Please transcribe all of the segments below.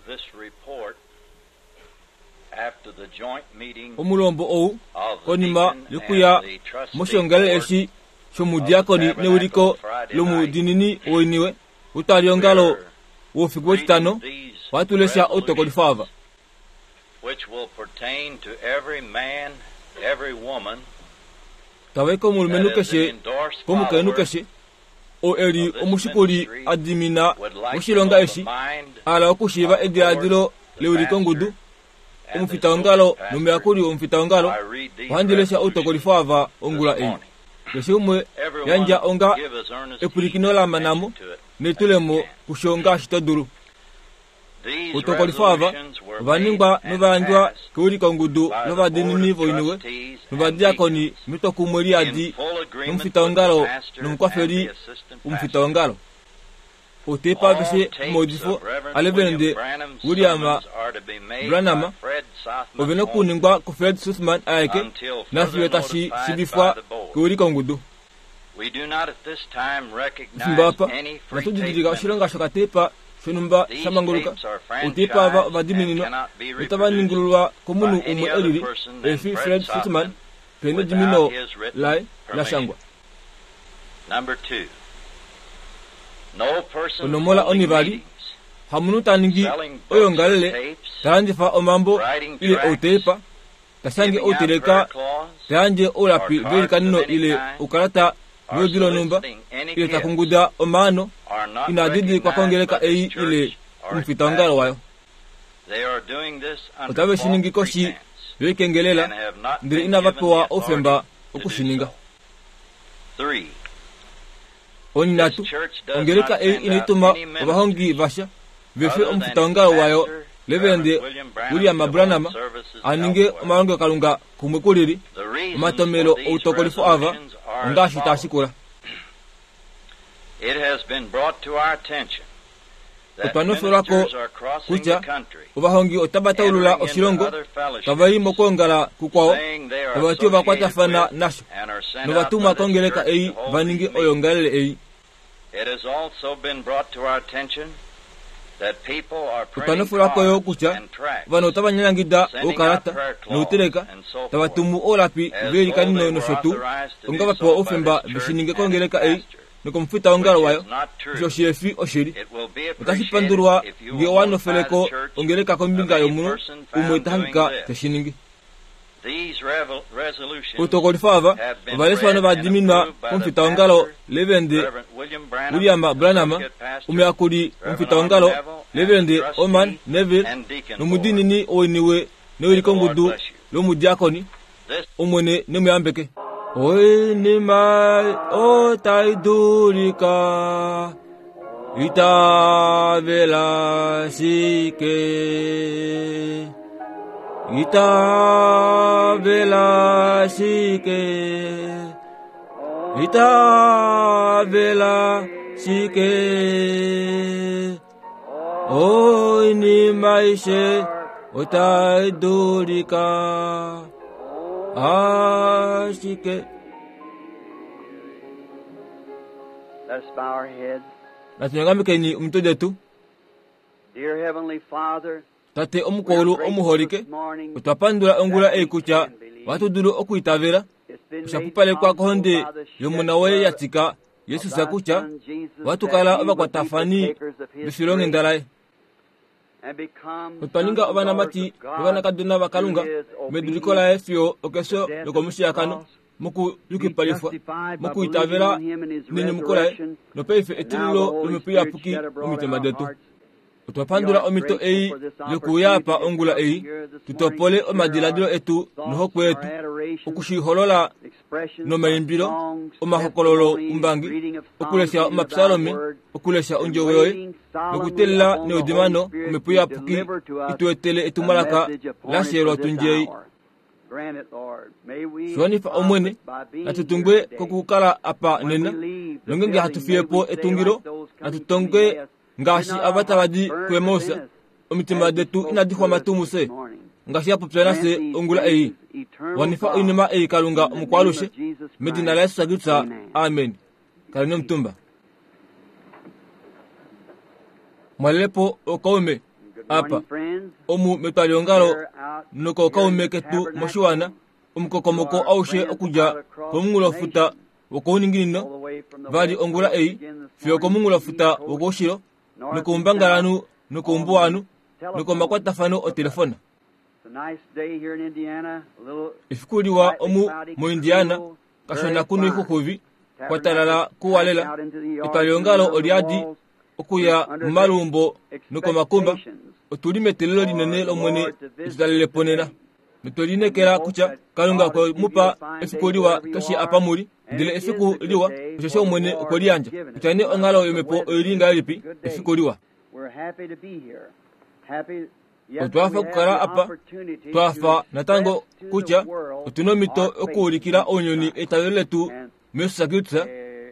this report after the joint meeting Omulombo ou of the konima deacon yokuya and the trustee moshiongalele board eshi shomudiakoni neuliko lomudinini woiniwe utwaliongalo woufiku wetitano reading these watulesha outokolifo ava which will pertain to every man, every woman tavaika omulumenhu that is an keshe endorsed komukainhu follower keshe oo eli of this omushikuli ministry a dimina would like to moshilonga know the eshi mind ala okushiiva ediladilo leulikongudu and the omufitaongalo associate pastor. nomuyakuli womufitaongalo I read these ohandi lesha resolutions outokolifo ava this ongula ei morning. keshe umwe Everyone yandja onga give as earnest epulikino la manamo attention to it netulemo as you can. kusho ngaashi to dulu These outokolifo ava resolutions were ova ningwa made and novayandjwa passed keulikongudu by the board lovadinini of voiniwe trustees and novadiakoni deacons metwokumwe in liyadi full agreement with the nomufitaongalo pastor and nomukwafeli the assistant pastor. womufitaongalo otepa All aveshe tapes omaudifo of Reverend aleverende William Branham's William sermons are to be made Branham by Fred Sothman ove na okuningwa kufred sussman aeke until further nafiyo tashi notified shivifwa by the board. keulikongudu We do not at this time recognize efimbo apa any free inatu tape didilika oshilonga ministry. shokatepa shonhumba These sha manguluka tapes are otepa ava franchised ova and dimininwa cannot be notava reproduced ningululwa komunhu by any umwe other elili person than efi Fred fred sussman Sothman pene edimino without his written laye la permission. shangwa Number 2. No person Onomola holding onivali, meetings, hamunhu ta ningi selling books or oyongalele tapes, ta landifa omambo writing ile tracts, outepa ta shange giving out outeleka prayer cloths, ta yandje oulapi or cards velikanino of any ile kind, oukalata or voludi lonhumba soliciting any ile ta gifts kunguda omaano are not ina didilikwa recognized kongeleka by ei this ile church or its omufitaongalo pastor. wayo They are doing this under otave shi ningi false koshi pretense yoikengelela and have not ndele been inava given the pewa authority oufemba to do okushininga so. 3. Onhinatu This church does ongeleka not ei send inai out tuma any ministers ovahongi vasha vefe other than omufitaongalo wayo pastor, Reverend Reverend William Branham William to hold Branham services a ninge elsewhere. omalongelokalunga kumwe kulili The reasons omatomelo for these outokolifo ava resolutions are as ongaashi taa follows. shikula It has been brought to our attention that Otwa nofelwako ministers are crossing the kutya country, ovahongi otava taulula entering into oshilongo other fellowships, tava i mokwoongala kukwao saying they are tava ti ova associated kwatafana with nasho and are sent out by novatumwa this kongeleka church ei to hold va ninge these meetings. oyongalele ei It has also been brought to our attention that people are Otwa printing nofelwako yo cards kutya and tracts, ovanhu otava nyanyangida sending out oukalata prayer cloths nouteleka and so tava forth, tumu oulapi as though velikanino they were nosho tuu authorized to onga do va pewa so by oufemba this ve shi church ninge and its kongeleka ei pastor, nokomufitaongalo which wayo is not osho true. shihefi oshili It will be otashi appreciated pandulwa if you ngee will owa notify the nofeleko church ongeleka of kombinga any yomunhu person umwe found ta doing hangika this. teshi ningi These resolutions outokolifo ava have been ovaleswa read and novadiminwa approved by the komufitaongalo pastor, Reverend Reverend William Branham, William Branham Associate Pastor, omuyakuli Reverend womufitaongalo Orman Neville, and Reverend the trustee Orman Neville and deacon board. nomudinini oiniwe May the Lord newilikongudu bless you. lomudiakoni This omwene nemuyambeke oinima otai dulika itavela shike itavela shike itavela shike oinima aishe otai dulika ashike Let us bow our heads. natunyongamekeni omitwe detu Dear Heavenly Father, tate we are omukulu grateful omuholike this morning otwa pandula ongula that ei we kutya can believe. ohatu dulu okwiitavela It's been osha made pupalekwa possible kohonde by the shed yomona woye blood ya tika of yesus thy kutya Son Jesus, ohatu that kala we would be ovakwatafani partakers of his vefilonghenda grace laye and become otwa sons ninga and daughters ovanamati of God novanakadona through vakalunga his meduliko obedience laye fiyo okefyo to death of the lokomushiyakano cross, be mokuyukipalifwa justified by believing mokwiitavela on him and his nenyumuko laye resurrection, nopaife and now the etululo Holy lomhepo Spirit iyapuki shed abroad in momitima our detu hearts. otwa We pandula are omhito grateful ei for this yokuya opportunity apa to ongula come ei here this morning tutopole to share our omadiladilo etu thoughts, nohokwe our yetu adorations, okushiholola expressions by nomaimbilo songs, omahokololo testimonies, umbangi reading of psalms okulesha into thy omapsalome word, okulesha and ondjovo yoye waiting solemnly nokutelela upon the Holy neudimano Spirit omhepo to iyapuki deliver to us ituetele the etumwalaka message appointed for lashelwa this tundjei hour. Grant it, Lord. May we shiwanifa omwene profit by being here natutungwe today. kokukala apa When we nena leave the nongenge building, may hatufiyepo we say etungilo like those coming from natutongwe Emmaus, did ngaashi not ava our tava hearts di burn kuEmaus within us omitima as you detu spoke inadi to xwama us tuu this muse morning? ngaashi yapopya Grant nafye these ongula ei things, eternal wanifa God, oinima ei kalunga in the name omukwalushe of Jesus medina Christ. la yesu kristu Amen. amen kaleni omutumba mwalelepo okaume Good Apa omu metwaliongalo nokookaume ketu moshiwana, omukokomoko aushe okudja komunghulofuta wokouninginino vali ongula ei fiyo okomunghulofuta wokoushilo nokoumbangalanhu nokoumbuwanhu nokomakwatafano otelefona. Efiku liwa omu moIndiana, kashona kuno ixuxuvi, kwa talala kuwa lela. Etwaliongalo oliadi okuya momaluumbo nokomakumba. Otuli meteelelo linene lOmwene etu talele po nena. Notwe lineekela kutya Kalunga okwe mu pa efiku liwa keshe apa mu li, ndele efiku liwa osheshi Omwene okwe li yandja. Kutya nee onghalo yomhepo oi li ngahelipi, efiku liwa. Otwa hafa okukala apa, twa hafa natango kutya otu na omhito okuulikila ounyuni eitavelo letu muJesus Kristus,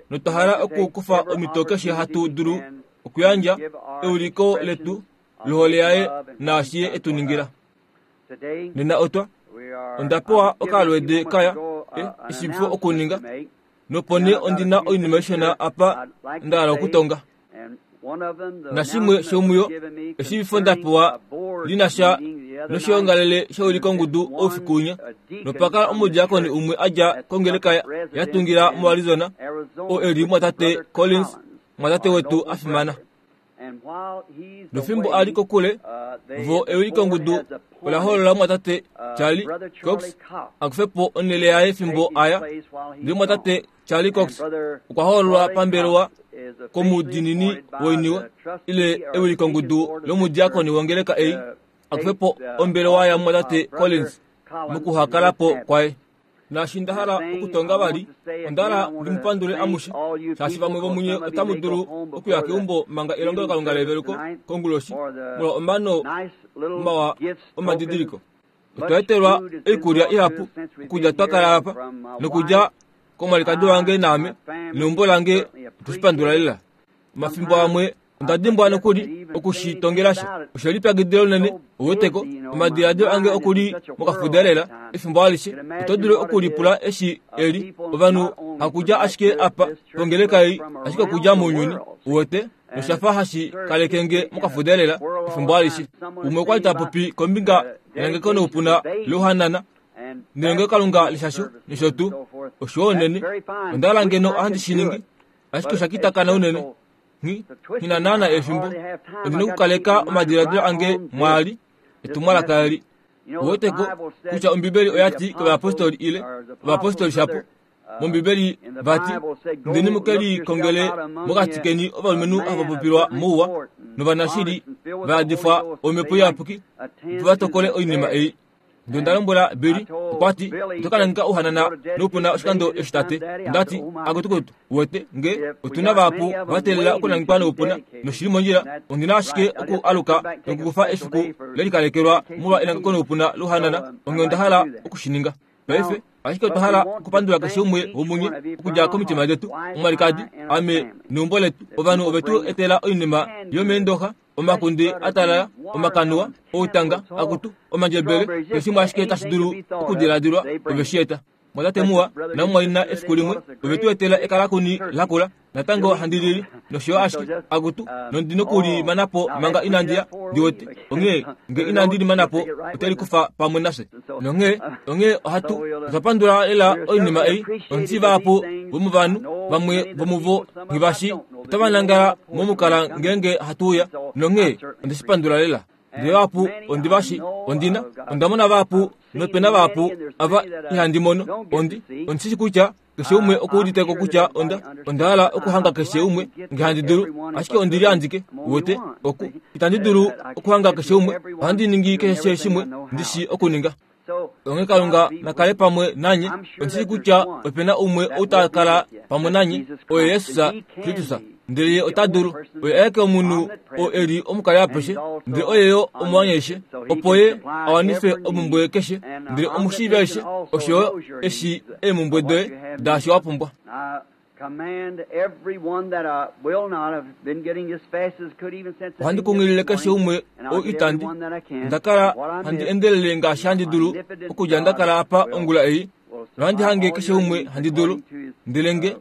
notwa hala okukufa omhito keshe hatu dulu okuyandja euliko letu lohole yaye naashi ye e tu ningila. Nena otwa onda pewa okalweede kaya eshivifo okuninga, nopo nee ondi na oinima ishona apa nda hala okutonga. Nashimwe shomuyo eshivifo nda pewa li na sha noshoongalele sheulikongudu oufiku winya, nopa kala omudiakoni umwe a dja kongeleka ya tungila moArizona, oo e li mumwatate Collins, mumwatate wetu a fimana. Nofimbo a li kokule, vo eulikongudu ola holola mumwatate Charlie Cox a kufe po onhele yaye fimbo a ya. Ndele mumwatate Charlie Cox okwa hoololwa pambelewa komudiinini woiniwe ile ewilikongudu lomudiakoni wongeleka ei a kufe po ombelewa yamumwatate Collins mokuhakala po kwaye. Naashi nda hala okutonga vali, onda hala ndi mu pandule amushe, shaashi vamwe vomunye otamu dulu okuya keumbo manga elongelokalunga leveluko konguloshi molwa omano mawa omadidiliko. Otwa etelwa oikulya ihapu okudja twa kala apa, nokudja komwalikadi wange naame neumbo lange otwe shi pandula lela. Omafimbo amwe onda dimbwa nokuli oku shi tongela sha. Oshe lipyakidila unene, ou weteko, omadiladilo ange oku li mokafuda lela efimbo alishe. Oto dulu okulipula eshi e li ovanhu hakudja ashike apa pongeleka ei, ashike okudja mounyuni, u wete. Nosha fa hashi kaleke nge mokafuda lela efimbo alishe. Umwe okwa li ta popi kombinga yenangeko noupuna louhanana nelongelokalunga leshasho nosho tuu. Oshiwa unene. Onda hala ngeno ohandi shi ningi, ashike osha kitakana unene. Nghi, nghi na naana efimbo. Ondi na okukaleka omadiladilo ange mwaali, etumwalaka eli. Ouweteko kutya Ombibeli oya ti kovayapostoli ile ovayapostoli shapo, mOmbibeli vati, Indeni mu ke likongele mokati keni ovalumenhu hava popilwa mouwa novanashili va yadifwa Omhepo Iyapuki, opo va tokole oinima ei. Ndele onda lombwela Billy, okwa ti, Oto ka nangeka ouhanana noupuna oshikando eshi tate. Onda ti, Akutukutu, uwete, nge otu na vahapu va teelela okunangekwa noupuna, noshi li mondjila, ondi na ashike oku aluka nokukufa efiku le likalekelwa molwa enangeko noupuna louhanana, onghee onda hala oku shi ninga. Paife, ashike otwa hala okupandula keshe umwe womunye okudja komitima detu, omwalikadi, ame neumbo letu. Ovanhu ove tu etela oinima yomeendoxa, omakunde a talala, omakanuwa, outanga, akutu, omandjebele, keshe shimwe ashike tashi dulu okudiladilwa, ove shi eta. Mwatate muwa namumwaina efiku limwe ove tu etela ekalakuni lakula, natango handi lili, nosho yo ashike, akutu, nondi noku li mana po manga inandi ya, ndi wete. Onghee, nge inandi li mana po, ote li kufa pamwe nafye. Nonghee, onghee ohatu, otwa pandula lela oinima ei, ondi vahapu vomovanhu, vamwe vomuvo nghi va shii, otava nangala momukala ngeenge hatu uya, nonghee onde shi pandula lela. Ndele vahapu ondi va shi, ondi na, onda mona vahapu, nope na vahapu ava ihandi mono. Ondi, ondi shi shi kutya keshe umwe oku udite ko kutya onda, onda hala okuhanga keshe umwe nge handi dulu, ashike ondi li andike, uwete, oku, itandi dulu okuhanga keshe umwe, ohandi ningi keshe shimwe ndi shii okuninga. Onghee Kalunga na kale pamwe nanye. Ondi shii kutya ope na umwe ou ta kala pamwe nanye, oye Jesus Kristus. Ndele ye ota dulu. Oye aeke omunhu oo e li omukali apeshe, ndele oye yo omuwanyaishe, opo ye a wanife omhumbwe keshe. Ndele omushiivi aishe, osho yo e shii eemhumbwe doye daashi wa pumbwa. Ohandi kunghilile keshe umwe ou itandi. Onda kala handi endelele ngaashi handi dulu okudja nda kala apa ongula ei, nohandi hange keshe umwe handi dulu. Ndele nge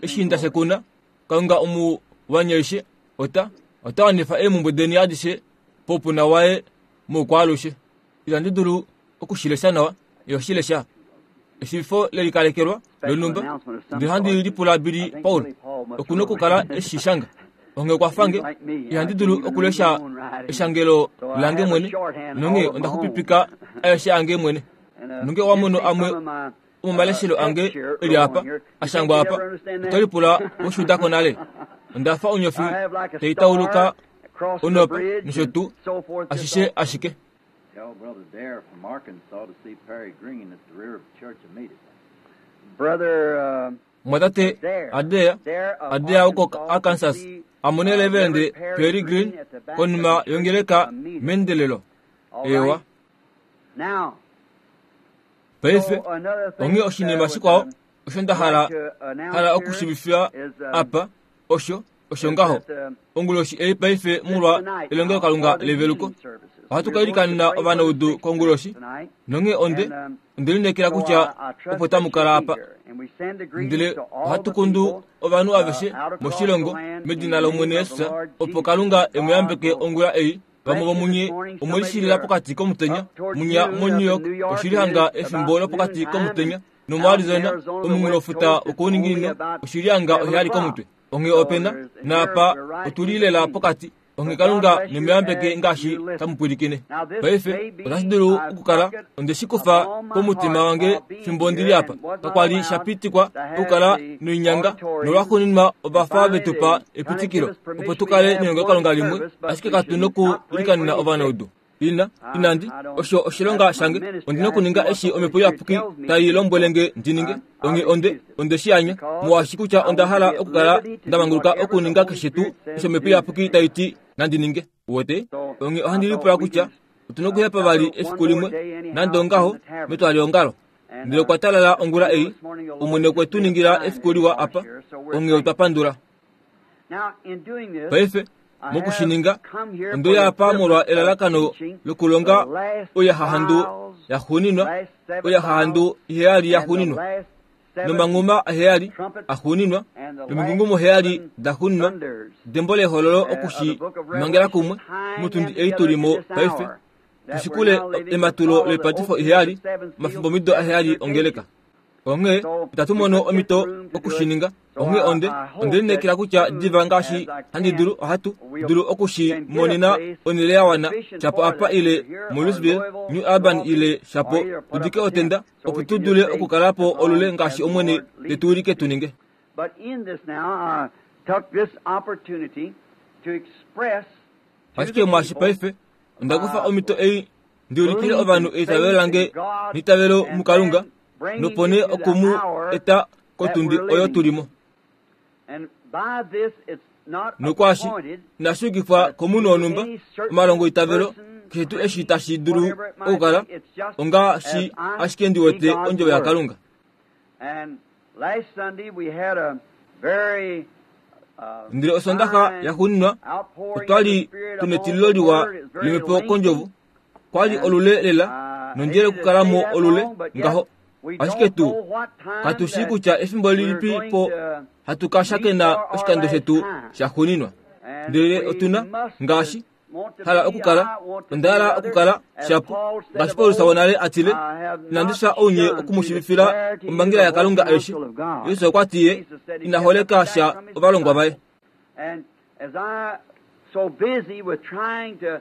eshi nda shekuna, Kalunga omuwanyaishe ota ota wanifa eemhumbwe deni adishe. poupuna waye moukwaalushe. Itandi dulu okushilesha nawa, iho shilesha. Eshivifo lelikalekelwa lonhumba, ndele handi lipula Billy Paul oku nokukala eshi shanga. Onghee okwa fange, ihandi dulu okulesha eshangelo lange mwene, nonghee onda xupipika aeshe ange mwene. Nonge owa mono amwe omomaleshelo ange e li apa, a shangwa apa, oto lipula we ko nale. Onda fa onyofi tai tauluka onopa nosho tuu, ashishe ashike. Tell Brother Dare from Arkansas to see Perry Green at the rear of the church immediately. Brother Mwatate Adair, Adair woko Arkansas, a mone Reverend Perry Green konima yongeleka meendelelo. Ewa. Now, Paife, onghee oshinima shikwao osho nda hala hala okushivifila apa osho osho ngaho onguloshi ei paife molwa elongelokalunga leveluko ohatu ka ilikanena ovanaudu konguloshi nonghee onde onde lineekela kutya opo tamu kala apa ndele ohatu kundu ovanhu aveshe moshilongo medina lOmwene Jesus opo Kalunga e mu yambeke ongula ei vamwe vomunye omwe lishilila pokati komutenya munya moNew York oshili hanga efimbo lopokati komutenya nomoArizona omunghulofuta wokouninginino oshili hanga oheyali komutwe. Onghee opena naapa otuli lela pokati. Onghee Kalunga nemuyambeke ngaashi tamu pwilikine. Paife otashi dulu okukala onde shi kufa komutima wange fimbo ndili apa. Kakwa li sha pitikwa okukala noinyanga nolwaxuuninwa ova fa ve tu pa epitikilo opo tu kale nelongelokalunga limwe, ashike katu nokuilikanena ovanaudu. Ina, inandi, osho oshilonga shange, ondi nokuninga eshi omhepo iyapuki tai lombwele nge ndi ninge. Onghee onde, onde shi anya, molwaashi kutya onda hala okukala nda manguluka okuninga keshe tuu osho omhepo iyapuki tai ti nandi ninge. Uwete? Onghee ohandi lipula kutya otu nokuhepa vali efiku limwe, nande ongaho, metwaliongalo. Ndele okwa talala ongula ei, Omwene okwe tu ningila efiku liwa apa, onghee otwa pandula. Now, in doing this, Paife, mokushininga, onde uya apa molwa elalakano lokulonga oihahandu yaxuuninwa, oihahandu iheyali yaxuuninwa, nomanghuma aheyali axuuninwa, nomigungumo heyali daxuuninwa, dembo lehololo oku shi mangela kumwe motundi ei tuli mo paife, tushikule ematulo loipatifo iheyali, omafimbomido aheyali ongeleka. Onghee itatu mono omhito okushininga. Onghee onde onde lineekela kutya diva ngaashi handi dulu ohatu dulu oku shi monena onhele ya wana shapo apa ile moLouisville, New Albany ile shapo tu dike otenda opo tu dule okukala po olule ngaashi Omwene te tu wilike tu ninge. But in this now, I took this opportunity to express to Ashike the mwaashi people paife onda kufa omhito ei ndi ulikile ovanhu eitavelo lange neitavelo muKalunga nopo nee oku mu eta kotundi oyo tuli mo. And by this it's not Nokwaashi appointed inashi yukifwa komunhu wonhumba, omalongo eitavelo, keshe tuu eshi tashi dulu okukala, ongaashi ashike ndi wete ondjovo yaKalunga. And last Sunday we had a very Ndele Osondaxa yaxuuninwa outpouring otwa of the li Spirit tuna upon etililo the liwa Word. It's very lomhepo lengthy. kondjovo. Kwa li olule lela nondjele okukala mo olule ngaho. Ashike tu katu shii kutya efimbo lilipi po hatu ka shakena oshikando shetu shaxuuninwa. Ndele otuna ngaashi hala okukala, onda hala okukala shapo ngaashi Paulus wonale a tile, inandi fya ounye okumushivifila omhangela yaKalunga aishe. Jesus okwa ti ye ina holeka sha ovalongwa vaye. And as I so busy with trying to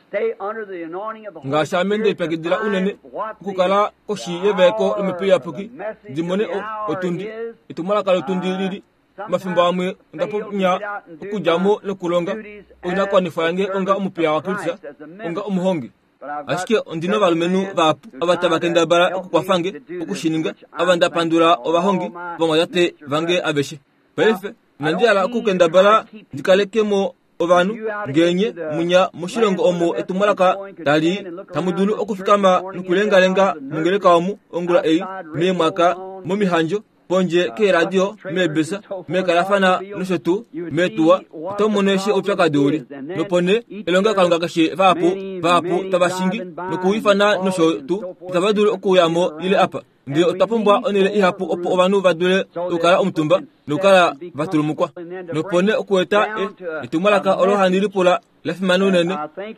stay under the anointing of the Holy Ngaashi ame nde Spirit to lipyakidila unene find what okukala the, koshi the yevaeko hour, lomhepo the iyapuki message ndi of mone the hour otundi is, etumwalaka lotundi lili mafimbo amwe onda fail to ponya get out and do okudja my mo nokulonga duties as oinakuwanifwa the yange onga servant omupiya of waKristus, Christ, as a onga minister. omuhongi. But I've got Ashike ondina several ovalumenhu men vahapu who ava try tava to kendabala help me okukwafa nge to do this, okushininga, which ava I'm nda pandula thankful for, ovahongi all my vamwatate minister vange brothers. aveshe. Now, Paife I inandi don't hala mean to try okukendabala to keep ndi kaleke mo ovanhu you out ngeenye into the munya moshilongo land where omo the message is etumwalaka going could tali stand and look tamu around dulu this church this okufikama morning in the nokulengalenga house and mongeleka nurseries, omu ongula ei outside meemwaka radios on, momihandjo pondje keeradio buses, trailers, meebesa and so forth, meekalafana automobiles. nosho tuu You would meetuwa see what oto the mono eshi problem oupyakadi uli is. And then nopo nee each elongelokalunga service, keshe vahapu many, vahapu many tava shingi driving by and nokuifana nosho calling and tuu so forth, itava they dulu couldn't okuuya get mo ile around. apa. Ndele otwa pumbwa onhele ihapu opo ovanhu va dule okukala omutumba nokukala va tulumukwa. Nopo nee okueta e, etumwalaka olo handi lipula la fimana unene,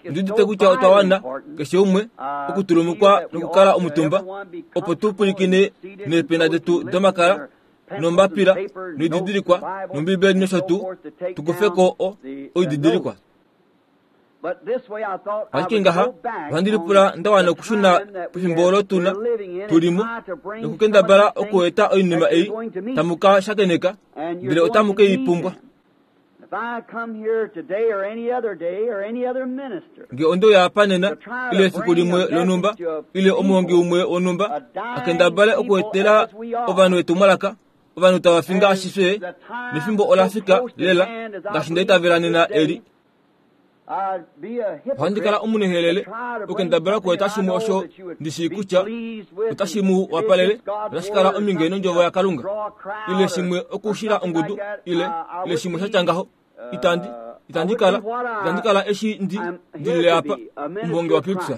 ndi udite kutya otwa wana, keshe umwe, okutulumukwa nokukala omutumba, opo tu pwilikine neepena detu domakala nombapila noididilikwa nombibeli nosho tuu, tu kufe ko o, oididilikwa. Ashike ngaha, ohandi lipula nda wana okushuna pefimbo olo tu na, tu li mo, nokukendabala okueta oinima ei tamu ka shakeneka, ndele otamu ke i pumbwa. Nge onde uya apa nena, ile efiku limwe lonhumba, ile omuhongi umwe wonhumba, a kendabale okuetela ovanhu etumwalaka, ovanhu tava fi ngaashi fye, nefimbo ola fika lela ngaashi nda itavela nena eli. Ohandi kala omunehelele okukendabala okueta shimwe osho ndi shii kutya otashi mu wapalele, otashi kala ominge nondjovo yaKalunga, ile shimwe okushila ongudu, ile, ile shimwe sha tya ngaho. Itandi, itandi kala, itandi kala eshi ndi, ndi lile apa, omuhongi waKristus.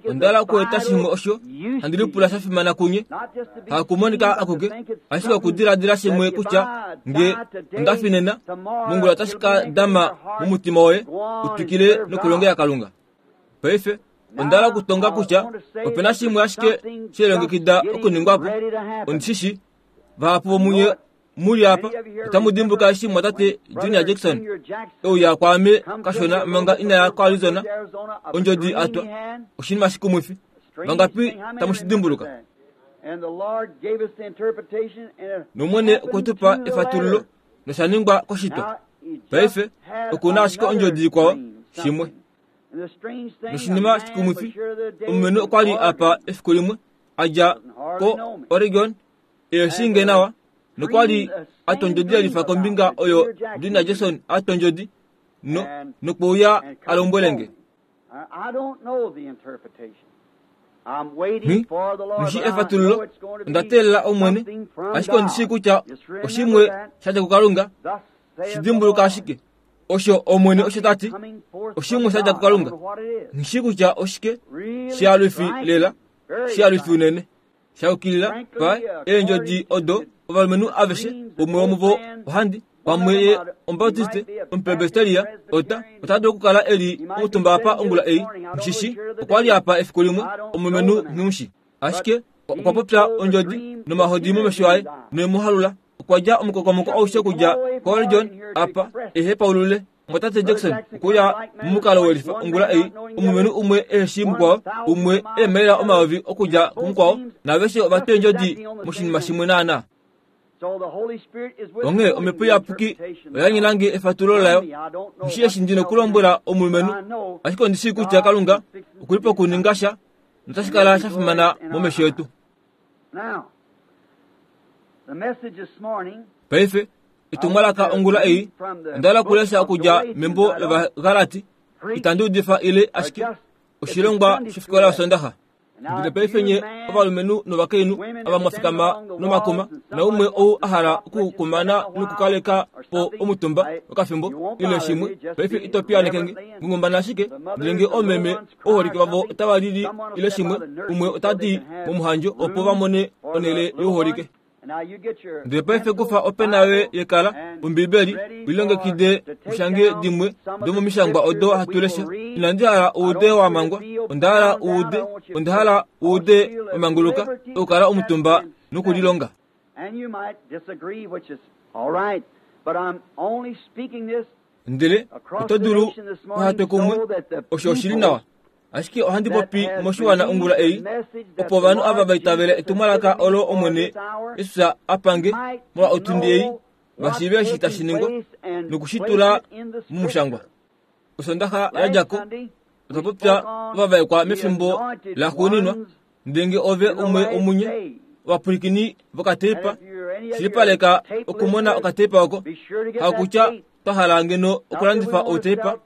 Onda hala okueta shimwe osho handi lipula sha fimana kunye, hakumonika akuke, ashike okudiladila shimwe kutya nge onda fi nena, mongula otashi ka dama momutima woye u twikile nokulongela Kalunga. Paife onda hala okutonga kutya ope na shimwe ashike she lilongekida okuningwa po. Ondi shi shii, vahapu vomunye mu li apa otamu dimbuluka eshi mwatate Junior Jackson e uya kwaame kashona manga ina ya koArizona, ondjodi a twa oshinima shikumwifi. Vangapi tamu shi dimbuluka? NOmwene okwe tu pa efatululo nosha ningwa koshitwa. Paife oku na ashike ondjodi ikwao, shimwe. Noshinima shikumwifi, omulumenhu okwa li apa efiku limwe, a dja ko-Oregon, e shii nge nawa, nokwa li a twa ondjodi ya lifa kombinga oyo Junior Jackson a twa ondjodi, no, nokwe uya a lombwele nge. Nghi, nghi shii efatululo, onda teelela Omwene, ashike ondi shii kutya oshimwe sha dja kuKalunga, shi dimbuluka ashike. Osho Omwene osho ta ti, oshimwe sha dja kuKalunga. Nghi shii kutya oshike, shialwifi lela, shialwifi unene. Sha yukilila pa eendjodi odo ovalumenhu aveshe, umwe womuvo ohandi, pamwe ye Omubaptiste, Omupresbiteria, ota, ota dulu okukala e li omutumba apa ongula ei, nghi okwa li apa efiku limwe, omulumenhu nghi Ashike okwa popya ondjodi nomahodi momesho aye, noye mu halula. Okwa dja omukokomoko aushe okudja koOregon apa, e hepaulule Mwatate Jackson okuya momukalo welifa ongula ei, omulumenhu umwe ehe shii mukwao, umwe eemaila omayovi okudja kumukwao, naaveshe ova twa eendjodi moshinima shimwe naanaa. Onghee Omhepo Iyapuki oya nyela nge efatululo layo. Nghi eshi ndi nokulombwela omulumenhu, ashike ondi shii kutya Kalunga oku li pokuninga sha, notashi kala sha fimana momesho etu. Paife, etumwalaka ongula ei, onda hala okulesha okudja membo lOvagalati, itandi udifa ile ashike oshilongwa shofikola yOsondaxa. Ndele paife nye ovalumenhu novakainhu ava mwa fikama nomakuma, naumwe ou a hala okukumana nokukaleka po omutumba okafimbo ile shimwe, paife ito piyaaneke nge, ngungumbana ashike. Ndele nge oomeme ouholike vavo otava lili ile shimwe, umwe ota di momuhandjo opo va mone onhele youholike. Ndele paife kufa opena yoye yekala, Ombibeli, u lilongekide u shange dimwe domomishangwa odo hatu lesha. Inandi hala u ude wa mangwa, onda hala u ude, onda hala u ude wa manguluka okukala omutumba nokulilonga. Ndele oto dulu uha twe kumwe, osho oshi li nawa. Ashike ohandi popi moshiwana ongula ei, opo ovanhu ava va itavela etumwalaka olo Omwene Jesus a pange molwa otundi ei, va shiive eshi tashi ningwa noku shi tula momushangwa. Osondaxa ya dja ko, otwa popya ovavaekwa mefimbo laxuuninwa, ndele nge ove umwe womunye ovapwilikini vokateipa, shilipaleka okumona okateipa oko, hakutya twa hala ngeno okulandifa outeipa,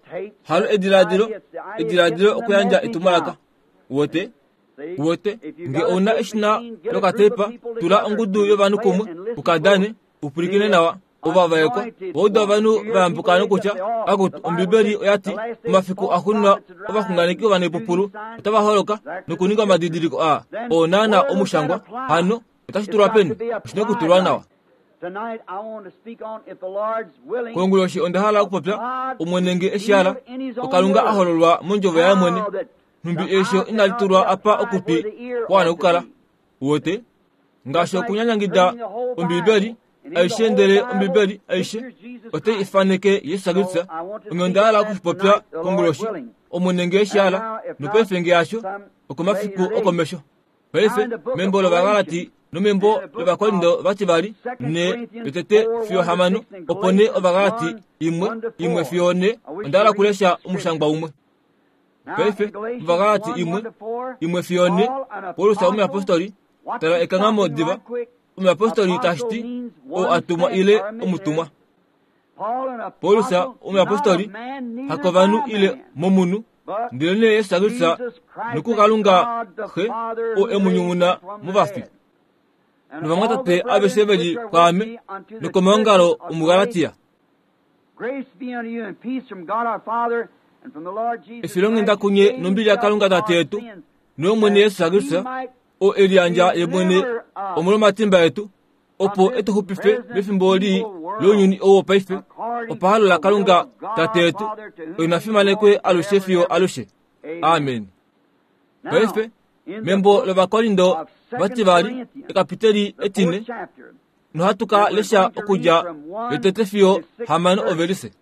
halo ediladilo, ediladilo okuyandja etumwalaka. Uwete? Uwete? Nge ou na eshina lokateipa, tula ongudu yovanhu kumwe, u ka dane, u pwilikine nawa. Ovavaekwa vauda ovanhu va yambuka nokutya, Akutu, Ombibeli oya ti, Omafiku axuuninwa ovaxunganeki ovanaipupulu otava holoka nokuninga omadidiliko aa oo naana omushangwa. Hano otashi tulwa peni? Oshi na okutulwa nawa. Konguloshi onda hala okupopya, Omwene nge e shi hala, oKalunga a hololwa mondjovo yaye mwene, nhumbi eisho inali tulwa apa okutwi kwa wana okukala. Uwete? Ngaashi okunyanyangida Ombibeli aishe ndele Ombibeli aishe otai ifaneke Jesus Kristus. Onghee onda hala oku shi popya konguloshi, Omwene nge e shi hala, nopaife nge hasho, okomafiku okomesho. Paife, membo lOvagalati nomembo lOvakorinto vativali, ne yotete fiyo hamano, opo nee Ovagalati imwe, imwe fiyo ne, onda hala okulesha omushangwa umwe. Paife, Ovagalati imwe, imwe fiyo ne, Paulus omuyapostoli, tala ekanghamo diva, omuyapostoli tashi ti oo a tumwa ile omutumwa. Paulus omuyapostoli, hakovanhu ile momunhu, ndelenee Jesus Kristus nokuKalunga Xe, oo e mu nyumuna movafi. Novamwatate aveshe ve li kwaame nokomaongalo omuGalatia. Efilonghenda kunye nombili yaKalunga Tate yetu noyOmwene Jesus Kristus, oo e liyandja ye mwene omolwomatimba etu, opo e tu xupife mefimbo lii lounyuni ou wopaife, opahalo laKalunga Tate yetu, oye na fimanekwe alushe fiyo alushe. Amen. Paife, membo lOvakorindo vativali, ekapiteli etine, nohatu ka lesha okudja yotete fiyo hamano ovelise.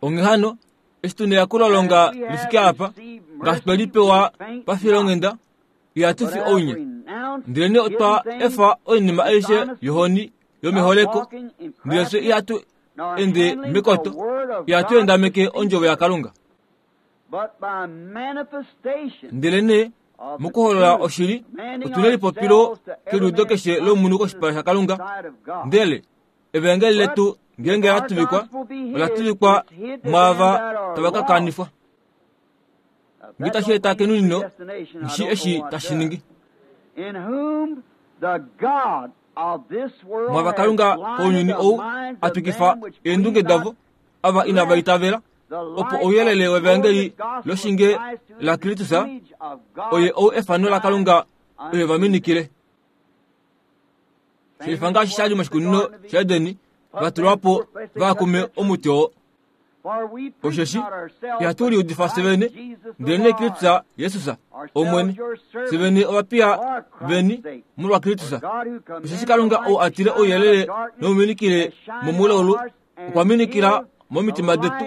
Onghee hano, eshi tu neyakulolonga li fike apa, ngaashi twe li pewa pafilonghenda, ihatu fi ounye. Ndelenee otwa efa oinima aishe yohoni yomeholeko, ndele fye ihatu ende mekoto, ihatu endameke ondjovo yaKalunga. Ndelenee mokuholola oshili, otu nelipopilo keliudo keshe lomunhu koshipala shaKalunga. Ndele Evangeli letu ngeenge la tuvikwa, ola tuvikwa mwaava tava ka kanifwa. Nge tashi eta kenunino, nghi eshi tashi ningi. Mwava Kalunga kounyuni ou a twikifa eendunge davo, ava inava itavela, opo ouyelele wevangeli loshinge laKristus, oye ou efano laKalunga oye va minikile. Shelifa ngaashi sha li moshikunino shaEden, va tulwa po va kume omuti oo. Osheshi ihatu liudifa fye vene, ndelenee Kristus Jesus, Omwene, fye vene ovapiya veni molwaKristus. Osheshi Kalunga ou a tile ouyelele nouminikile momulaulu, okwa minikila momitima detu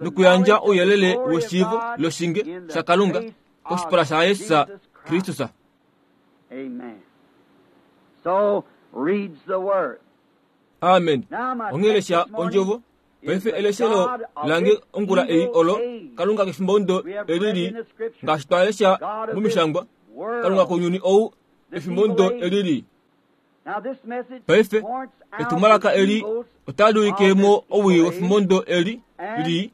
nokuyandja ouyelele weshiivo loshinge shaKalunga koshipala shaJesus Kristus. Amen. So reads the word. Amen. Onghee lesha ondjovo. Paife eleshelo lange ongula ei olo Kalunga kefimbo ndo elili ngaashi twa lesha momishangwa Kalunga kounyuni ou efimbo ndo elili. Paife etumwalaka eli otali ulike mo owii wefimbo ndo eli li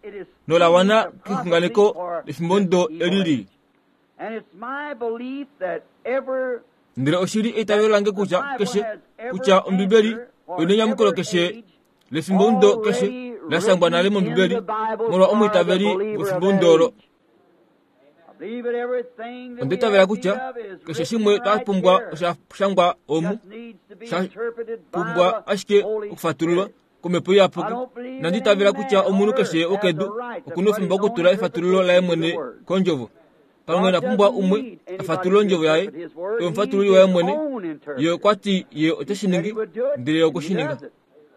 nola wana kexunganeko lefimbo ndo eli li. Ndele oshi li eitavelo lange kutya keshe, kutya Ombibeli oi nenyamukulo keshe lefimbomudo keshe la shangwa nale mOmbibeli molwa omwiitaveli wefimbomudo olo. Onda itavela kutya keshe shimwe twa pumbwa osha shangwa omu, sha pumbwa ashike okufatululwa komhepo iyapuki. Inandi itavela kutya omunhu keshe wokedu oku na oufemba wokutula efatululo laye mwene kondjovo. Kalunga ina pumbwa umwe a fatulule ondjovo yaye, ye omufatululi waye mwene. Ye okwa ti ye ote shi ningi, ndele ye okwe shi ninga.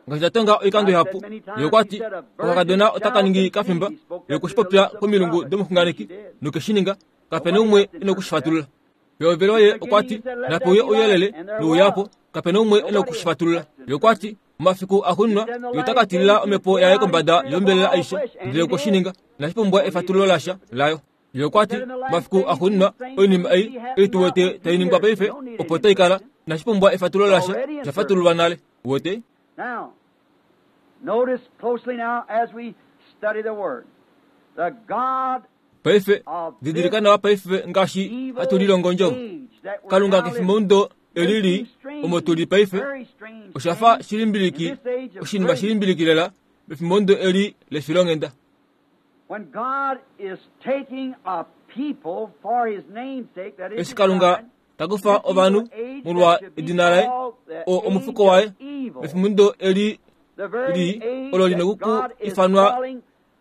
Ngaashi nda tonga oikando ihapu, ye okwa ti okakadona otaka ningi kafimba, ye okwe shi popya komilungu domuxunganeki, noke shi ninga. Kape na umwe e na oku shi fatulula. Pehovelo ye okwa ti, Nape uye ouyelele, nouya po. Kape na umwe e na oku shi fatulula. Ye okwa ti, Omafiku axuuninwa ye ota ka tilila omhepo yaye kombada yombelela aishe, ndele okwe shi ninga. Inashi pumbwa efatululo lasha layo. Ye okwa ti, Omafiku axuuninwa oinima ei, ei tu wete tai ningwa paife, opo tai kala. Inashi pumbwa efatululo lasha, osha fatululwa nale. Uwete? Now, notice closely now as we study the Word. The God Paife, didilika nawa paife ngaashi hatu lilongo ondjovo. Kalunga kefimbomudo Eli li omo tu li paife osha fa shilimbiliki, oshinima shilimbiliki lela mefimbo ndo eli lefilonghenda. Eshi Kalunga ta kufa ovanhu molwa edina laye, oo omufuko waye, mefimbo ndo eli li olo li noku ifanwa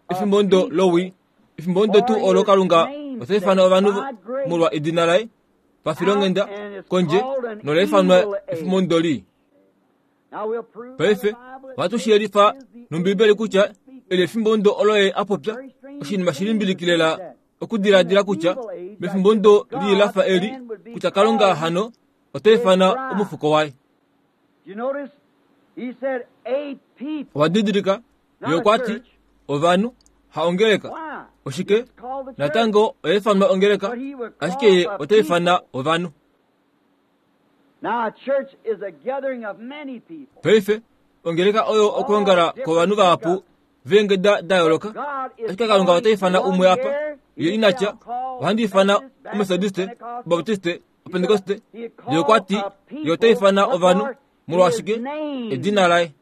efimbo ndo lowii, efimbo ndo tuu olo Kalunga ota ifana ovanhu molwa edina laye pafilonghenda kondje nola ifanwa efimbo ndo lii. Paife ohatu shi yelifa nOmbibeli kutya eli efimbo ndo olo ye a popya oshinima shi limbiliki lela okudiladila kutya mefimbo ndo lii la fa eli kutya Kalunga hano ota ifana omufuko waye. Owa didilika ye okwa ti ovanhu ha ongeleka oshike natango oya ifanwa ongeleka ashike ye ota ifana ovanhu. Paife, ongeleka oyo okwoongala kwovanhu vahapu veengeda da yooloka, ashike Kalunga ota ifana umwe apa. Ye ina tya, Ohandi ifana Omethodiste, Obaptiste, Opentekoste. Ye okwa ti, Ye ota ifana ovanhu, molwashike? Edina laye.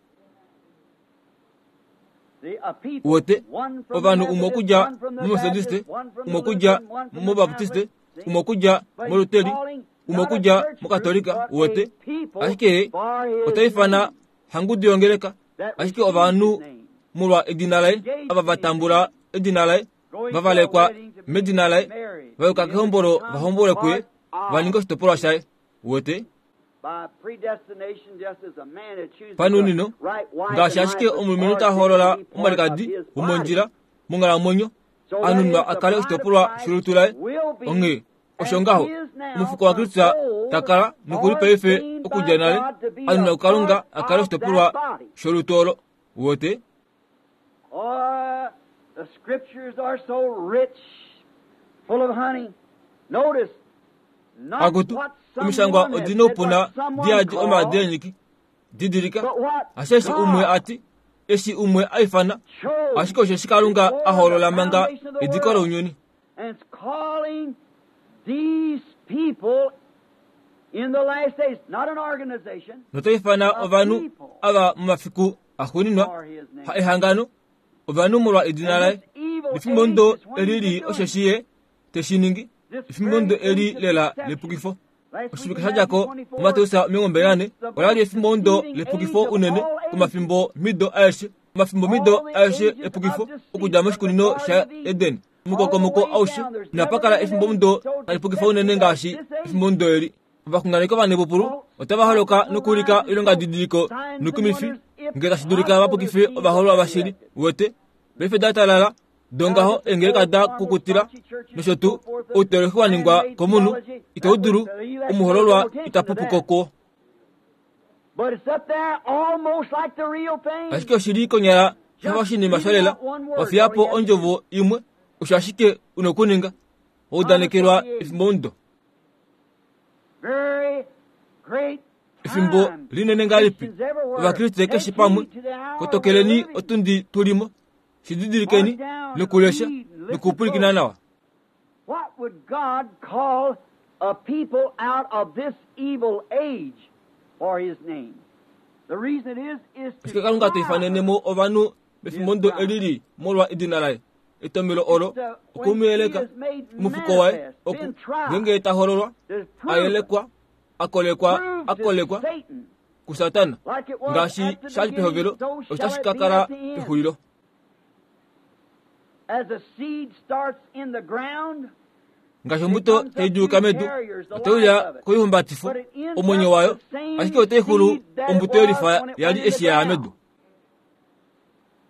Wote, ovanhu umwe okudja mOmethodiste, umwe okudja mObaptiste, umwe okudja mOluteri, umwe okudja mOkatolika, wote. Ashike ye ota ifana hangudu yongeleka, ashike ovanhu molwa edina laye, ava va tambula edina laye, va valekwa medina laye, va yuka kehombolo va hombolwe kuye, va ninga oshitopolwa shaye. Wote? Panunino, ngaashi ashike omulumenhu ta hoolola omwalikadi womondjila monghalamwenyo, a nunwa a kale oshitopolwa sholutu laye, onghee osho ngaho omufuko waKristus ta kala nokuli paife okudja nale a nunwa kuKalunga a kale oshitopolwa sholutu olo. Wote? Oh, the scriptures are so rich, full of honey. Notice, Akutu, omishangwa odi noupuna di yadi omaadi eenyiki. Didilika, hasheshi umwe a ti, eshi umwe a ifana, ashike osheshi Kalunga a hoolola manga ediko lounyuni. Nota ifana ovanhu ava momafiku axuuninwa, ha ehangano, ovanhu molwa edina laye. Nefimbo ndo eli lii osheshi ye te shi ningi, efimbo ndo eli lela lepukifo. Oshivike sha dja ko, muMateus 24, ola li efimbo ndo lepukifo unene komafimbo mido aeshe, omafimbo mido aeshe epukifo okudja moshikunino shaEden. Omukokomoko aushe inapa kala efimbo ndo tali pukifa unene ngaashi efimbo ndo eli. Ovaxunganeki ovanepupulu otava holoka nokuulika oilongadidiliko noikumifi ngee tashi dulika va pukife ovahoololwa vashili. Uwete? Paife da talala, dongaho eengeleka da kukutila nosho tuu, outeolohi wa ningwa komunhu itau dulu, omuhoololwa ita pupu ko kuo. Ashike oshi li konyala sha fa oshinima sholela, wa fiya po ondjovo imwe, osho ashike u na okuninga. Wa udanekelwa efimbomudo. Efimbo linene ngahelipi Ovakriste keshe pamwe, kotokeleni otundi tu li mo, shi didilikeni nokulesha nokupwilikina nawa. What would God call a people out of this evil age for His name? The reason it is, is to Ashike Kalunga ta ifanene mo ovanhu mefimbo ndo eli li molwa edina laye. Etomhelo olo oku mu yeleka, omufuko waye, oku, ngeenge ta hololwa, a yelekwa, a kolekwa, a kolekwa kuSatana, ngaashi sha li pehovelo, osho tashi ka kala pexulilo. Ngaashi ombuto tai duluka medu, otai uya koihumbatifo, omwenyo wayo, ashike otai xulu ombuto yelifa ya li eshi ya ya medu.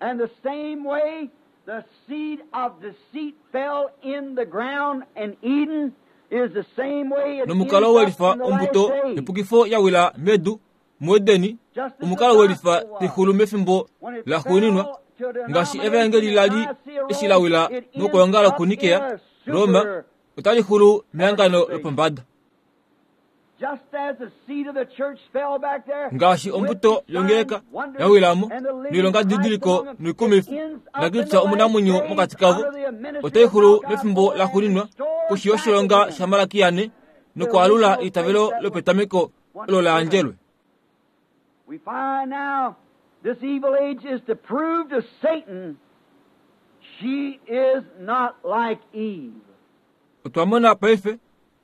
And the same way the seed of deceit fell in the ground in Eden is the same way it Nomukalo ends welifa up in the ombuto last days. yepukifo ya wila medu muEdeni, omukalo welifa taixulu mefimbo laxuuninwa, ngaashi evaengeli la li eshi la wila mokwoongala kuNikea, Roma, otali xulu mehangano lopombada. Ngaashi ombuto yongeleka ya wila mo noilongadidiliko noikumifi, naKristus omunamwenyo mokati kavo, otai xulu mefimbo laxuuninwa koshi yoshilonga shaMalakia 4 nokwaalula eitavelo lopetameko. olo la yandjelwe. We find now this evil age is to prove to Satan she is not like Eve. Otwa mona paife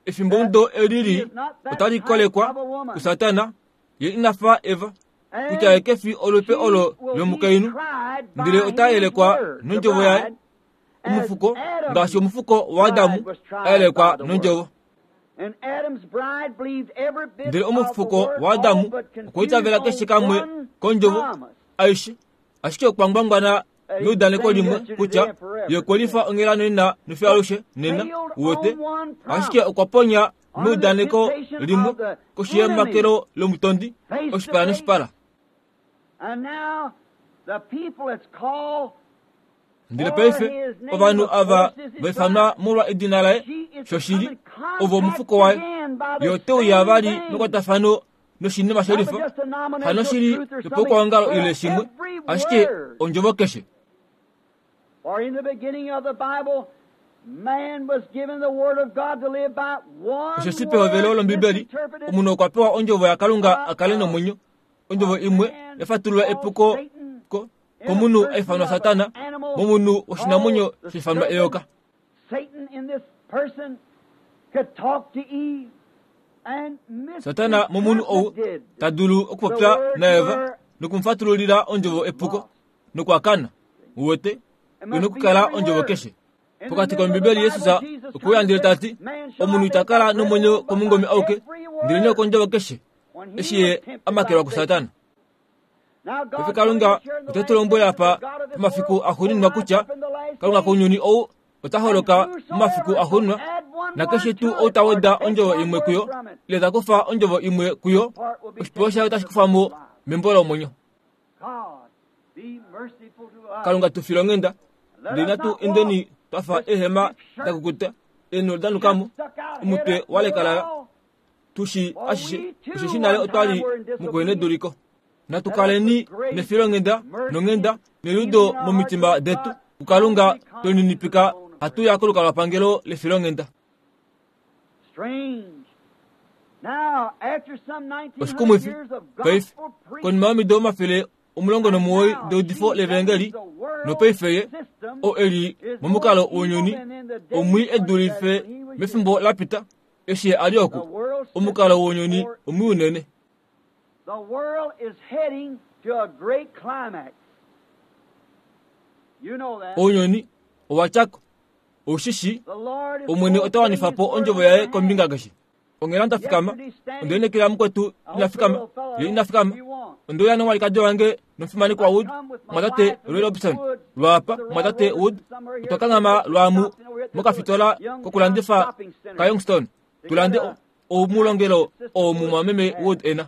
efimbomudo eli lii otali kolekwa kuSatana, ye ina fa Eva, kutya ye ke fi olupe olo lomukainhu, ndele ota yelekwa nondjovo yaye, omufuko, ngaashi omufuko waAdamu a yelekwa nondjovo. Ndele omufuko waAdamu okwa itavela keshe kamwe kondjovo aishe, ashike okwa ngwangwana meudaneko limwe kutya ye okwe lifa onghela nena nofiyo alushe nena, uwete, ashike okwa ponya meudaneko limwe koshi yemakelo lomutondi, oshipala noshipala. Ndele paife ovanhu ava va ifanwa molwa edina laye, shoshili, ovo omufuko waye. Ye ote uya vali mekwatafano noshinima shelifa, hanoshili yopaukwaongalo ile shimwe, ashike ondjovo keshe. Osheshi pehovelo lOmbibeli omunhu okwa pewa ondjovo yaKalunga a kale nomwenyo, ondjovo imwe ya fatulula epuko ko, komunhu a ifanwa Satana, momunhu woshinamwenyo sha ifanwa eyoka. Satana momunhu ou ta dulu okupopya naEva noku mu fatululila ondjovo epuko nokwa kana. Uwete, oi na okukala ondjovo keshe. Pokati kOmbibeli Jesus okwe uya ndele ta ti, Omunhu ita kala nomwenyo komungome auke, ndelenee okondjovo keshe, eshi ye a makelwa kuSatana. Paife Kalunga ote tu lombwele apa pomafiku axuuninwa kutya Kalunga kounyuni ou ota holoka momafiku axuuninwa, nakeshe tuu ou ta weda ondjovo imwe kuyo ile ta kufa ondjovo imwe kuyo, oshipewa shaye otashi kufwa mo membo lomwenyo. Kalunga tu file onghenda, ndele natu endeni twa fa eehema da kukuta, eenholo da nuka mo, omutwe wa lekalala, tu shi ashishe, osheshi nale otwa li mukuheneduliko. Natu kaleni nefilonghenda nonghenda neliudo momitima detu kuKalunga twe lininipika hatu ya kolukalwapangelo lefilonghenda. Oshikumwifi, paife, konima yomido 190 deudifo levangeli, nopaife ye, oo e li momukalo wounyuni, omwii e dulife mefimbo la pita, eshi ye a li oku, omukalo wounyuni omwii unene. Ounyuni owa tya ko, Ou shi shii, Omwene ota wanifa po ondjovo yaye kombinga keshe. Onghela nda fikama, onde lineekela mukwetu ina fikama, ye ina fikama. Onde uya nomwalikadi wange nomufimanekwa Wood, mumwatate Roy Robinson, lwaapa, mumwatate Wood, otwa kanghama lwaamu mokafitola kokulandifa kaYoungstown, tu lande oumulongelo oo mumwameme Wood e na.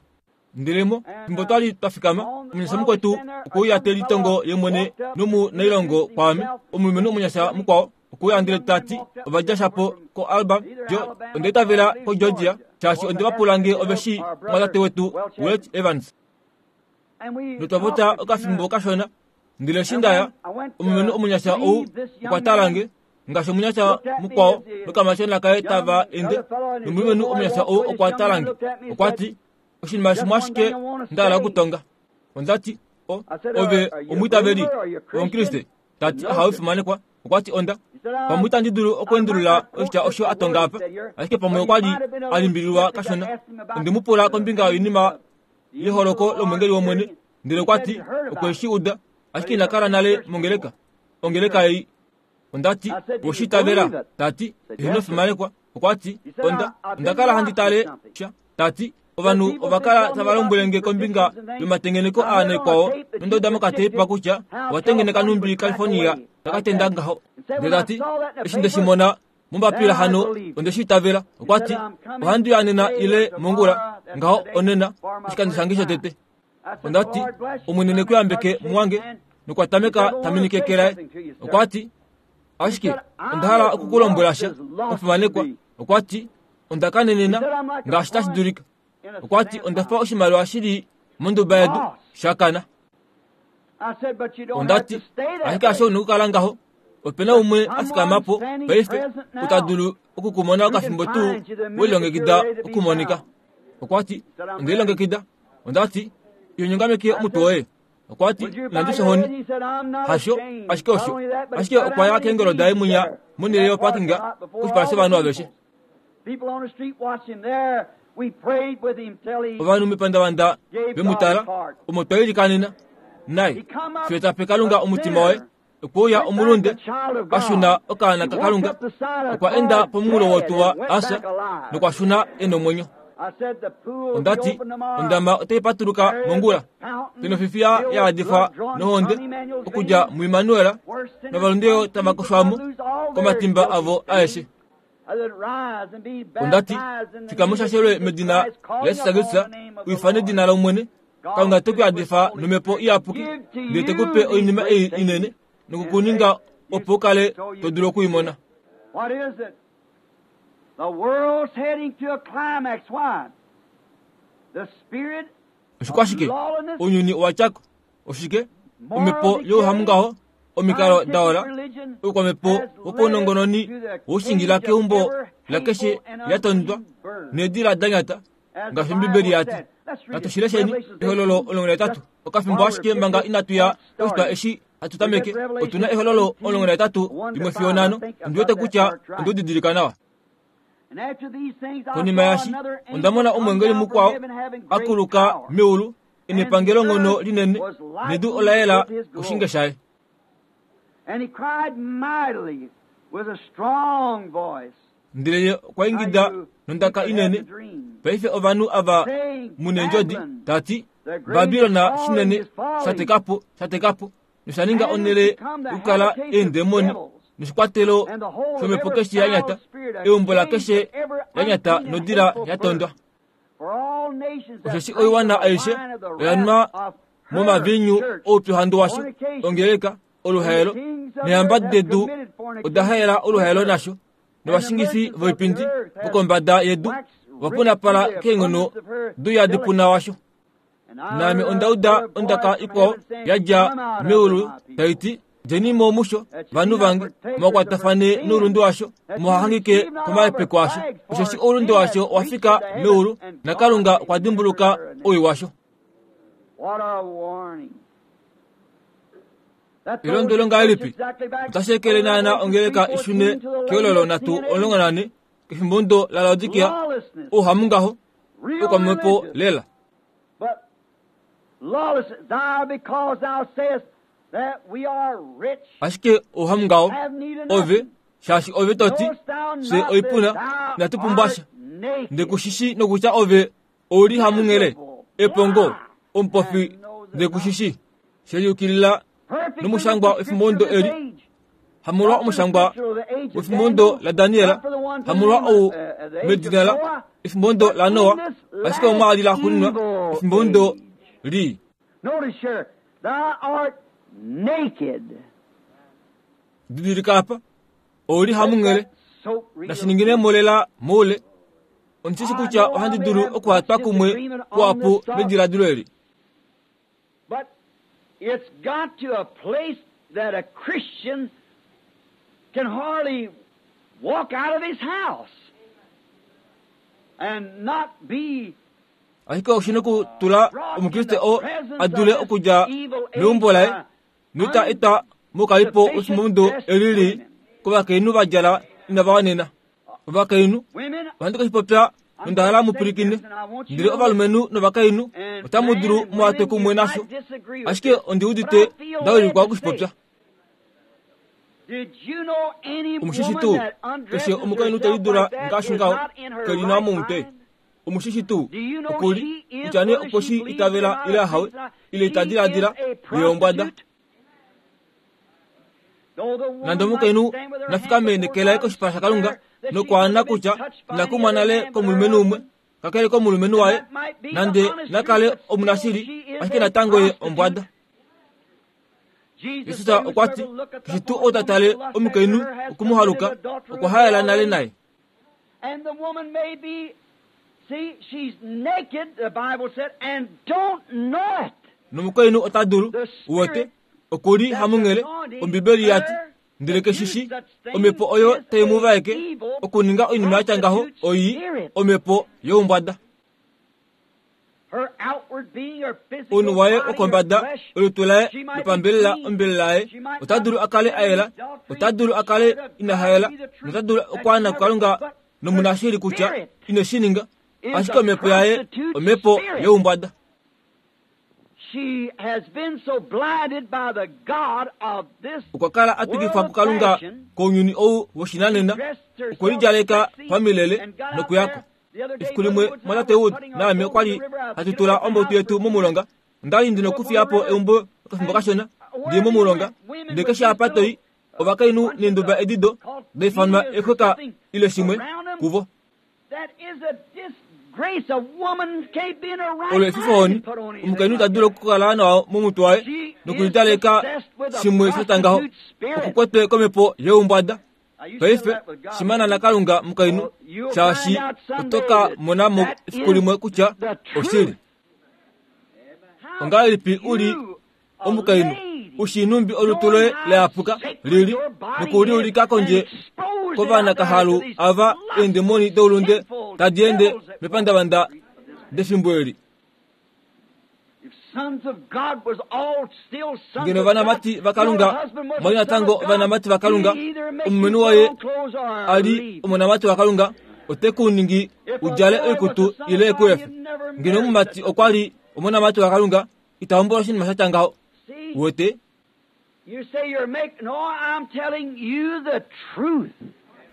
Ndele mo, fimbo twa li twa fikama, omunyasha mukwetu okwe uya te litongo ye mwene nomunailongo kwaame, omulumenhu omunyasha mukwao okwe uya ndele ta ti, Ova dja shapo koAlba, Jo, onda itavela koGeorgia, shaashi onde va pula nge ove shii omumwatate wetu Welch Evans. Notwa popya okafimbo kashona, ndele eshi nda ya, omulumenhu omunyasha ou okwa tala nge, ngaashi omunyasha mukwao nokamatyona kaye tava ende, nomulumenhu omunyasha ou okwa tala nge, okwa ti, Oshinima shimwe ashike nda hala okutonga. Onda ti, O, ove omwiitaveli Omukriste? Ta ti, Ahawe, fimanekwa. Okwa ti, Onda. Pamwe itandi dulu okweendulula oshitya osho a tonga apa, ashike pamwe okwa li a limbililwa kashona. Onde mu pula kombinga yoinima yeholoko lomwengeli wOmwene, ndele okwa ti okwe shi uda, ashike ina kala nale mongeleka, ongeleka ei. Onda ti, Owe itavela? Ta ti, Eheno fimanekwa. Okwa ti, Onda, onda kala handi tale sha. Ta ti, Ovanhu ova kala tava lombwele nge kombinga yomatengeneko aa naikwao, nonda uda mokateipa kutya owa tengeneka nhumbi California ta ka tenda ngaho. Ndele ta ti, Eshi nde shi mona mombapila hano, onde shi itavela. Okwa ti, Ohandi uya nena ile mongula, ngaho onena, oshikando shange shotete. Onda ti, Omwene ne ku yambeke, mumwange. Nokwa tameka ta minike eke laye. Okwa ti, Ashike onda hala oku ku lombwela sha, omufimanekwa. Okwa ti, Onda kanenena ngaashi tashi dulika. Okwa ti, Onda fa oshimaliwa shi li monduba yedu, sha kana. Onda ti, Ashike hasho u na okukala ngaho. Ope na umwe a fikama po paife, ou ta dulu oku ku mona okafimbo tuu we lilongekida okumonika. Okwa ti, Onde lilongekida. Onda ti, Iho nyongameke omutwe woye. Okwa ti, Inandi fya ohoni. Hasho, ashike osho. Ashike okwa ya keengolo daye mwinya monhele yoparkinga koshipala shovanhu aveshe. Ovanhu mepandavanda ve mu tala, omo twa ilikanena naye, fiyo ta pe Kalunga omutima waye. Okwe uya omulunde, a shuna okaana kaKalunga, okwa enda pomunghulo wotuwa a fya nokwa shuna e nomwenyo. Onda ti, Ondama otai patuluka mongula. Penofifiya ya yadifwa nohonde okudja muImmanuel, novalunde yo tava koshwa mo komatimba avo aeshe. Onda ti, Fikama u shashelwe medina laJesus Kristus, u ifane edina lOmwene, Kalunga te ku yadifa nomhepo iyapuki, ndele te ku pe oinima ei inene noku ku ninga opo u kale to dulu oku i mona. Oshikwashike? Ounyuni owa tya ko. Oshike? Omhepo youhamungaho, omikalo da ola, oukwamhepo wopaunongononi woshingila keumbo lakeshe lia tondwa needila da nyata, ngaashi Ombibeli ya ti. Natu shi lesheni, Ehololo 13. Okafimbo ashike manga inatu ya poshitwa eshi hatu tameke, otu na Ehololo 13, limwe fiyo nhano. Ondi wete kutya onde u didilika nawa. Konima yashi, onda mona omweengeli mukwao a kuluka meulu e nepangelonghono linene, nedu ola yela koshinge shaye. Ndele ye okwa ingida nondaka inene, Paife ovanhu ava mu neendjodi, ta ti, Babilon shinene sha teka po, sha teka po, nosha ninga onhele yokukala eendemoni noshikwatelo shomhepo keshe ya nyata, eumbo lakeshe ya nyata nodila ya tondwa. Osheshi oiwana aishe oya nwa momaviinyu oupyuhandu washo, ongeleka, oluhaelo, neehamba dedu oda haela oluhaelo nasho, novashingifi voipindi vokombada yedu ova punapala keenghono douyadipuna washo. Naame onda uda ondaka ikwao ya dja meulu tai ti, Djeni mo musho, vanhu vange, muha noulunde washo, muha hangike komahepeko asho, osheshi oulunde washo owa fika meulu, naKalunga okwa dimbuluka owii washo. Elondwelo ngahelipi? Otashi ekele naana ongeleka i shune keololo 314 kefimbomudo laLaodikia, ouhamungaho, oukwamhepo lela. Ashike ouhamungaho, ove, shaashi ove to ti, Fye oipuna, inatu pumbwa sha. Nde ku shi shii nokutya ove ou li hamunghele, epongo, omupofi, nde ku shi shii. She yukilila nomushangwa wefimbomudo eli, hamolwa omushangwa wefimbomudo laDaniel, hamolwa ou medina la efimbomudo laNoa, ashike omwaali laxuuninwa efimbomudo lii. Didilika apa, ou li hamunghele, nashi ningine mo lela moule. Ondi shi shi kutya ohandi dulu okuhatwa kumwe kuhapu nediladilo eli. But it's got to a place that a Christian can hardly walk out of his house and not be Ashike oshi na okutula Omukriste oo a dule okudja meumbo laye noita etwa moukalipo wefimbomudo eli lii kovakainhu va djala inava wanena. Ovakainhu, ohandi ke shi popya nonda hala mu pwilikine, ndele ovalumenhu novakainhu otamu dulu mu hatwe kumwe nasho, ashike ondi udite nda wilikwa oku shi popya. Omushishi tuu, keshe omukainhu te lidula ngaashi ngaho, ke li nawa momutwe. Omushishi tuu, oku li, kutya nee okwe shi itavela ile ahawe, ile ita diladila, ye ombwada. Nande omukainhu na fikame neke laye koshipala shaKalunga nokwaana kutya ina kumwa nale komulumenhu umwe kakele komulumenhu waye, nande na kale omunashili, ashike natango ye ombwada. Jesus okwa ti, Keshe tuu ou ta tale omukainhu oku mu haluka, okwa haela nale naye. Nomukainhu ota dulu, uwete, oku li hamunghele, Ombibeli ya ti, ndele keshi shi omhepo oyo tai mu vaeke okuninga oinima ya tya ngaho oi omhepo youmbwada. Omunhu waye wokombada, olutu laye lopambelela ombelela yaye, ota dulu a kale a yela, ota dulu a kale ina hayela, nota dulu okwaana kuKalunga nomunashili kutya ine shi ninga, ashike omhepo yaye omhepo youmbwada. Okwa kala a twikifwa kuKalunga kounyuni ou woshinanena, okwe lidjaleka pamilele nokuyako. Efiku limwe mwatate Wood naame okwa li hatu tula ombautu yetu momulonga. Onda li ndi nokufiya po eumbo okafimbo kashona ndi ye momulonga. Ndele keshe apa to i, ovakainhu neenduba edi do da ifanwa eexweka ile shimwe kuvo. Olo efifohoni, omukainhu ita dulu okukala nawa momutwe waye nokulidaleka shimwe sha tya ngaho, okukwetwe komhepo youmbwada. Paife, shimana naKalunga mukainhu, shaashi oto ka mona mo efiku limwe kutya oshili. Ongahelipi u li omukainhu u shii nhumbi olutu loye la yapuka li li noku li ulika kondje kovanakahalu ava eendemoni doulunde tadi ende mepandavanda defimbo eli? Ngeno ovanamati vaKalunga mwa li natango ovanamati vaKalunga, omulumenhu woye a li omonamati waKalunga, ote ku ningi u djale oikutu ile e ku efe. Ngeno omumati okwa li omonamati waKalunga, ita hombola oshinima sha tya ngaho. Uwete?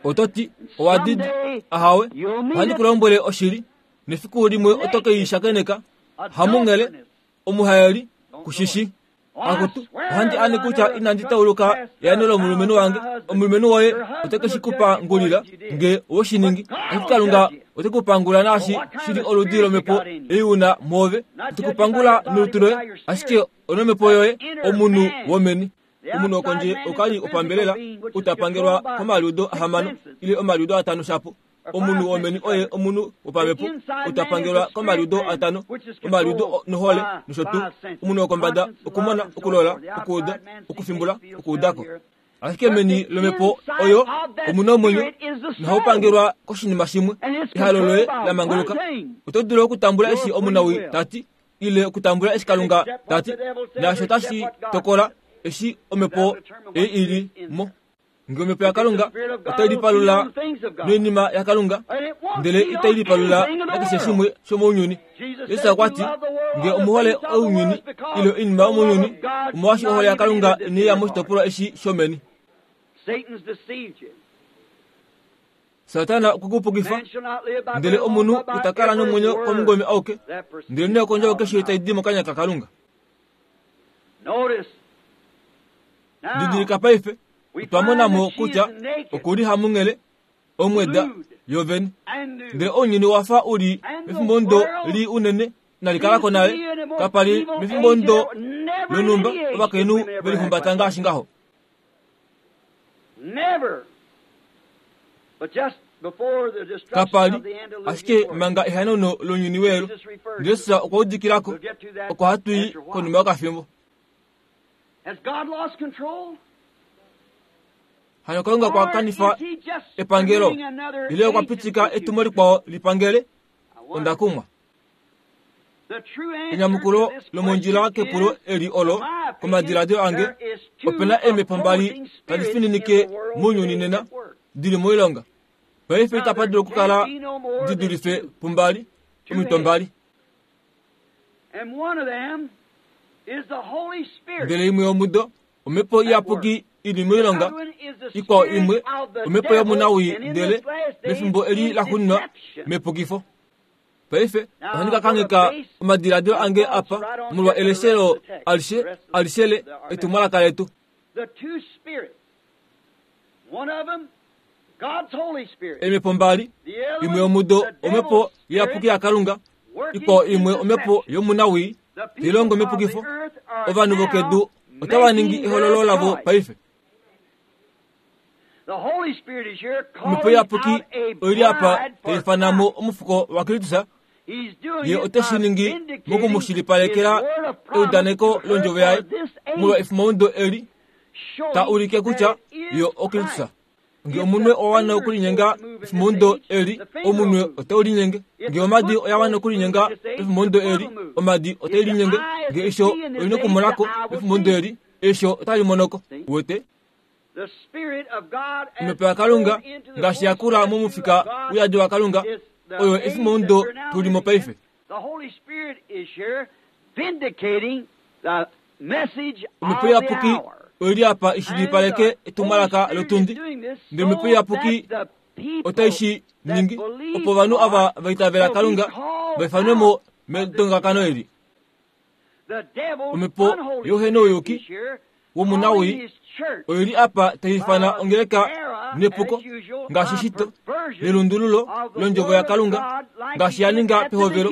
Oto ti, Owa didi? Ahawe, ohandi ku lombwele oshili. Nefiku limwe oto ke i shakeneka. Hamunghele, omuhaeli, ku shi shi. Akutu, ohandi ane kutya inandi tauluka eano lomulumenhu wange. Omulumenhu woye ote ke shi ku pangulila nge owe shi ningi. Ashike Kalunga ote ku pangula naashi shi li oludi lomhepo ei u na mwoove. Ote ku pangula nolutu loye, ashike onomhepo yoye, omunhu womeni. Omunhu wokondje oka li opambelela, ou ta pangelwa komaliudo ahamano ile omaliudo atano shapo. Omunhu womeni oye omunhu wopamhepo, ou ta pangelwa komaliudo atano, omaliudo nohole nosho tuu. Omunhu wokombada okumona, okulola, okuuda, okufimbula, okuuda ko. Ashike meni lomhepo oyo omu na omwenyo nohau pangelwa koshinima shimwe, ehalo loye la manguluka. Oto dulu okutambula eshi omunawii ta ti, ile okutambula eshi Kalunga ta ti, naasho otashi tokola eshi omhepo ei i li mo. Nge omhepo yaKalunga otai lipalula noinima yaKalunga, ndele itai lipalula nakeshe shimwe shomounyuni. Jesus okwa ti, nge omu hole ounyuni ile oinima yomounyuni, omolwaashi ohole yaKalunga inai ya moshitopolwa eshi shomeni. Satana okwe ku pukifa, ndele omunhu ita kala nomwenyo komungome auke, ndelenee okondjovo keshe tai di mokanya kaKalunga. Didilika paife, otwa mona mo kutya oku li hamunghele omweda yovene. Ndele ounyuni wa fa u li mefimbomudo lii unene inali kala ko nale. Kapa li mefimbomudo lonhumba ovakainhu ve lihumbata ngaashi ngaho. Kapa li ashike manga ehanauno lounyuni weelu. Jesus okwa udikila ko oko hatu i konima yokafimbo. Hano Kalunga kwa kanifa epangelo ile okwa pitika etumo likwao li pangele? Onda kumwa. Enyamukulo lomondjila kepulo eli olo, komadiladilo ange, ope na eemhepo mbali tadi fininike mounyuni nena, di li moilonga. Paife itapa dulu okukala di dulife pumbali, omitwe mbali. Ndele imwe yomudo, Omhepo Iyapuki i li moilonga, ikwao imwe, omhepo yomunawii, ndele mefimbo eli laxuuninwa, mepukifo. Paife ohandi ka kangheka omadiladilo ange apa molwa eleshelo alishe, alishe le etumwalaka letu. Eemhepo mbali, imwe yomudo omhepo iyapuki yaKalunga, ikwao imwe omhepo yomunawii, tai longo mepukifo. Ovanhu vokedu otava ningi ehololo lavo paife. Omhepo iyapuki oi li apa tai ifana mo omufuko waKristus. Ye ote shi ningi moku mu shilipalekela eudaneko londjovo yaye molwa efimaudo eli, ta ulike kutya ye oKristus. Nge omunwe owa wana okulinyenga pefimbomudo eli, omunwe otau linyenge. Nge omadi oya wana okulinyenga pefimbomudo eli, omadi otai linyenge. Nge eisho oli nokumonako pefimbomudo eli, eisho otali monoko. Uwete? Omhepo yaKalunga ngaashi ya kula momufika uyadi waKalunga, oyo efimbomudo tu li mo paife. Omhepo Iyapuki oi li apa i shilipaleke etumwalaka lotundi, ndele Omhepo Iyapuki otai shi ningi opo ovanhu ava va itavela Kalunga va ifanwe mo medongakano eli. Omhepo youhenouyuki womunawii oi li apa tai ifana ongeleka nepuko ngaashi shito nelundululo londjovo yaKalunga ngaashi ya ninga pehovelo.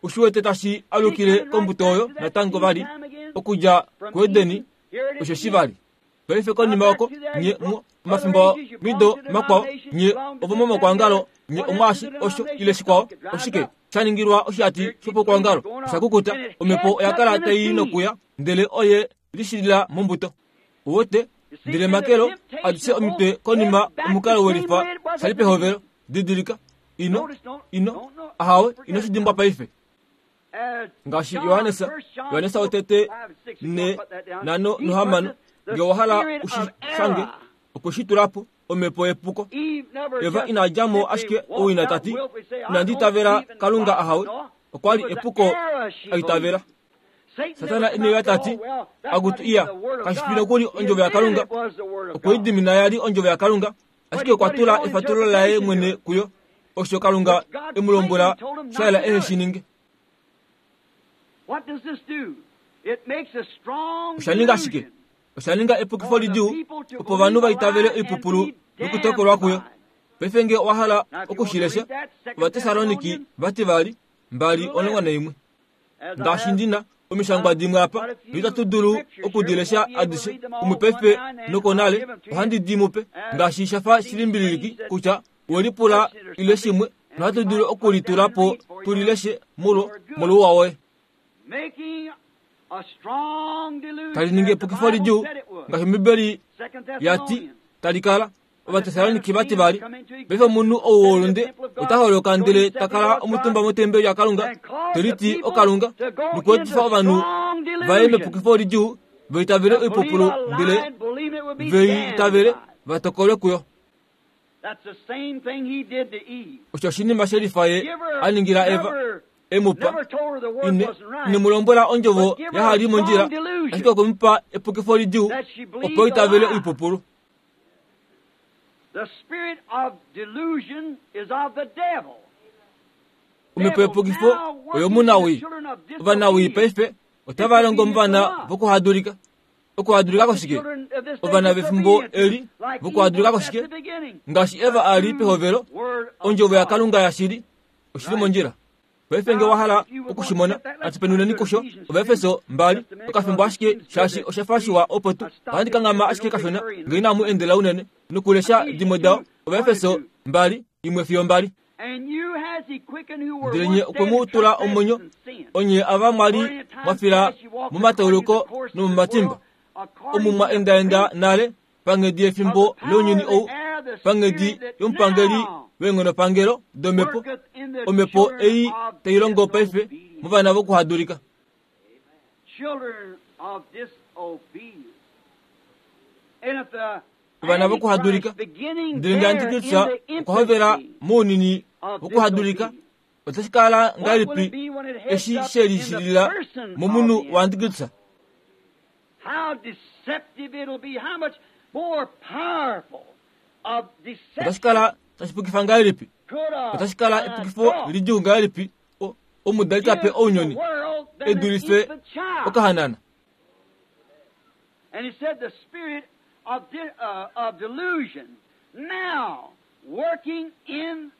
Oshi wete tashi alukile kombuto oyo natango vali okudja kuEdeni osho shi vali. Paife konima oko nye mu omafimbo mido makwao nye ovomomakwangalo nye omwaashi osho ile shikwao oshike sha ningilwa oshihati shopokwangalo osha kukuta omhepo oya kala tai nokuya ndele oye lishilila mombuto. Uwete ndele makelo adishe omitwe konima omukalo welifa shali pehovelo didilika ino ino ahawe ino shi dimbwa paife ngaashi Johannes Johannes wotete ne nano nohamano nge owa hala u shi shange okwe shi tula po omhepo yepuko Eva ina dja mo ashike owina ta ti inandi itavela Kalunga ahawe okwa li epuko a itavela Satana ine uya ta ti, Akutu iya, kashi fi nokuli ondjovo yaKalunga. Okwe i dimina ya li ondjovo yaKalunga, ashike okwa tula efatululo laye mwene kuyo, osho Kalunga e mu lombwela sha yela ehe shi ninge. Osha ninga shike? Osha ninga epukifo lidjuu opo ovanhu va itavele oipupulu nokutokolwa kuyo. Paife nge owa hala oku shi lesha, Ovatessaloniki vativali 2:11. Ngaashi ndi na omishangwa dimwe apa, noitatu dulu oku di lesha adishe, umwe paife nokonale, ohandi di mu pe, ngaashi sha fa shilimbililiki kutya we lipula ile shimwe, nohatu dulu oku li tula po tu li leshe molwo, molwouwa woye. Tali ningi epukifo lidjuu, ngaashi Ombibeli ya ti tali kala. Ovatessaloniki vati vali, Paife omunhu ou wolunde ota holoka ndele ta kala omutumba motembeli yaKalunga, te liti okalunga, nokuetifa ovanhu vaye mepukifo lidjuu, va itavele oipupulu ndele ve i itavele va tokolwe kuyo. Osho oshinima shelifa ye a ningila Eva, e mu pa. Ine, ine mu lombwela ondjovo yaha li mondjila, ashike okwe mu pa epukifo lidjuu opo itavele oipupulu. Omhepo yepukifo oyomunawii. Ovanawii paife otava longo movana vokuhadulika. Okuhadulika koshike? Ovana vefimbo eli vokuhadulika koshike? Ngaashi Eva a li pehovelo, ondjovo yaKalunga yashili oshi li mondjila. Paife nge wa hala oku shi mona, natu penuneni kusho, Ovaefeso mbali, okafimbo ashike, shaashi osha fa shiwa opo tu. Ohandi kanghama ashike kashona, nge inamu endela unene, nokulesha dimwe dao, Ovaefeso mbali, imwe fiyo mbali. Ndele nye okwe mu tula omwenyo, onye ava mwa li mwa fila momatauluko nomomatimba, omu mwa endaenda nale panghedi yefimbo lounyuni ou, panghedi yomupangeli weenghonopangelo domhepo, omhepo ei tai longo paife movana vokuhadulika. Ovana vokuhadulika. Ndele nge Antikristus okwa hovela mounini wokuhadulika, otashi kala ngahelipi eshi she lishilila momunhu waAntikristus? How deceptive it'll be, how much more powerful of deception Otashi kala tashi pukifa ngahelipi? could a Otashi kala a epukifo thought lidjuu ngahelipi o- omudali ta pe give to the ounyuni world than e an dulife infant child? okahanana? And he said the spirit of, de- of delusion now working in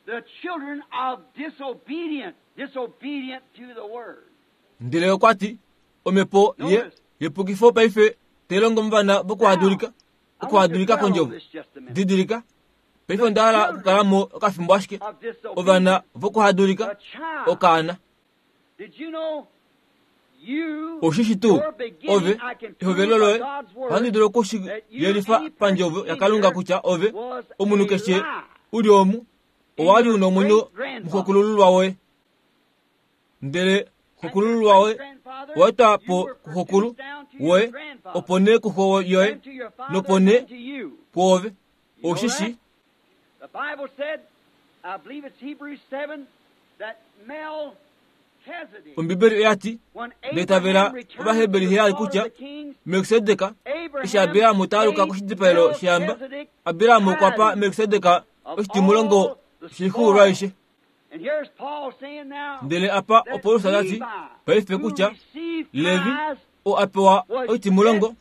the children of disobedient, disobedient to the word. Ndele okwa ti, Omhepo ye yepukifo paife tai longo movana vokuhadulika, okuhadulika kondjovo. Didilika, paife onda hala okukala mo okafimbo ashike. Ovana vokuhadulika, okaana. Oshishi tuu ove ehovelo loye ohandi dulu oku shi yelifa pandjovo yaKalunga kutya ove omunhu keshe u li omu owa li u na omwenyo muxokulululwa woye. Ndele xokulululwa woye owa etwa po kuxokulu woye, opo nee kuxo yoye, nopo nee kwoove. Oshishi Ombibeli oya ti, Ndeitavela Ovaheberi heyali kutya Melkisedek eshi Abraham ta aluka koshidipaelo shehamba, Abraham okwa pa Melkisedek oshitimulongo shoixuulwa aishe. Ndele apa oPaulus ta ti paife kutya Levi oo a pewa oitimulongo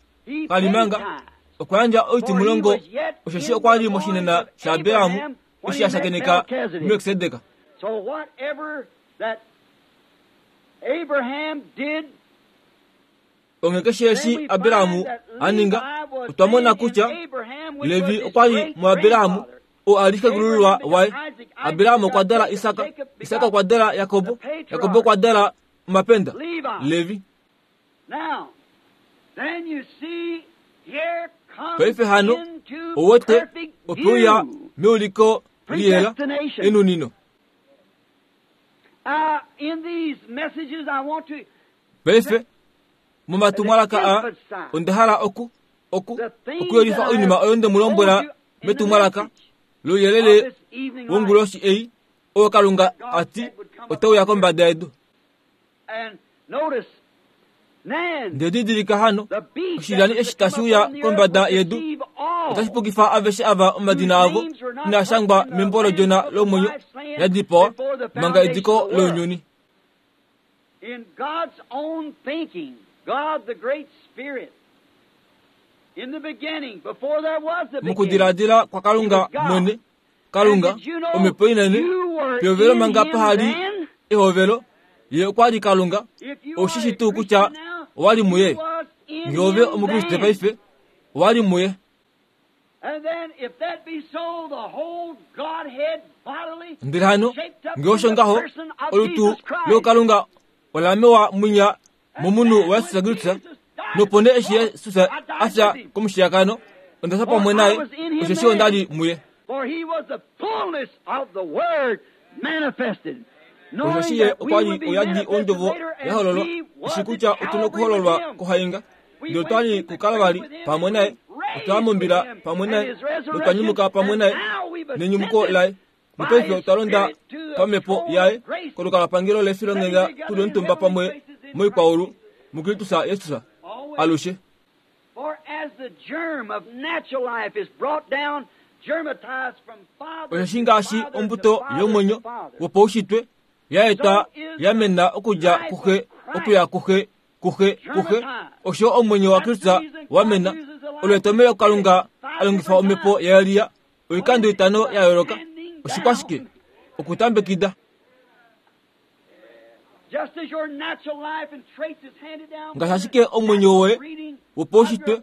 ka li manga okwa yandja oitimulongo osheshi okwa li moshinena shaAbraham eshi a shakeneka Melkisedek. Onghee keshe eshi Abraham a ninga, otwa mona kutya Levi okwa li muAbraham, oo a li xekulululwa waye. Abraham okwa dala Isak, Isak okwa dala Jakob, Jakob okwa dala omapenda, Levi. Paife hano, ouwete, ope uya meuliko liyela, enunino. Paife, momatumwalaka aa, onda hala oku, oku, okuyelifa oinima oyo nde mu lombwela metumwalaka louyelele wonguloshi ei, oo Kalunga a ti otau ya kombada yedu. Ndele didilika hano, oshilyani eshi tashi uya kombada yedu otashi pukifa aveshe ava omadina avo inaa shangwa membo lOdjona lomwenyo ya dipawa manga ediko lounyuni. Mokudiladila kwaKalunga mwene, Kalunga, Omhepo inene, pehovelo manga paha li ehovelo, Ye okwa li Kalunga. Ou shi shii tuu kutya owa li muye? Nge ove Omukriste paife, owa li muye. Ndele hano, nge osho ngaho, olutu lOukalunga ola mewa mwinya momunhu waJesus Kristus, nopo nee eshi Jesus a fya komushiyakano, onda fya pamwe naye, osheshi onda li muye. Osheshi ye okwa li oyadi ondjovo ya hololwa, eshi kutya otu na okuhololwa kohainga, ndele otwa li kuKalvari pamwe naye, otwa ya mombila pamwe naye, notwa nyumuka pamwe naye nenyumuko laye. Nopaife otwa londa pamhepo yaye kolukalwapangelo lefilonghenda tu li omutumba pamwe moikwaulu muKristus Jesus alushe. Osheshi ngaashi ombuto yomwenyo wopaushitwe ya etwa ya mena okudja kuxe okuya kuxe kuxe kuxe, osho omwenyo waKristus wa mena. Olo etomhelo Kalunga a longifa omhepo yaElia oikando itano ya yooloka. Oshikwashike? Okutambekida. Ngaashi ashike omwenyo woye wopaushitwe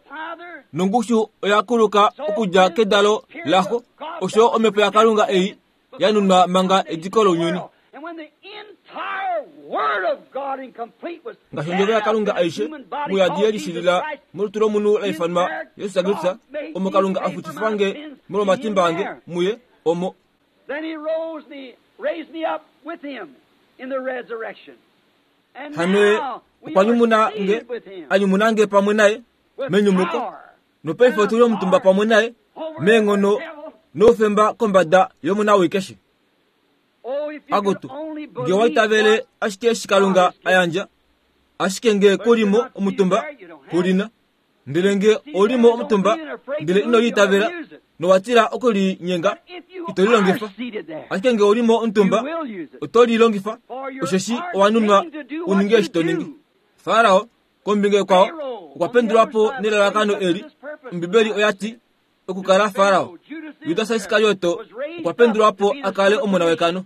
nongushu oya kuluka okudja kedalo laxo, osho omhepo yaKalunga ei ya nunwa manga ediko lounyuni. Ngaashi ondjovo yaKalunga aishe muyadi ye lishilila molutu lomunhu la ifanwa Jesus Kristus, omo Kalunga a futifa nge molwomatimba ange muye, omo. Hano Ye okwa nyumuna nge, a nyumuna nge pamwe naye menyumuko, nopaife otu li omutumba pamwe naye meenghono noufemba kombada yomunawii keshe. Akutu, nge owa itavele ashike eshi Kalunga a yandja, ashike nge ku li mo omutumba, ku li na. Ndele nge ou li mo omutumba, ndele ino li itavela, nowa tila oku li nyenga, ito li longifa. Ashike nge ou li mo omutumba, oto li longifa, osheshi owa nunwa u ninge eshi to ningi. Farao, kombinga ikwao, okwa pendulwa po nelalakano eli. Ombibeli oya ti, okukala Farao. Judas Iskarioto okwa pendulwa po a kale omona wekano.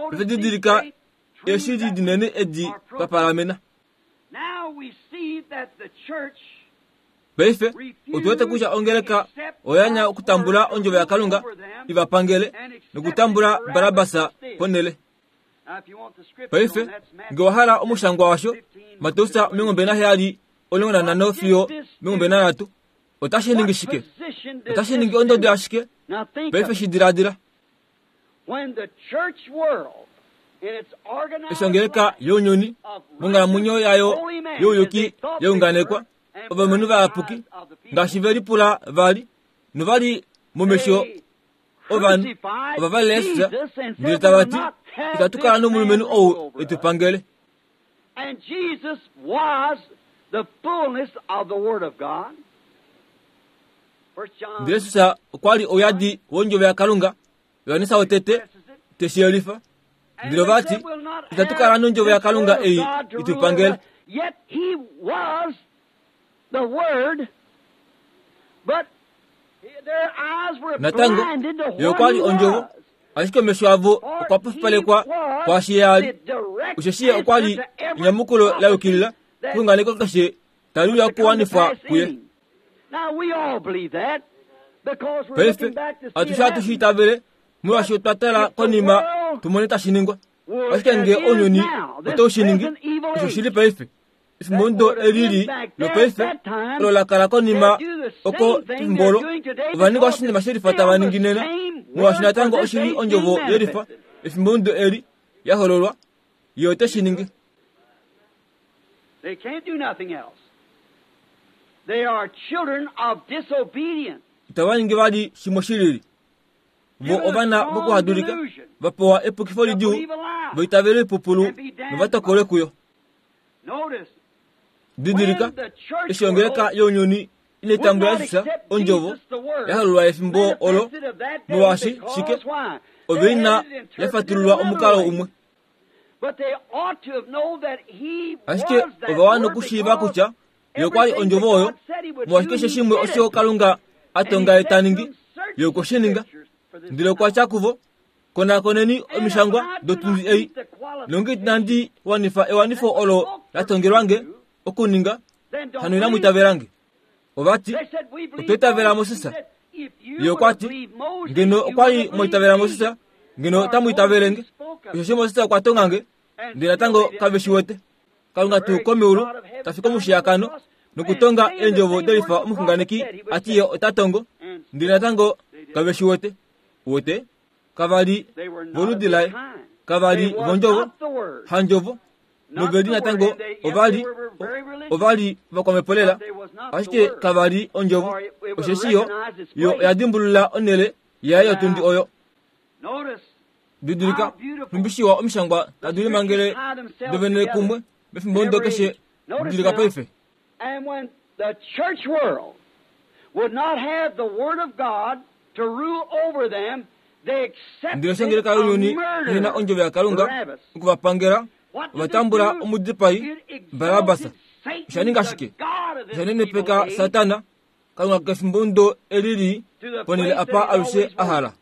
Paife didilika eeshili dinene edi twa palamena. Paife otu wete kutya ongeleka oya anya okutambula ondjovo yaKalunga i va pangele nokutambula Barabas ponhele. Paife nge owa hala omushangwa washo, Mateus 27 15 fiyo 23. Otashi ningi shike? Otashi ningi ondodo yashike? Paife shi diladila. Eshi ongeleka younyuni monghalamwenyo yayo youyuki ya unganekwa, ovalumenhu vayapuki ngaashi ve lipula vali novali momesho ovanhu ova valela Jesus ndele tava ti, Itatu kala nomulumenhu ou e tu pangele. And Jesus was the fullness of the Word of God. Ndele Jesus okwa li ouyadi wondjovo yaKalunga, Johannes wotete te shi yelifa. Ndele ova ti, Itatu kala nondjovo yaKalunga ei i tu pangele. Yet he was the Word, but their eyes were Natango, blinded to ye what okwa li he ondjovo, was. ashike omesho avo okwa pofipalekwa kwaashi ye a li. Osheshi ye okwa li enyamukulo la yukilila kexunganeko keshe tali uya okuwanifwa kuye. Paife, atushe ohatu shi itavele, molwaashi otwa tala konima tu mone tashi ningwa. Ashike ngee ounyuni otau shi ningi, osho shi li paife, efimbo ndo eli li lopaife, olo la kala konima oko pefimbo olo, ova ninga oshinima shelifa tava ningi nena, molwaashi natango oshi li ondjovo yelifa, efimbo ndo eli, ya hololwa, Ye ote shi ningi. They can't do nothing else. They are children of disobedience. Itava ningi vali shimwe shi lili. Vo ovana vokuhadulika, va pewa epukifo lidjuu, va itavele oipupulu nova tokolwe kuyo. Notice, Didilika, eshi ongeleka younyuni inai tambula Jesus, ondjovo, ya hololwa efimbo olo, molwaashi, shike, ove ina ya fatululwa omukalo umwe. Ashike ova wana okushiiva kutya Ye okwa li Ondjovo oyo, molwaashi keshe shimwe osho Kalunga a tonga Ye ta ningi, Ye okwe shi ninga. Ndele okwa tya kuvo, Konakoneni Omishangwa dotundi ei, nonge inandi wanifa ewanifo olo la tongelwa nge okuninga, hano inamu itavela nge. Ova ti, Otwa itavela Moses. Ye okwa ti, Ngeno okwa li mwa itavela Moses, ngeno otamu itavele nge. Osheshi Moses okwa tonga nge, ndele natango kave shi wete. Kalunga tuu komeulu ta fi komushiyakano nokutonga eendjovo delifa omuxunganeki a ti ye ota tongo, ndele natango kave shi wete. Uwete? Kava li voludi laye. Kava li vondjovo, handjovo, nove li natango ova li ova li vakwamhepo lela, ashike kava li ondjovo, osheshi yo, yo oya dimbulula onhele yaye yotundi oyo. Didilika, nhumbi shiwa omishangwa tadi limangele dovene kumwe mefimbo ndo keshe. Didilika paife. And when the church world would not have the Word of God to rule over them, they Ndele accepted oshangeleka a younyuni ihe na murderer, ondjovo yaKalunga Barabbas. oku va pangela, What ova did it tambula do? omudipai It Barabas. exalted Satan, Osha ninga the shike? god of this Osha evil nenepeka age, Satana, Kalunga kefimbo ndo eli li to the ponhele place apa that he's alushe always a wanted. hala.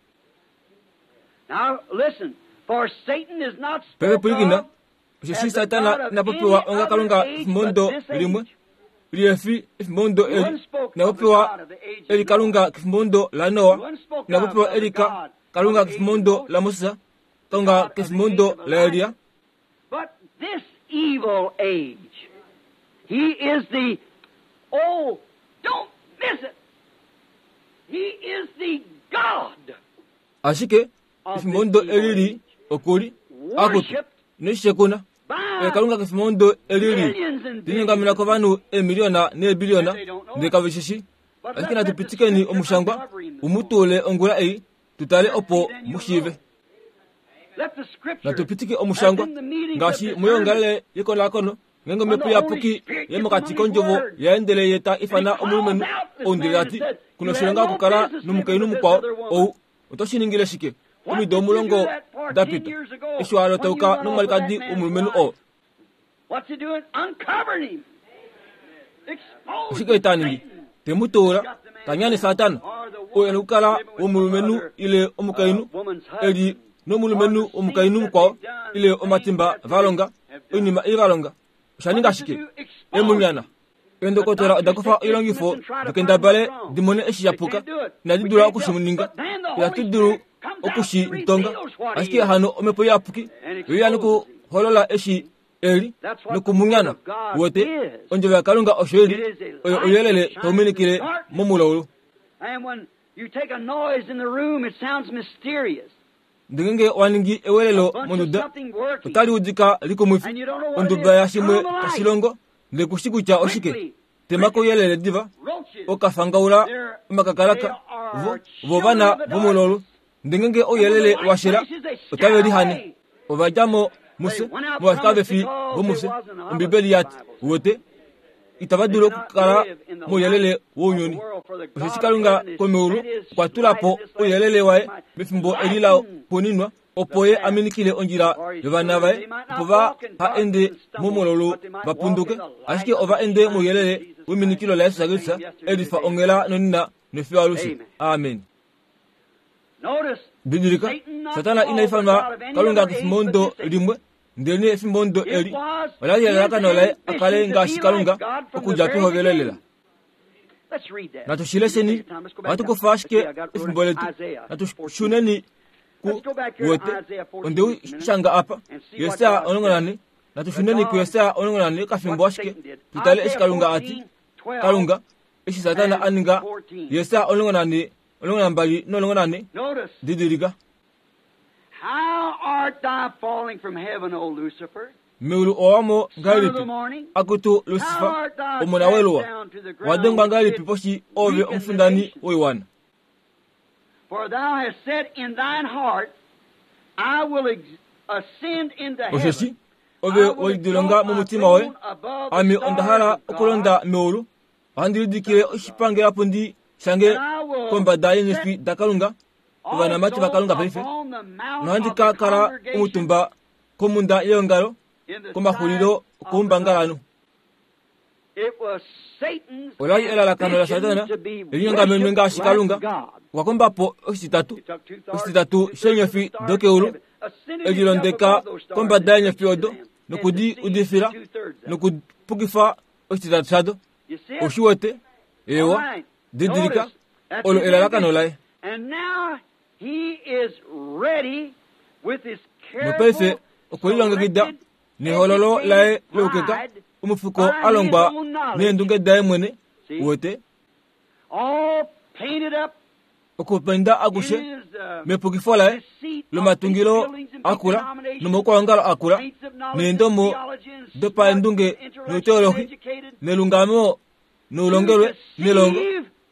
Now listen, for Satan is not Paife spoke pwilikina, of osheshi as the Satana god of ina any popiwa onga other Kalunga age kefimbo but ndo this limwe, age. lihefi efimbo ndo He eli, wasn't spoke ina of the popiwa God of the age of eli Noah. Kalunga kefimbo ndo laNoa, He wasn't spoke ina of popiwa of the eli God of Kalunga the age kefimbo of ndo Moses, laMoses, the Kalunga God of the kefimbo age ndo of laElia. Elijah. But this evil age, he is the, oh, don't miss it. He is the God Ashike of efimbo this ndo evil eli li age. oku li akutu Worshipped ino shi shekuna. Oye by Kalunga kefimbo ndo eli li millions and linyongamena billions of kovanhu people. eemiliyona And neebiliyona they don't know ndele it. kave shi shii. But Ashike let's natu let the pitikeni scripture omushangwa uncover him this u mu morning. tuule ongula ei tu tale Let's see, opo then mu you'll shiive. know. Let the Natu scripture pitike that's omushangwa in the meetings of ngaashi discernment, moyoongalele yekonakono ngeenge when omhepo the Holy iyapuki Spirit gets yemokati among His kondjovo word, yaendele ye ta and He ifana calls omulumenhu out this ou ndele man ta and ti, said, Ku na You have oshilonga no okukala business living nomukainhu with this mukwao other woman. ou, oto shi ningile shike? What Omido did you do omulongo that for da 10 pita, years ago eshi wa when you lotauka went off with that nomwalikadi man's womulumenhu wife? oo? What's he doing? Uncovering him. Oshike Exposing ta ningi? Satan. Te mu tuula, Got the man ta nyane down. Satana, Or the oo e na woman okukala living with some womulumenhu other ile omukainhu woman's e li husband. Or nomulumenhu the sins womukainhu that mukwao they've done, ile the things omatimba that va they longa, have done. oinima ii va longa. Osha What ninga does it shike? do? E mu Expose nyana. him. The Eendokotola oda doctors kufa take oilongifo instruments and try to di find kendabale what's wrong. di mone eshi sha They puka. can't do it. Inadi We dula can't oku shi tell. ninga. But then the Itatu Holy dulu Spirit oku shi tonga. Ashike hano Omhepo Iyapuki oye ya nokuholola eshi eli nokumunyana. Uwete, Ondjovo yaKalunga osho i li, oyo ouyelele tau minikile momulaulu. Ndele ngee owa ningi ewelelo monduda, otali udika likumwifi, onduba yashimwe tashi longo, ndele ku shi kutya oshike. Tema kouyelele diva, okafangaula omakakalaka, vo, vo ovana vomulaulu. Ndele ngee ouyelele wa shela, otave lihane. Ova dja mo mufye, molwaashi kave fi vomufye, Ombibeli ya ti. Uwete? Itava dulu okukala mouyelele wounyuni. Osheshi Kalunga komeulu okwa tula po ouyelele waye mefimbo eli la xuuninwa, opo Ye a minikile ondjila yovana vaye, opo va ha ende momulaulu va punduke, ashike ova ende mouyelele weminikilo laJesus Kristus, e lifa onghela nonena nofiyo alushe. Amen. Didilika, Satana ina ifanwa Kalunga kefimbomudo limwe, ndelenee efimbomudo eli ola li elalakano laye a kale ngaashi Kalunga okudja pehovelo lela. Natu shi lesheni, ohatu kufa ashike efimbo letu. Natu shuneni ku wete, onde u shanga apa, Jesaja 14. Natu shuneni kuJesaja 14 kafimbo ashike, tu tale eshi Kalunga a ti. Kalunga, eshi Satana a ninga, Jesaja 14 12 no14, didilika. Meulu owa mo ngahelipi, akutu Lusifa, omona weluwa, wa dengwa ngahelipi poshi ove omufindani woiwana? Osheshi ove we lidilonga momutima woye, Ame onda hala okulonda meulu, Ohandi lidikile oshipangelapundi shange kombada yeenyofi daKalunga, ovanamati vaKalunga paife, nohandi ka kala omutumba komhunda yeongalo komaxulilo okoumbangalanhu. Ola li elalakano laSatana linyongamenwe ngaashi Kalunga. Okwa komba po oshititatu, oshititatu sheenyofi dokeulu, e lilondeka kombada yeenyofi odo noku di udifila nokupukifa oshititatu shado. Oshi wete? Eewa. Didilika, olo elalakano laye. Nopaife okwe lilongekida nehololo laye loukeka, omufuko a longwa neendunge daye mwene, uwete. Okupenda akushe mepukifo laye lomatungilo akula nomaukwaongalo akula neendomo dopaendunge nouteolohi nelungamo noulongelwe nelongo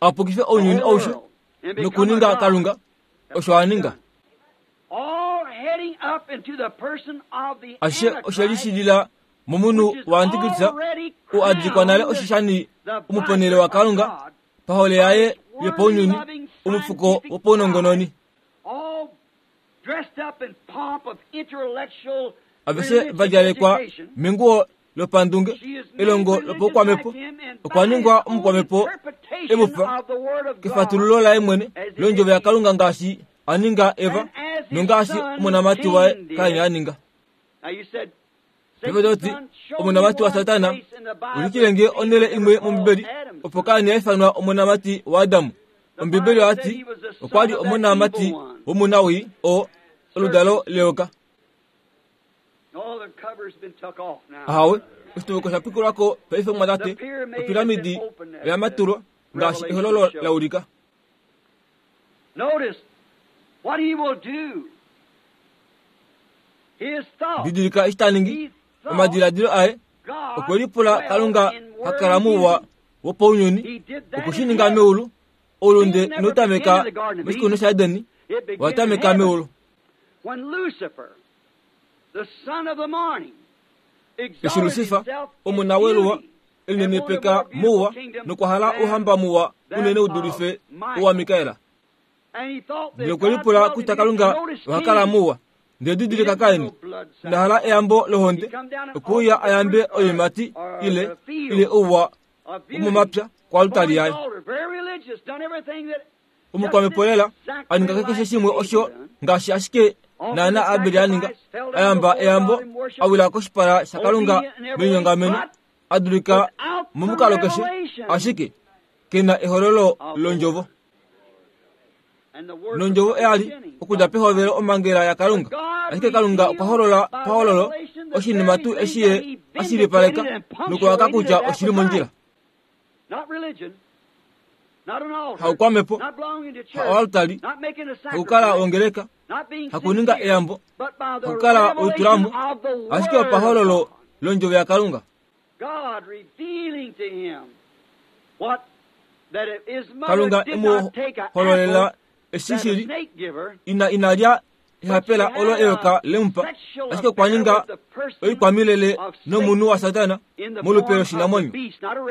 a pukife ounyuni aushe nokuninga Kalunga osho a ninga. Ashishe oshe lishilila momunhu waAntikristus oo a dikwa nale oshishani omuponhele waKalunga pahole yaye yopaunyuni, omufuko wopaunongononi. Aveshe va djalekwa menguwo lopandunge, elongo lopaukwamhepo, okwa ningwa omukwamhepo e mu fa kefatululo laye mwene londjovo yaKalunga ngaashi a ninga Eva nongaashi omonamati waye Kain a ninga. Paife to ti, omonamati waSatana, ulikile nge onhele imwe mOmbibeli opo Kain a ifanwa omonamati waAdam. Ombibeli oya ti okwa li omonamati womunawii, oo oludalo leyoka. Ahawe, oshituviko osha pikulwa ko paife omumwatate. Opiramidi oya matulwa, ngaashi ehololo la ulika. Didilika eshi ta ningi, omadiladilo aye okwe lipula Kalunga ha kala mouwa wopaunyuni, oku shi ninga meulu. Oulunde inau tameka moshikunino shaEden, owa tameka meulu. Eshi Lusifa, omona weluwa, e linenepeka mouwa nokwa hala ouhamba muwa unene u dulife owaMikael. Ndele okwe lipula kutya Kalunga oha kala muwa. Ndele didilika Kain, ina hala eyambo lohonde, okwe uya a yambe oiimati ile, ile ouwa womomapya koaltari yaye. Omukwamhepo lela, a ninga keshe shimwe osho ngaashi ashike naana Abel a ninga, a yamba eyambo, a wila koshipala shaKalunga melinyongameno, a dulika momukalo keshe, ashike ke na ehololo londjovo. Nondjovo oya li okudja pehovelo omhangela yaKalunga. Ashike Kalunga okwa holola pahololo oshinima tuu eshi Ye a shilipaleka nokuwaka kutya oshi li mondjila. Haukwamhepo, haoaltari, hakukala wongeleka, hakuninga eyambo, hakukala weitulamo, ashike opahololo londjovo yaKalunga. Kalunga e mu hololela eshi shi li ina ina lya ehapela olo eyoka lemupa, ashike okwa ninga oikwamilele nomunhu waSatana molupe loshinamwenyo.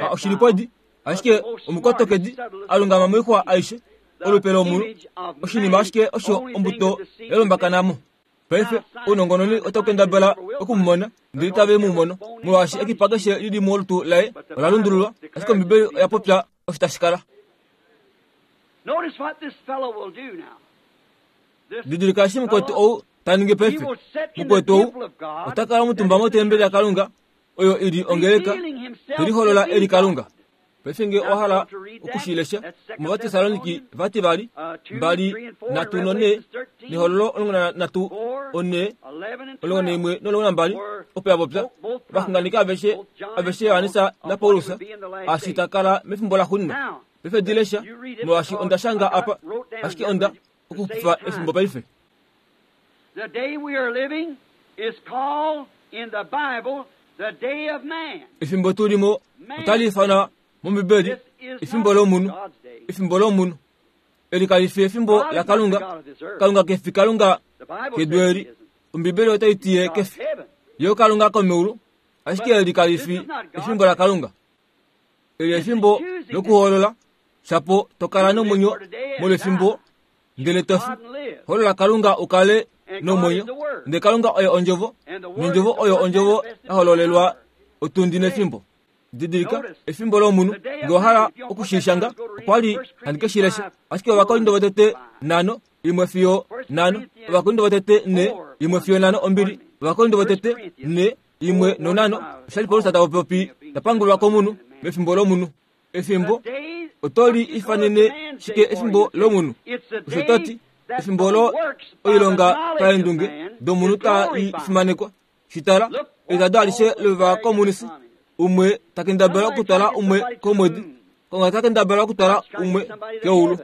Ha oshilipwedi, ashike omukotokedi a lungama moixwa aishe, olupe lomunhu, oshinima ashike osho ombuto ya lumbakana mo. Paife ounongononi otau kendabala oku mu mona, ndele itave mu mono, molwaashi ekipa keshe li li molutu laye ola lundululwa, ashike Ombibeli oya popya osho tashi kala. Didilika eshi mukwetu ou ta ningi paife. Mukwetu ou ota kala omutumba motembeli yaKalunga, oyo i li ongeleka, te liholola e li Kalunga. Paife nge owa hala oku shi lesha, mOvatessaloniki vativali, 2, 3 no4, nEhololo 13, 4, 11 no12, opo ya popya, ovaxunganeki aveshe, aveshe Johannes naPaulus, eshi ta kala mefimbo laxuuninwa. Paife di lesha, molwaashi onda shanga apa, ashike onda okuxupifa efimbo paife. The day we are living is called in the Bible the day of man. Efimbo tu li mo otali ifanwa mOmbibeli efimbo lomunhu, efimbo lomunhu. Eli kali fi efimbo laKalunga. Kalunga ke fi Kalunga kedu eli. Ombibeli otai ti ye ke fi. Ye oKalunga komeulu, ashike eli kali fi efimbo laKalunga. Eli efimbo lokuhoolola, shapo to kala nomwenyo molwefimbo ndele to fi. Holola Kalunga u kale nomwenyo. Ndele Kalunga oye Ondjovo, nOndjovo oyo Ondjovo ya hololelwa otundi nefimbo. Didilika, efimbo lomunhu, nge wa hala oku shi shanga, okwa li handi ke shi lesha. Ashike Ovakorinto votete 5, 1 fiyo 5, Ovakorinto votete 4, 1 fiyo 5, ombili, Ovakorinto votete 4, 1 no5, osha li Paulus ta popi ta pangulwa komunhu mefimbo lomunhu. Efimbo oto li ifanene shike efimbo lomunhu? Osho to ti, efimbo olo oilonga paendunge domunhu ta i fimanekwa. Shi tala, etado alishe lovakomunisi, umwe ta kendabala okutwala umwe komwedi, konga ta kendabala okutwala umwe keulu.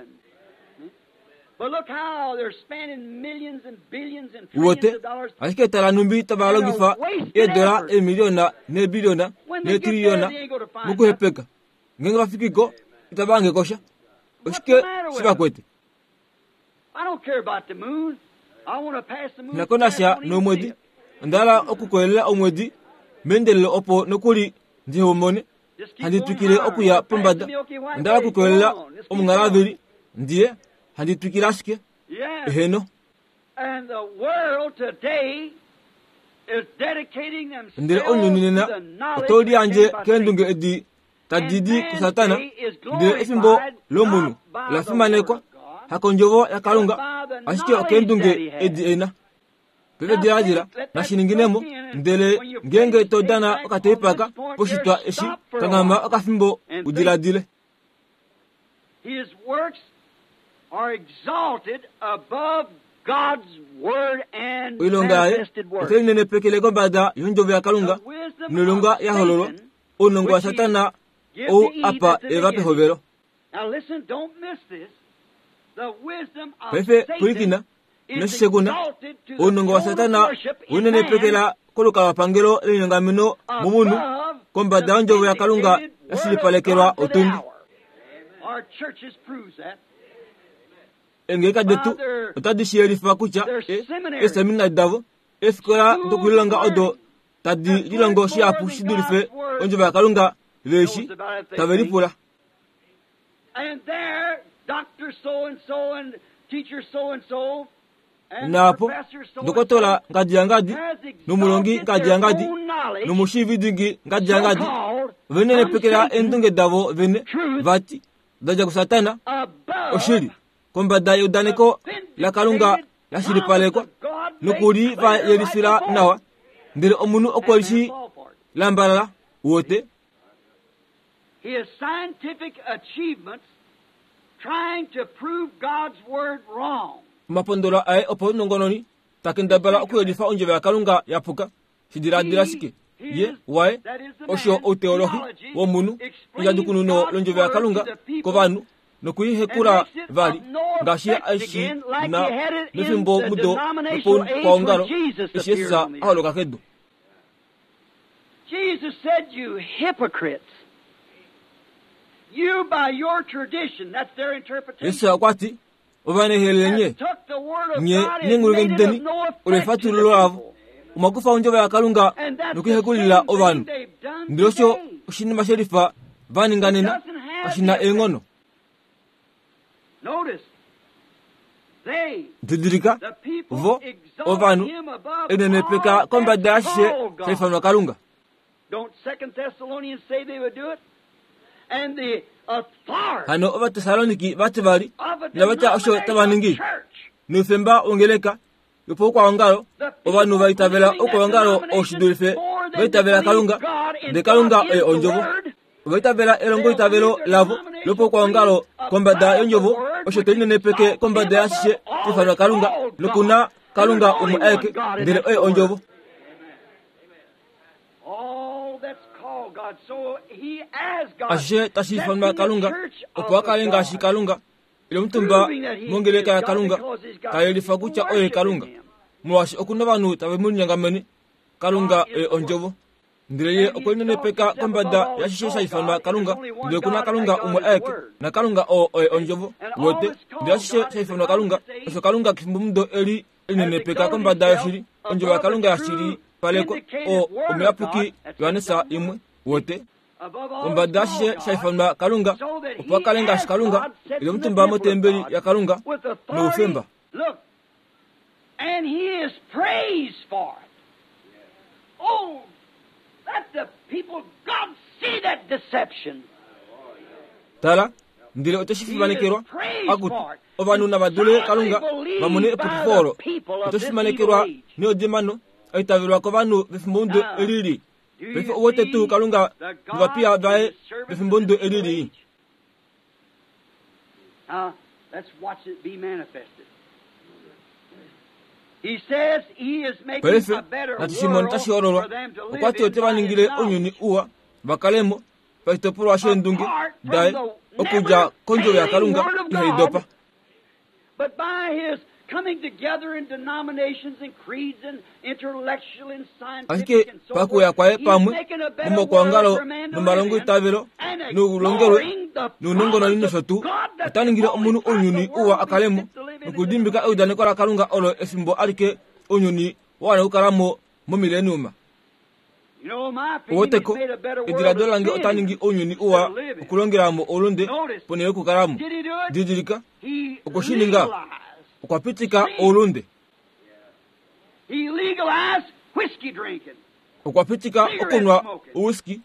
Uwete, ashike tala nhumbi tava longifa eedola eemiliona neebiliona neetriliona mokuhepeka. Ngeenge va fiki ko, itava hange ko sha. Oshike shi va kwete? Nghi na ko nasha nomwedi. Onda hala okukoyelela omwedi meendelelo opo nokuli ndi homone. Handi twikile okuya pombada. Onda hala okukoyelela omunghalavili ndiye. Handi twikile ashike. Eheno. Ndele ounyuni nena otau liyandje keendunge edi tadi di kuSatana, ndele efimbo lomunhu ola fimanekwa, hakondjovo yaKalunga, ashike okeendunge edi e na. Paife diladila, nashi ningine mo, ndele ngeenge to dana okateipaka poshitwa eshi, kanghama okafimbo u diladile. His works are exalted above God's word and Oilonga yaye manifested word. otai nenepekele kombada yondjovo yaKalunga The wisdom noilonga of ya hololwa Satan, ounongo which he waSatana give ou to Eve apa at the Eva beginning. pehovelo. Now listen, don't miss this. The wisdom of Paife Satan pwilikina, is inoshishekuna, exalted to the ounongo throne of waSatana worship in man unenepekela kolukalwapangelo lenyongameno momunhu above kombada the yondjovo yaKalunga vindicated ya word of shilipalekelwa God to the otundi. hour. Our churches proves that. Eengeleka detu otadi shi yelifa kutya e, eeseminari davo, eefikola dokulilonga odo tadi lilongo shihapu shi dulife ondjovo yaKalunga ve shi tave lipula. And there, Dr. So-and-so and teacher so-and-so and Naapo, professor so-and-so ndokotola ngadi yangadi, has nomulongi exalted ngadi their yangadi, own knowledge, nomushiividingi ngadi yangadi, so-called venenepekela from Satan, eendunge davo vene, truth vati, da dja kuSatana, above oshili, kombada yeudaneko laKalunga the la vindicated shilipalekwa, promise of God made nokuli va clear right yelifila before. nawa. Ndele omunhu okwe And li shi man fall for it. lambalala, wote, His scientific achievements Trying to prove God's word wrong. Omapondola aye opaunongononi ta kendabala okuyelifa ondjovo yaKalunga ya puka. Shi diladila ashike, ye, waye, osho outeolohi womunhu, endjadjukununo londjovo yaKalunga kovanhu, noku i hekula vali, ngaashi ye a shi na mefimbo mudo lopaukwaongalo eshi Jesus a holoka kedu. Jesus said, You hypocrites. You by your tradition, that's their interpretation. Jesus okwa ti, Ovanehelele nye, nye neenghulunghedi deni, olo efatululo lavo. Omwa kufa ondjovo yaKalunga nokuihekulila ovanhu. Ndele osho oshinima shelifa va ninga nena, kashi na eenghono. Didilika, vo, ovanhu, enenepeka kombada yaashishe sha ifanwa Kalunga. Hano Ovatessaloniki vati vali inava tya osho tava ningi. Noufemba wongeleka yopaukwaongalo, ovanhu va itavela oukwaongalo oo shi dulife va itavela Kalunga, ndele Kalunga oye Ondjovo. Ova itavela elongoitavelo lavo lopaukwaongalo kombada yOndjovo, osho te linenepeke kombada yaashishe sha ifanwa Kalunga, noku na Kalunga umwe aeke, ndele oye Ondjovo. Ashishe tashi ifanwa Kalunga, opo a kale ngaashi Kalunga, ile omutumba mongeleka yaKalunga, ta yelifa kutya oye Kalunga, molwaashi oku na ovanhu tave mu linyongamene. Kalunga oye Ondjovo. Ndele ye okwe linenepeka kombada yashishe sha ifanwa Kalunga, ndele oku na Kalunga umwe aeke, naKalunga oo oye Ondjovo. Uwete? Ndele ashishe sha ifanwa Kalunga, osho Kalunga kefimbomudo eli e linenepeka kombada yoshili, Ondjovo yaKalunga yashili palekwa, oo Omuyapuki Johannes imwe. Uwete? Kombada yashishe sha ifanwa Kalunga, opo a kale ngaashi Kalunga, e li omutumba motembeli yaKalunga, noufemba. And he is praised for it. Oh, let the people of God see that deception. Tala, ndele ote shi fimanekelwa, akutu, ovanhu nava dule Kalunga va mone epukifo olo. Ote shi fimanekelwa neodimano, a itavelwa kovanhu vefimbomudo eli lii. Paife ou wete tuu Kalunga novapiya vaye vefimbomudo eli lii? Now, let's watch it be manifested. He says he is making Paife a better natu shi mone tashi hololwa. world for them to Okwa live ti in ote va by his ningile knowledge. ounyuni uwa va kale mo pashitopolwa sheendunge daye okudja kondjovo yaKalunga ihai dopa. But by his coming together in denominations and creeds and intellectual and scientific Ashike and so pakuya forth, kwaye he's pamwe making a better momakwangalo world for man to live in nomalongoitavelo and noulongelwe ignoring the nounongononi promise nosho of tuu, God that ota the ningile only omunhu time ounyuni the uwa world a kale mo is fit to live in is in nokudimbika eudaneko laKalunga olo efimbo alike ounyuni wa wana okukala mo momileniuma. You know, in my opinion, Uweteko, he's made a better world ediladilo to lange sin ota in ningi ounyuni uwa to live in. okulongela mo oulunde Notice, ponhele yokukala mo. did he do it? Didilika, He okwe shi ninga. legalized. Okwa pitika oulunde. He legalized whiskey drinking. Okwa pitika okunwa ouwhiskey,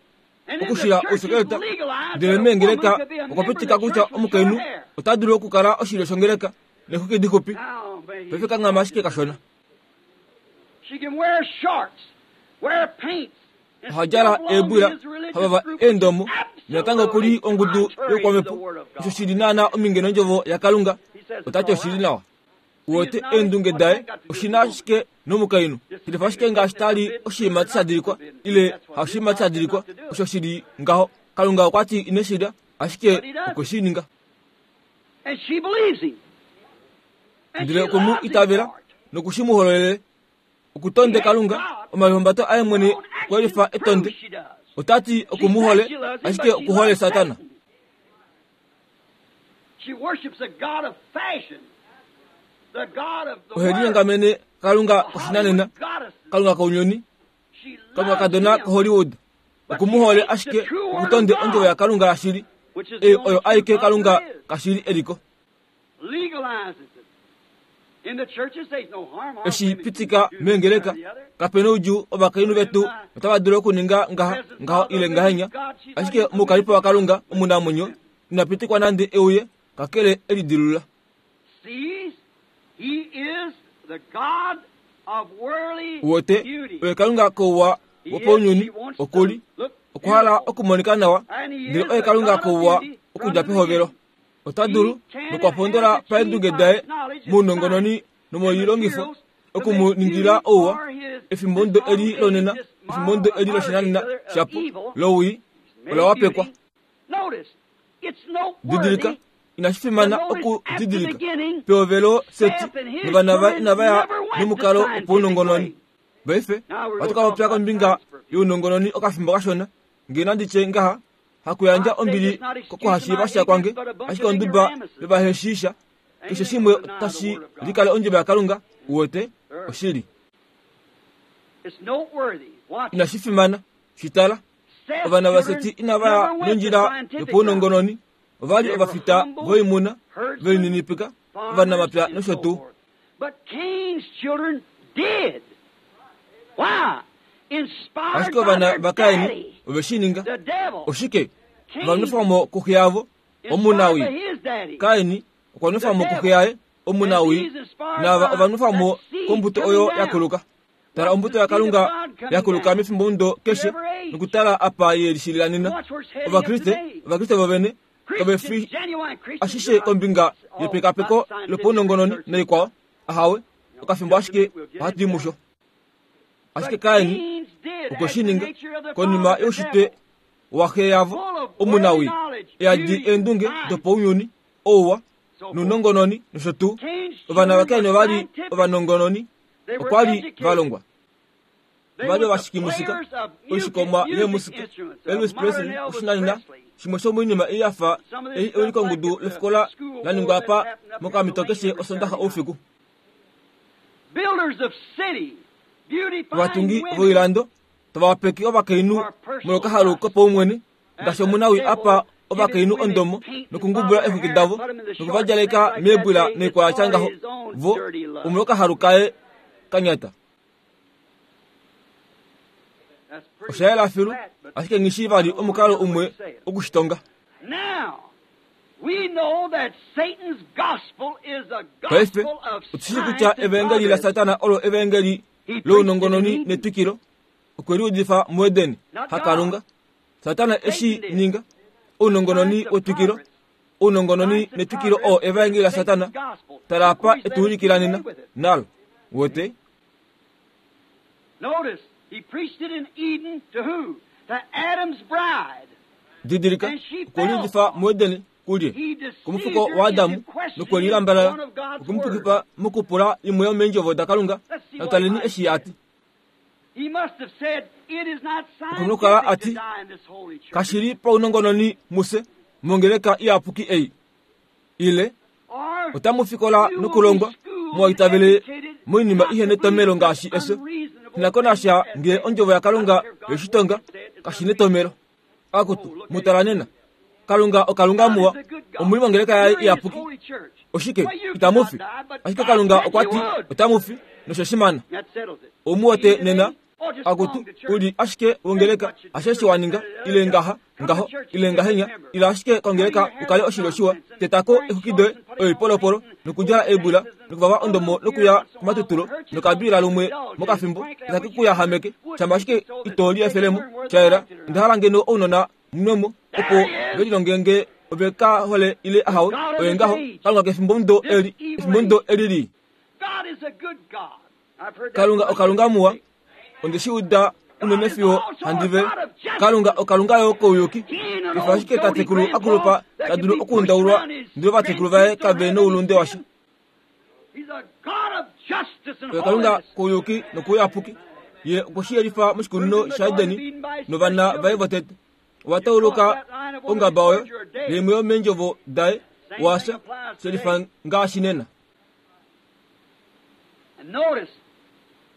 And in the okushila churches ousekeleta. legalized Ndele that a woman meengeleka could be a okwa member of pitika the kutya church with omukainhu short hair. ota dulu okukala oshilyo shongeleka nexwiki dixupi. Now, may he Paife kanghama ashike kashona. She can wear shorts, wear paints, and Oha still djala belong to eebwila, his religious ha vava group, which is eendomo, natango oku li absolutely ongudu contrary to the youkwamepo. Word of Osho God. shi li naanaa ominge nondjovo yaKalunga. He says it's Ota ti all oshi li right. nawa. Uwete eendunge daye oshi na ashike nomukainhu. Shilifa ashike ngaashi ta li oshiimati sha dilikwa ile haushiimati sha dilikwa, osho shi li ngaho. Kalunga okwa ti ine shi lya, ashike okwe shi ninga. And she believes him. And Ndele she okwe mu loves him itavela for it. noku shi mu hololele. Oku tonde Kalunga, omalihumbato aye mwene Own okwe lifa actions etonde. prove she does. Ota ti oku She mu says hole, she loves him, ashike but she oku hole loves Satana. Satan. She worships a God of fashion, the God of the Ohe world, linyongamene Kalunga the koshinanena, Hollywood goddesses. Kalunga kounyuni, She Kalunga loves kadona him, koHollywood. but Oku she mu hole hates the ashike true oku word of tonde ondjovo God, yaKalunga yashili, which is the ei only oyo true aike God Kalunga there is. kashili eliko. Legalizes it. In the churches, there's no harm. Our Eshi women can pitika do this, that, meengeleka or the other. kape noudjuu ovakainhu vetu otava dulu okuninga ngaha ngaho ile ngahenya ashike moukalipo waKalunga omunamwenyo ina pitikwa nande euye kakele elidilula. Sees, he is the God of worldly Uwete beauty. oye Kalunga kouwa He is, wopounyuni he wants to okuli look okwa hala beautiful. okumonika nawa And he ndele is oye the Kalunga God of kouwa beauty from okudja the pehovelo. beginning. Ota dulu nokwa pondola paendunge daye mounongononi nomoilongifo oku mu ningila ouwa efimbo ndo eli lonena, efimbo ndo eli loshinanena shapo lowii ola wapekwa. Didilika, inashi fimana oku didilika pehovelo Seti novana vaye inava ya nomukalo wopaunongononi. Paife ohatu ka popya kombinga younongononi okafimbo kashona, nge nandi tye ngaha, hakuyandja ombili kokuhashiiva sha kwange, ashike onduba yovaheshiisha, keshe shimwe otashi likale ondjovo yaKalunga, uwete, oshili. Inashi fimana, shi tala. Ovana vaSeti inava ya nondjila yopaunongononi, ova li ovafita voimuna, ve lininipika, ovanamapya nosho tuu. Ashike ovana vaKain ove shi ninga. Oshike? Ova nwefwa mo kuxe yavo, omunawii. Kain okwa nwefwa mo kuxe yaye, omunawii, naava ova nwefwa mo kombuto oyo ya kuluka. Tala ombuto yaKalunga ya kuluka mefimbomudo keshe nokutala apa ye lishilila nena. Ovakriste, Ovakriste vovene, kave fi ashishe kombinga yepekapeko lopaunongononi naikwao. Ahawe, okafimbo ashike ohatu i musho. Ashike Kain okwe shi ninga konima youshitwe waxe yavo omunawii, e yadi eendunge dopaunyuni, ouwa nounongononi nosho tuu. Ovana vaKain ova li ovanongononi, okwa li va longwa. Ova li ovashikimusika, oishikomwa yeemusika, Elvis Presley oshinanena, shimwe shomoinima ei ya fa ei ewilikongudu lofikola la ningwa apa mokamhito keshe Osondaxa oufiku. Ovatungi voilando tava wapeke ovakainhu molwokahalu kopaumwene, ngaashi omunawii a pa ovakainhu ondomo nokungubula eexwiki davo noku va djaleka meebwila noikwaya tya ngaho, vo omolwokahalu kaye ka nyata. Osha yela filu, ashike nghi shii vali omukalo umwe oku shi tonga. Paife, otu shii kutya evaengeli laSatana olo evaengeli lounongononi netwikilo. Okwe li udifa muEden, haKalunga. Satana e shi ninga. Ounongononi wetwikilo, ounongononi netwikilo oo evaengeli laSatana. Tala apa e tu ulikila nena, nalo. Uwete? Notice, he preached it in Eden to who? To Adam's bride. Didilika, okwe li udifa muEden kulye? Komufuko waAdamu, nokwe li lambalala, okwe mu pukifa mokupula imwe yomeendjovo daKalunga. Natu taleni eshi a ti. Oku nokukala a ti, Kashi li paunongononi mufye mongeleka iyapuki ei. Ile, otamu fikola nokulongwa mwa itavele moinima ihe netomelo ngaashi efyo. Shi ko nasha ngee Ondjovo yaKalunga ye shi tonga, kashi netomelo. Akutu, mu tala nena. Kalunga oKalunga muwa, omu li mongeleka yaye iyapuki. Oshike, itamu fi? Ashike Kalunga okwa ti otamu fi, nosho shimana. Omu wete nena? Akutu, u li ashike wongeleka, hasheshi wa ninga, ile ngaha, ngaho, ile ngahenya, ila ashike kongeleka u kale oshilyo shiwa, teta ko exwiki doye, oipolopolo, nokudjala eebwila, nokuvava ondomo nokuya komatutulo, nokabiila lumwe mokafimbo, itake ku yahameke, shama ashike ito liefele mo. Sha yela, onda hala ngeno ounona munwe mo, opo ve lilonge nge ove ka hole ile ahawe, oye ngaho, Kalunga kefimbomudo eli, efimbomudo eli lii. Kalunga oKalunga muwa. Onde shi uda unene fiyo handi vele. Kalunga oKalunga yo kouyuki. Kefa ashike tatekulu a kulupa ta dulu okuundaulwa ndele ovatekulu vaye kave noulunde washa. Oye Kalunga kouyuki nokouyapuki. Ye okwe shi yelifa moshikunino shaEdeni novana vaye votete. Ova tauluka ongaba oyo naimwe yomeendjovo daye wa fya, shelifa ngaashi nena. And notice,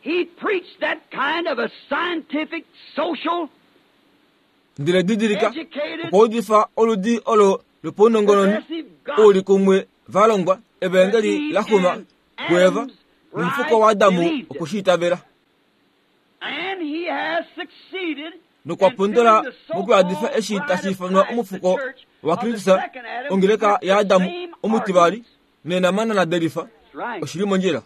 he preached that kind of a scientific, social, Ndele didilika, okwa udifa oludi olo lopaunongononi oulikumwe va longwa, evaengeli la xuma kuEva, nomufuko waAdamu okwe shi itavela. And he has succeeded Nokwa pondola mokuyadifa eshi tashi ifanwa omufuko waKristus, ongeleka yaAdamu omutivali, neenamana la delifa oshi li mondjila.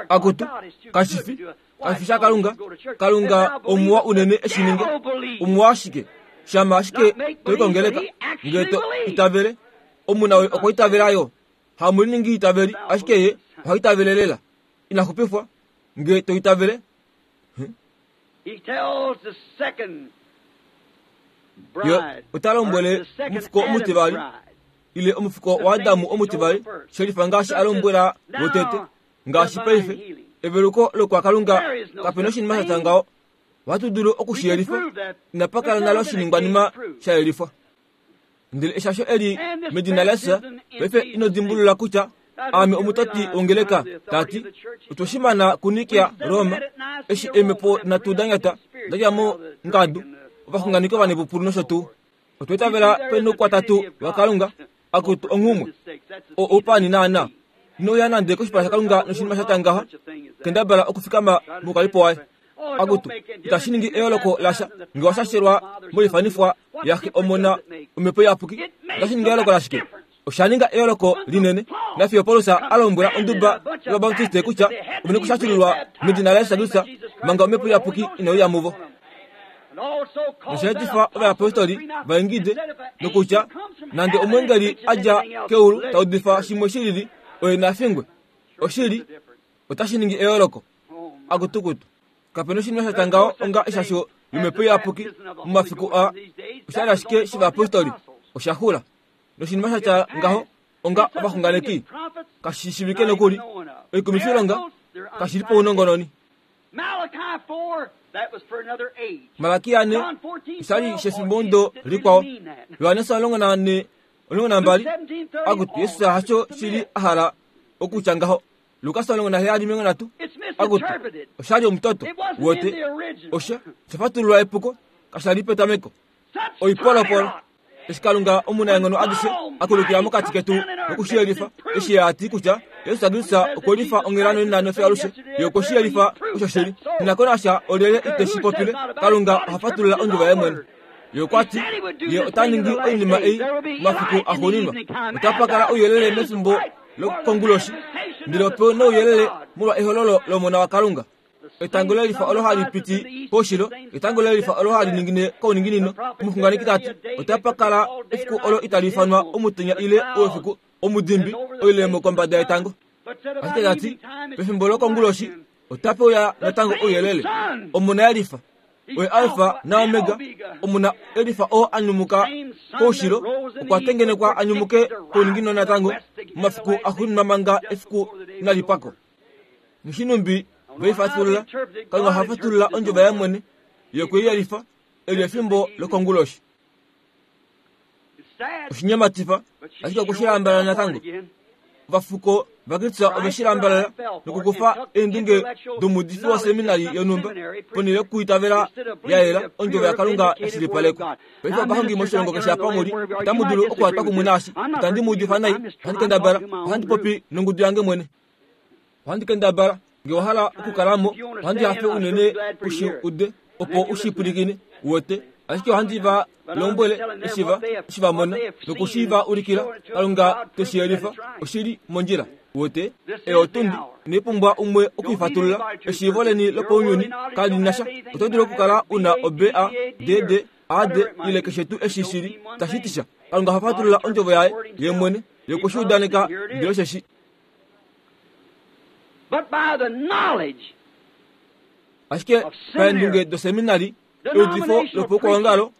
Akutu, kashi fi, kashi fi shaKalunga. Kalunga omuwa unene e shi ninge. Omuwa ashike. Shama ashike to i kongeleka, ngee to itavele, omunawe okwa itavela yo. Hamu liningi itaveli, ashike ye oha itavele lela. Ina xupifwa, ngee to itavele. Ye ota lombwele omufuko omutivali, ile omufuko waAdamu omutivali, shelifa ngaashi a lombwela wotete, ngaashi paife, eveluko lokwakalunga kape noshinima sha tya ngaho. Ohatu dulu oku shi yelifa, inapa kala nale oshiningwanima sha yelifwa. Ndele eshasho eli medina laJesus, paife ino dimbulula kutya aame omutoti wongeleka, ta ti, otwe shi mana kuNikea, Roma, eshi eemhepo nhatu da nyata da dja mo ngadu, ovaxunganeki ovanepupulu nosho tuu. Otwa itavela penoukwatatu waKalunga, akutu onghumwe. O oupani naana. Ino uya nande koshipala shaKalunga noshinima sha tya ngaha, kendabala okufikama moukalipo waye. Akutu, itashi ningi eyooloko lasha nge wa shashelwa moifanifwa yaXe Omona Omhepo Iyapuki. Otashi ningi eyooloko lashike? Osha ninga eyooloko linene. Nafiyo Paulus a lombwela onduba yOvabaptiste kutya ove nokushashululwa medina laJesus Kristus manga Omhepo Iyapuki inai uya muvo. Nosha etifa ovayapostoli va ingide nokutya nande omweengeli a dja keulu ta udifa shimwe shi lili, oye na fingwe. Oshili, otashi ningi eyooloko. Akutukutu. Kape noshinima sha tya ngaho onga eshasho lomhepo iyapuki momafiku aa. Osha li ashike shivayapostoli. Osha xula. Noshinima sha tya ngaho onga ovaxunganeki kashi shivike nokuli. Oikumifilonga kashi li paunongononi. Malakia 4 osha li shefimbomudo likwao. Johannes 14 12 akutu Jesus hasho shili a hala okutya ngaho. Lukas 17:30 akutu osha li omutoto wote osha sha fatululwa epuko kasha li petameko oipolopolo eshi Kalunga omunaenghono adishe a kulukila mokati ketu noku shi yelifa eshi ye a ti kutya Jesus Kristus okwe lifa onghela nonena nofiyo alushe ye okwe shi yelifa osho shili nina ko nasha olyelye ite shi popile Kalunga oha fatulula ondjovo yaye mwene Ye okwa ti, Ye ota ningi oinima ei momafiku axuuninwa. Otapa kala ouyelele mefimbo lokonguloshi, ndele ope nouyelele molwa ehololo lOmona waKalunga. Etango le lifa olo hali piti koushilo, etango le lifa olo hali ningine kouninginino. Omuxunganeki ta ti, otapa kala efiku olo itali ifanwa omutenya ile oufiku, omudimbi, oilemo kombada yetango. Ashike ta ti, pefimbo lokonguloshi, otape uya natango ouyelele. Omona ye lifa. Oye Alfa naOmega, Omona e lifa oo a nyumuka koushilo, okwa tengenekwa a nyumuke kouninginino natango momafiku axuuninwa manga efiku inali pwa ko. Noshinumbi ve i fatulula, Kalunga oha fatulula ondjovo yaye mwene, Ye okwe i yelifa, eli efimbo lokonguloshi. Oshinyematifa, ashike okwe shi lambalala natango. Ovafuko vaKristus ove shi lambalala nokukufa eendunge domuudifi woseminari yonhumba ponhele yokuitavela ya yela ondjovo yaKalunga ya shilipalekwa. Paife ovahongi moshilongo keshe apa mu li, otamu dulu okuhatwa kumwe naashi. Itandi mu udifa nai, ohandi kendabala, ohandi popi nongudu yange mwene. Ohandi kendabala, nge wa hala okukala mo, ohandi hafe unene u shi ude, opo u shi pwilikine, uwete. Ashike ohandi va lombwele eshi va, eshi va mona, noku shi va ulikila, Kalunga te shi yelifa, oshi li mondjila. Uwete? Eyo otundi, inai pumbwa umwe oku i fatulula. Eshiivo leni lopaunyuni kali na sha. Oto dulu okukala u na o-B A, D D, A D, ile keshe tuu eshi shi li, tashi ti sha. Kalunga oha fatulula Ondjovo Yaye, Yemwene, Ye okwe shi udaneka, ndele osheshi. Ashike paendunge doseminari, eudifo lopaukwaongalo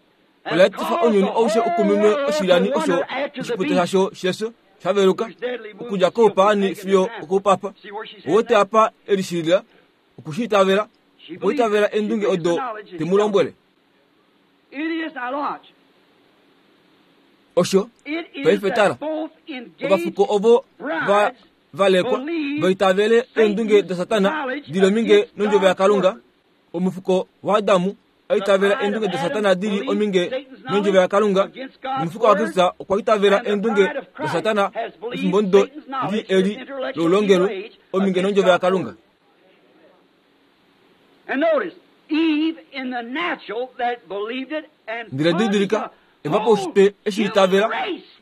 ola etifa ounyuni aushe u kuminwe oshilyani osho oshipute shasho shefyo sha veluka okudja koupaani fiyo okoupapa. Ou te apa e lishilila oku shi itavela, okwa itavela eendunge odo te mu lombwele. Osho paife tala, ovafuko ovo va valekwa va itavele eendunge daSatana di li ominge nondjovo yaKalunga. Omufuko waAdamu a itavela eendunge daSatana di li ominge nondjovo yaKalunga, nomufuko waKristus okwa itavela eendunge daSatana efimbo ndo li eli loulongelwe ominge nondjovo yaKalunga. Ndele didilika, Eva paushitwe eshi itavela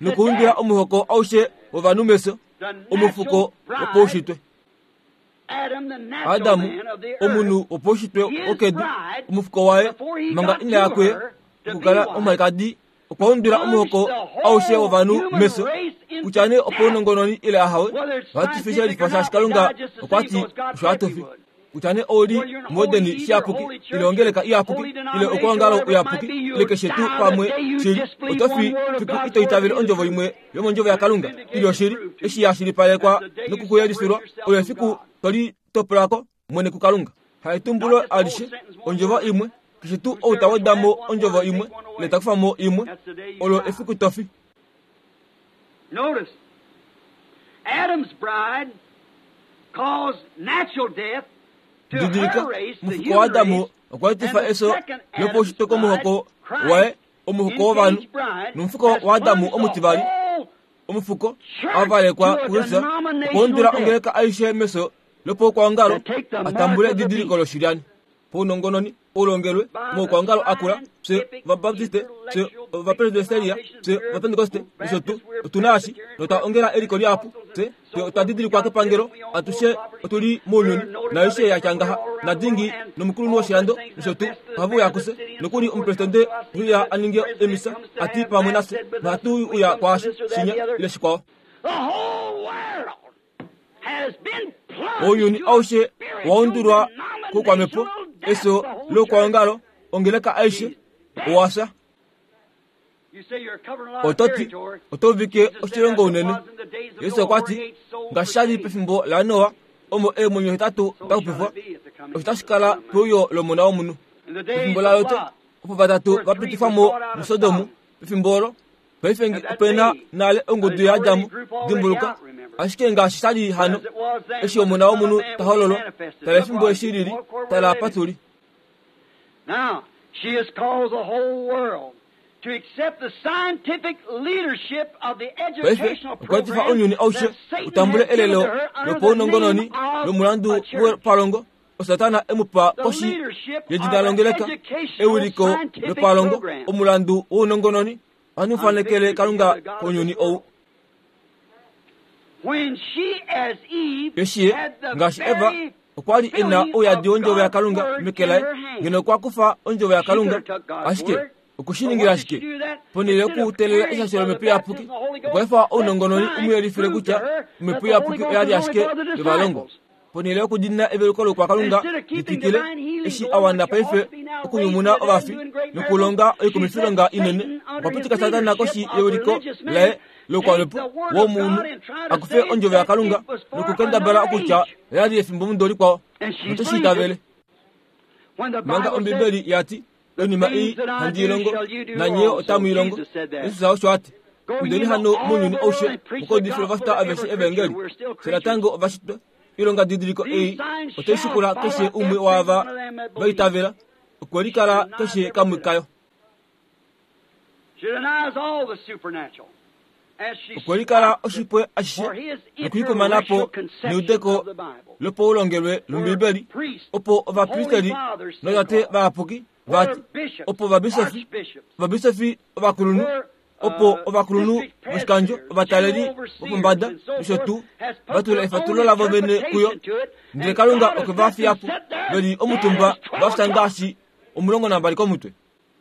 nokuundula omuhoko aushe wovanhu mefyo, omufuko wopaushitwe. Adamu, omunhu wopaushitwe wokedu, omufuko waye, manga ina ya kuye, Okukala omwalikadi okwa undula omuhoko aushe wovanhu mefyo, kutya nee opounongononi ile ahawe, ohatu fi shelifa shaashi Kalunga okwa ti osho hatu fi. Kutya nee ou li muEden shiyapuki ile ongeleka iyapuki ile okwoongalo uyapuki ile keshe tuu pamwe shili, oto fi fiku ito itavele ondjovo imwe yomondjovo yaKalunga i li oshili, eshi ya shilipalekwa nokukuyelifilwa, olo efiku to li topola ko mwene kuKalunga. Haetumbulo alishe, ondjovo imwe, keshe tuu ou ta weda mo ondjovo imwe ile ta kufa mo imwe, olo efiku to fi. Notice, Adam's bride caused natural death to Didilika, her race, the omufuko human waAdamu race, okwa and etifa the efyo second Adam's lopaushitwe komuhoko bride, waye, Christ, omuhoko wovanhu, engaged bride, nomufuko has waAdamu plunged the omutivali, whole omufuko church a valekwa to a kuKristus, okwa denominational undula death. ongeleka aishe mefyo lopokwaongalo To take the a mark tambule of the edidiliko beast. loshilyani. Paunongononi, oulongelwe, By the moukwaongalo akula, fye scientific, Ovabaptiste, fye intellectual Ovapresbyteria, fye Ovapentekoste, nosho tuu, otu na eshi, notwa ongela eliko lihapu, fye, fye otwa didilikwa kepangelo, atushe otu li mounyuni, naaishe ya tya ngaha, nadingi nomukulunhu woshilando, nosho tuu, ohave uya kufye, nokuli omupresidente ohe uya a ninge emisa, a ti pamwe nafye, nohatu uya kwaashi, shinya, ile shikwao. The whole world has been plunged Ounyuni to a aushe owa spiritual undulwa koukwamhepo, denominational death. efyo The whole loukwaongalo, church. ongeleka aishe, owa fya. You say you're covering a lot of Oto ti, territory. oto uvike Jesus said oshilongo as it unene. was in the days of Yesu Noah, okwa ti, 48 souls ngaashi sha li were saved. pefimbo laNoa, omo eemwenyo hetatu So da shall xupifwa, it be at the coming osho of tashi the kala Son of Man. peuyo lOmona womunhu. In the days Pefimbo of laLot, Lot, opo vatatu where va three pitifwa were mo brought out of muSodom, Sodom, pefimbo olo, paife at that ope na day, nale now ongudu there's already a yaAdamu, group already dimbuluka, out, remember. ashike ngaashi sha li But hano, as it was then, eshi when the Omona Son of womunhu Man ta will be hololwa, manifested. tala Look efimbo what, eshi lili, look where we're tala apa living. tu li. Now, she has caused the whole world to accept the scientific leadership of the Paife educational okwa etifa program ounyuni aushe that u Satan tambule has given elelo to her under the lopaunongononi name of lomulandu a church. wepalongo, oSatana e mu pa The koshi leadership of yedina an longeleka, educational ewiliko scientific lopalongo, program. omulandu wounongononi, ohandi mu I'm fanekele fixing to Kalunga give the God of kounyuni this ou. world. When she, as Eve, Eshi ye, had the ngaashi Eva, very okwa li e na filling ouyadi of wondjovo God's yaKalunga word meke in laye, her hand, ngeno okwa kufa ondjovo she could yaKalunga, have took God's ashike word. oku shi But ningila what did she ashike? do that? Ponhele Instead of yokuteelela praying eshasho for the lomhepo iyapuki, baptism of the Holy okwa Ghost, efa that ounongononi u mu science yelifile proved to kutya her that omhepo the Holy iyapuki Ghost oya li was only ashike for the yovalongwa. disciples. Ponhele yokudina eveluko lokwakalunga Instead of li keeping twikile, divine healing eshi going, a wana which ought paife to be now raised okunyumuna to the dead and ovafi doing great miracles, nokulonga she let oikumifilonga inene, Satan, okwa under his pitika Satana koshi leadership of yewiliko religious men, laye take loukwamhepo the word of womunhu, God and try a to kufe say ondjovo that yaKalunga it was for nokukendabala another okutya age. oya li efimbo mudo likwao, And she note shi believed it itavele. when the Manga Bible said, Ombibeli ya ti, The oinima things ei that I handi i do longo, shall you do nanye also. otamu i longo. Jesus said that. Jesus osho a ti, Go ye Indeni into hano all mounyuni the world aushe, and preach the mukaudifile gospel ovafita to aveshe every creature. evangeli. We're still Fye creatures. natango ovashitwa, oilonga didiliko These ei signs otai shall shikula follow keshe umwe every waava one of them that va believe. itavela, okwe She likala denies keshe every kamwe bit of it. kayo. She denies all the supernatural. As she Okwe likala stops it oshipwe for ashishe his nokuikumana intellectual po conception neudeko of the Bible. lopaulongelwe Where lOmbibeli, priests, opo holy ovapristeli fathers so notate called, vayapuki where vati, bishops, opo ovabisofi, archbishops, ovabisofi ovakulunhu, where opo ovakulunhu district voshikandjo, presbyters, ovataleli general overseers, vopombada and so nosho forth, tuu, has va put tula their own efatulo lavo vene kuyo, interpretation to it, ndele and Kalunga God has okwe va let fiya them po sit there ve li dead omutumba as va 12 fya o'clock. ngaashi 12 komutwe.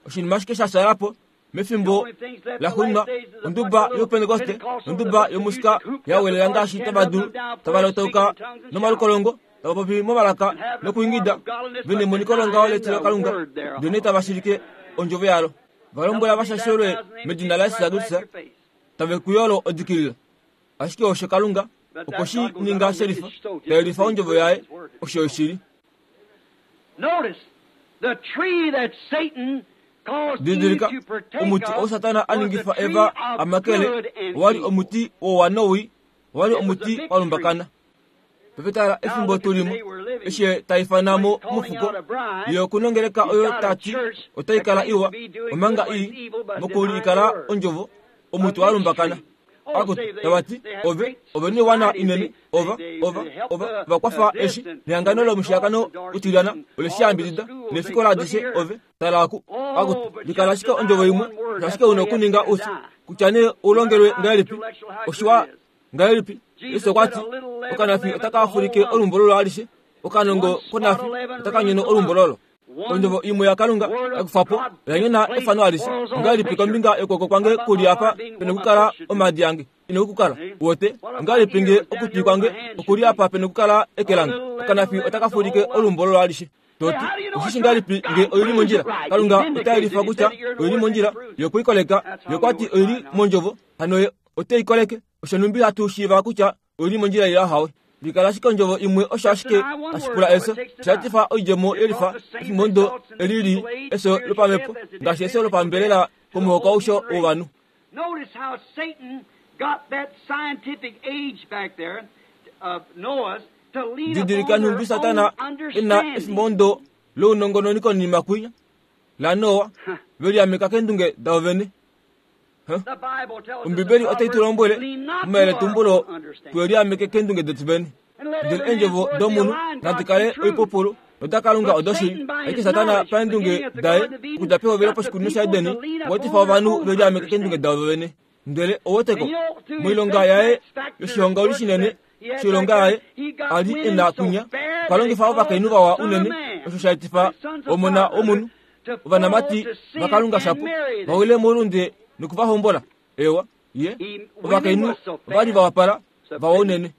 Oshinima ashike sha shala po The mefimbo only things left la the xuuninwa last days is a bunch onduba of little youpentekoste Pentecostals with a nonduba bunch of yomusika music hooped ya up the welela large ngaashi tent, tava rubbing dulu them down tava praying, speaking lotauka in tongues and shouting, nomalukolongo tava popi momalaka and having a form nokuingida of godliness ve but nemoniko longaho denying letilo the Kalunga word ndele thereof. tava shilike ondjovo yalo. Va Help lombwela them va be shashelwe baptized in the name of medina Jesus laYesus Christ, laugh Kristus your face. tave kuyolo odikilila. Ashike osho Kalunga But okwe that shi God goes out ninga and makes shelifa, it so ta just the yelifa same ondjovo proof yaye, his word to be osho so. oshili. Notice the tree that Satan caused Eve Didilika, to partake omuti ou of Satana a was the ningifa tree Eva of a makele good and owa li evil. omuti wouwa nowii, owa li It was a omuti big wa tree. lumbakana. Pepetala Now efimbo look at tu the limo, day we're living. eshi ye ta ifana When mo he's calling mofuko, out a bride, ye okunongeleka he's oyo got ta a ti church otai that kala claims to iwa, be doing good omanga when it's ii evil but denying the mokulikala word. ondjovo, A omuti wa mixed lumbakana. tree. Oh, Akutu, say they tava ti, they have ove, great ove noiwana societies. inene, They ova, they ova, they help ova, the vakwafa this eshi, and the nehangano Red Cross lomushiyakano endorses utilyana, and ole shi all the yambidida, schools. They nefikola look adishe here. ove, tala aku, akutu, Oh, but likala just ashike deny ondjovo imwe, one word. That's ashike all una you have to okuninga do to usi, die. kutya nee No matter ulongelwe how ngahelipi, intellectual, how good oshiwa it is. ngahelipi. Jesus Yesu okwa said, ti, a little leaven okanafi leavens otaka the whole fulike lump. olumbololo alishe, okanongo One spot konafi of leaven otaka ruins nyono the lump. olumbololo. Ondjovo imwe yaKalunga ya kufa po oya nyona efano alishe. Ongahelipi kombinga yokwooko kwange ku li apa pene okukala omhadi yange ine okukala? Uwete? Ongahelipi nge okutwi kwange oku li apa pene okukala eke lange? Okanafi otaka fulike olumbololo alishe. Toti, Oshishi ngahelipi nge oi li mondjila? Kalunga ota yelifa kutya oi li mondjila, Ye okwe i koleka. Ye okwa ti oi li mondjovo, hano Ye ote i koleke. Osho nhumbi hatu shiiva kutya oi li mondjila ile ahawe. Likala ashike ondjovo imwe osho ashike tashi pula efyo. Osha etifa oidjemo yelifa efimbo eli li efyo lopamhepo ngaashi efyo lopambelela komuhoko aushe wovanhu. Didilika nhumbi Satana e na efimbo lounongononi konima kwinya laNoa ve liameka keendunge davo vene. Ombibeli otai tu lombwele momayeletumbulo twe liameke keendunge detu vene. Ndele eendjovo domunhu nadi kale oipupulu nodaKalunga odoshili. Ashike Satana paendunge daye okudja pehovelo poshikunino shaEden okwa etifa ovanhu ve liameke keendunge davo vene. Ndele oweteko, moilonga yaye yoshihongauli shinene shoilonga yaye a li e na kwinya, okwa longifa ovakainhu vawa unene, osho sha etifa omona womunhu ovanamati vaKalunga shapo va wile moulunde noku va hombola. Eewa, ye, ovakainhu ova li va wapala, vawa unene.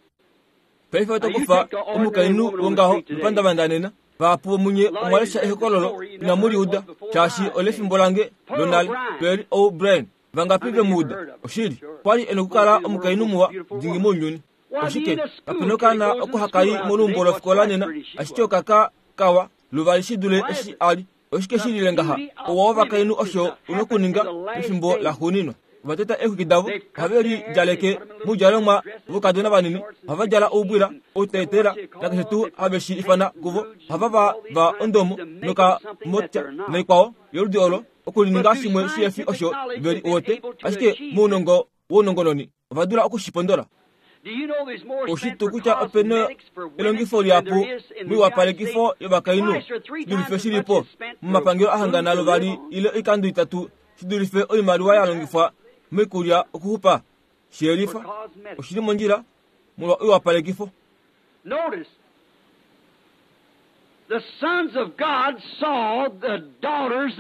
Paife oto kufa omukainhu wongaho mepandavanda nena. Vahapu vomunye omwa lesha ehokololo inamu li uda, shaashi olefimbo lange lonale. Pearl O'Brien, vangapi ve mu uda? Oshili, okwa li e nokukala omukainhu muwa dingi mounyuni. Oshike, kape nokaana oko haka i moluumbo lofikola nena, ashike okaka kawa luvali shi dule eshi a li. Oshike shi lile ngaha? Ouwa wovakainhu osho u nokuninga pefimbo laxuuninwa. Ova teta eexwiki davo, ohave li djaleke moudjalomwa voukadona vanini, ohava djala oubwila, outeetela, nakeshe tuu have shi ifana kuvo. Ohava va va ondomo nokamotya naikwao yoludi olo, okulininga shimwe shihe fi osho ve li uwete. Ashike mounongo wounongononi ova dula oku shi pondola. Oushi tuu kutya ope na elongifo lihapu moiwapalekifo yovakainhu shi dulife shi li po momapangelo a hangana luvali ile oikando itatu shi dulife oimaliwa ya longifwa moikulya okuxupa? Shi yelifa. Oshi li mondjila molwa oiwapalekifo.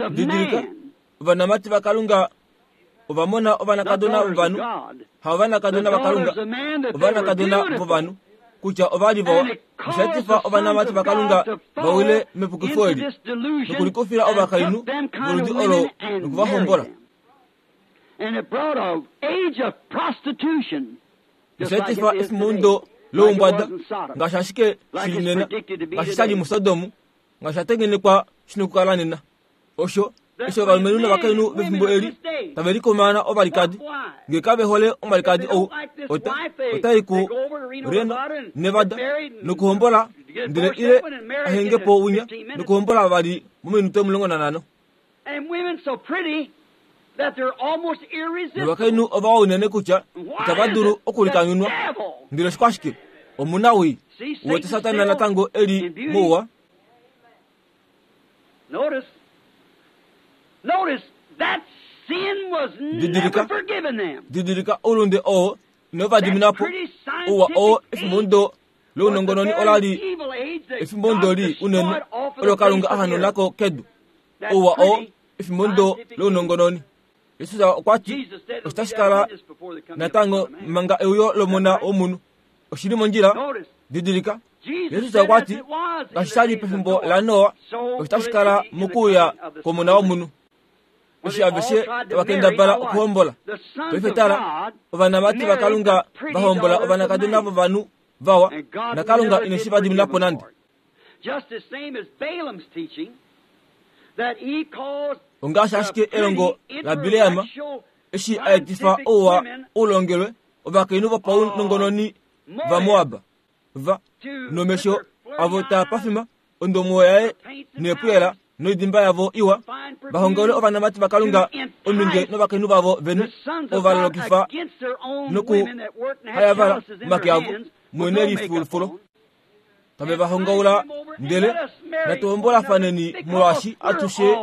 Didilika, ovanamati vaKalunga ova mona ovanakadona vovanhu, haovanakadona vaKalunga, ovanakadona vovanhu, kutya ova li vawa. Osha etifa ovanamati vaKalunga va wile mepukifo eli, nokulikufila ovakainhu voludi olo noku va hombola. Osha etifa efimundo loumbwada, ngaashi ashike shi li nena, ngaashi sha li muSodom, ngaashi sha tengenekwa shi nokukala nena. Osho eshi ovalumenhu novakainhu vefimbo eli tave likomaana ovalikadi, nge kave hole omwalikadi ou, ota, ota i ku Reno, Nevada, nokuhombola, ndele ile a henge po winya nokuhombola vali mominute 15. Novakainhu ovawa unene kutya itava dulu okulikanyunwa. Ndele oshikwashike? Omunawii. Uwete Satana natango e li mouwa? Notice, notice that sin was never Didilika. forgiven them. Didilika oulunde oo inau va dimina po. Ouwa oo efimbo lounongononi ola li efimbo ndo li unene olo Kalunga a hanauna ko kedu. Ouwa oo efimbo ndo lounongononi. Jesus okwa ti osho tashi kala natango manga euyo lOmona wOmunhu. Oshi li mondjila. Didilika, Jesus okwa ti ngaashi sha li pefimbo laNoa, osho tashi kala mokuuya kwOmona wOmunhu. Eshi aveshe tava kendabala okuhombola. Paife tala, ovanamati vaKalunga va hombola ovanakadona vovanhu vawa, naKalunga ine shi va dimina po nande. Ongaashi ashike elongo laBileam, eshi a etifa ouwa u longelwe ovakainhu vopaunongononi vaMoab, va nomesho avo taa pafima, ondomo yaye neepuyela noidimba yavo iwa, va hongaule ovanamati vaKalunga ominge novakainhu vavo vene, ovo va lolokifa nokuhayavala omake avo mwene lifulufulo. Tave va hongaula, ndele natu hombolafaneni molwaashi atushe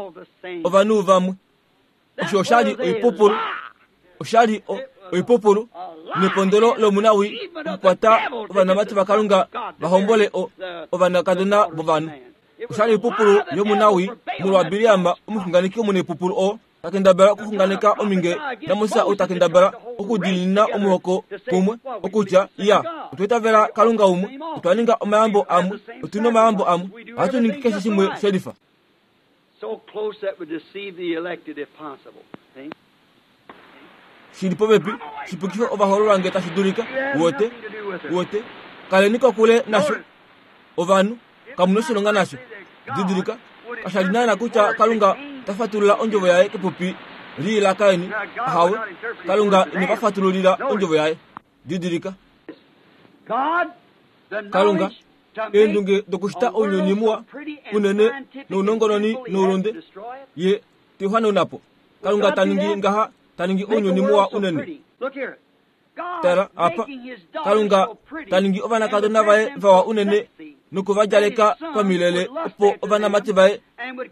ovanhu vamwe. Osho osha li oipupulu. Osha li oipupulu nepondolo lomunawii okukwata ovanamati vaKalunga va hombole ovanakadona vovanhu. Oshali oipupulu yomunawii molwaBileam omuxunganeki omunaipupulu oo ta kendabala okuxunganeka ominge naMoses ou ta kendabala okudiinina omuhoko kumwe, okutya, Iya, otwa itavela Kalunga umwe, otwa ninga omayambo amwe, otu na omayambo amwe, ohatu ningi keshe shimwe shelifa. Shi li popepi, shi pukife ovahoololwa nge tashi dulika. Uwete? Uwete? Kaleni kokule nasho. Ovanhu, kamu noshilonga nasho. Didilika, kasha li naana kutya Kalunga ta fatulula ondjovo yaye kepupi lii laKain. Ahawe, Kalunga ine va fatululila ondjovo yaye. Didilika. Kalunga, eendunge dokushita ounyuni muwa unene nounongononi noulunde, ye te u hanauna po. Kalunga ta ningi ngaha, ta ningi ounyuni muwa unene. Tala apa, Kalunga ta ningi ovanakadona vaye vawa unene noku va djaleka pamilele opo ovanamati vaye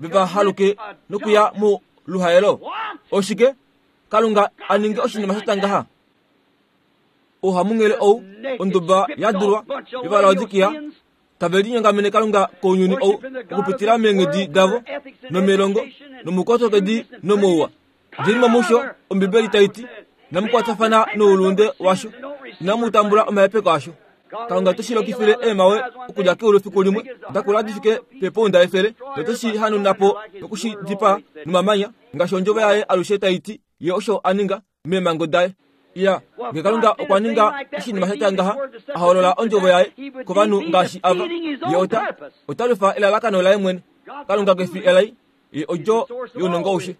ve va haluke nokuya moluhaelo. Oshike? Kalunga a ninge oshinima sha tya ngaha? Ouhamunghele ou, onduba ya dulwa yOvalaodikia, tave linyongamene Kalunga kounyuni ou okupitila meenghedi davo nomelongo nomoukotokedi nomouwa. Djeni mo musho, Ombibeli tai ti, inamu kwatafana noulunde washo, inamu tambula omahepeko asho. Kalunga ote shi lokifile eemhawe okudja keulu fiku limwe da kula di fike peepounda efele, note shi hanauna po noku shi dipaa nomamanya, ngaashi ondjovo yaye alushe tai ti, Ye osho a ninga. meemhango daye. Iya, nge Kalunga okwa ninga oshinima sha tya ngaha, a holola ondjovo yaye kovanhu ngaashi ava, ye ota, ota lwifa elalakano laye mwene. Kalunga ke fi elai, ye odjo younongo aushe.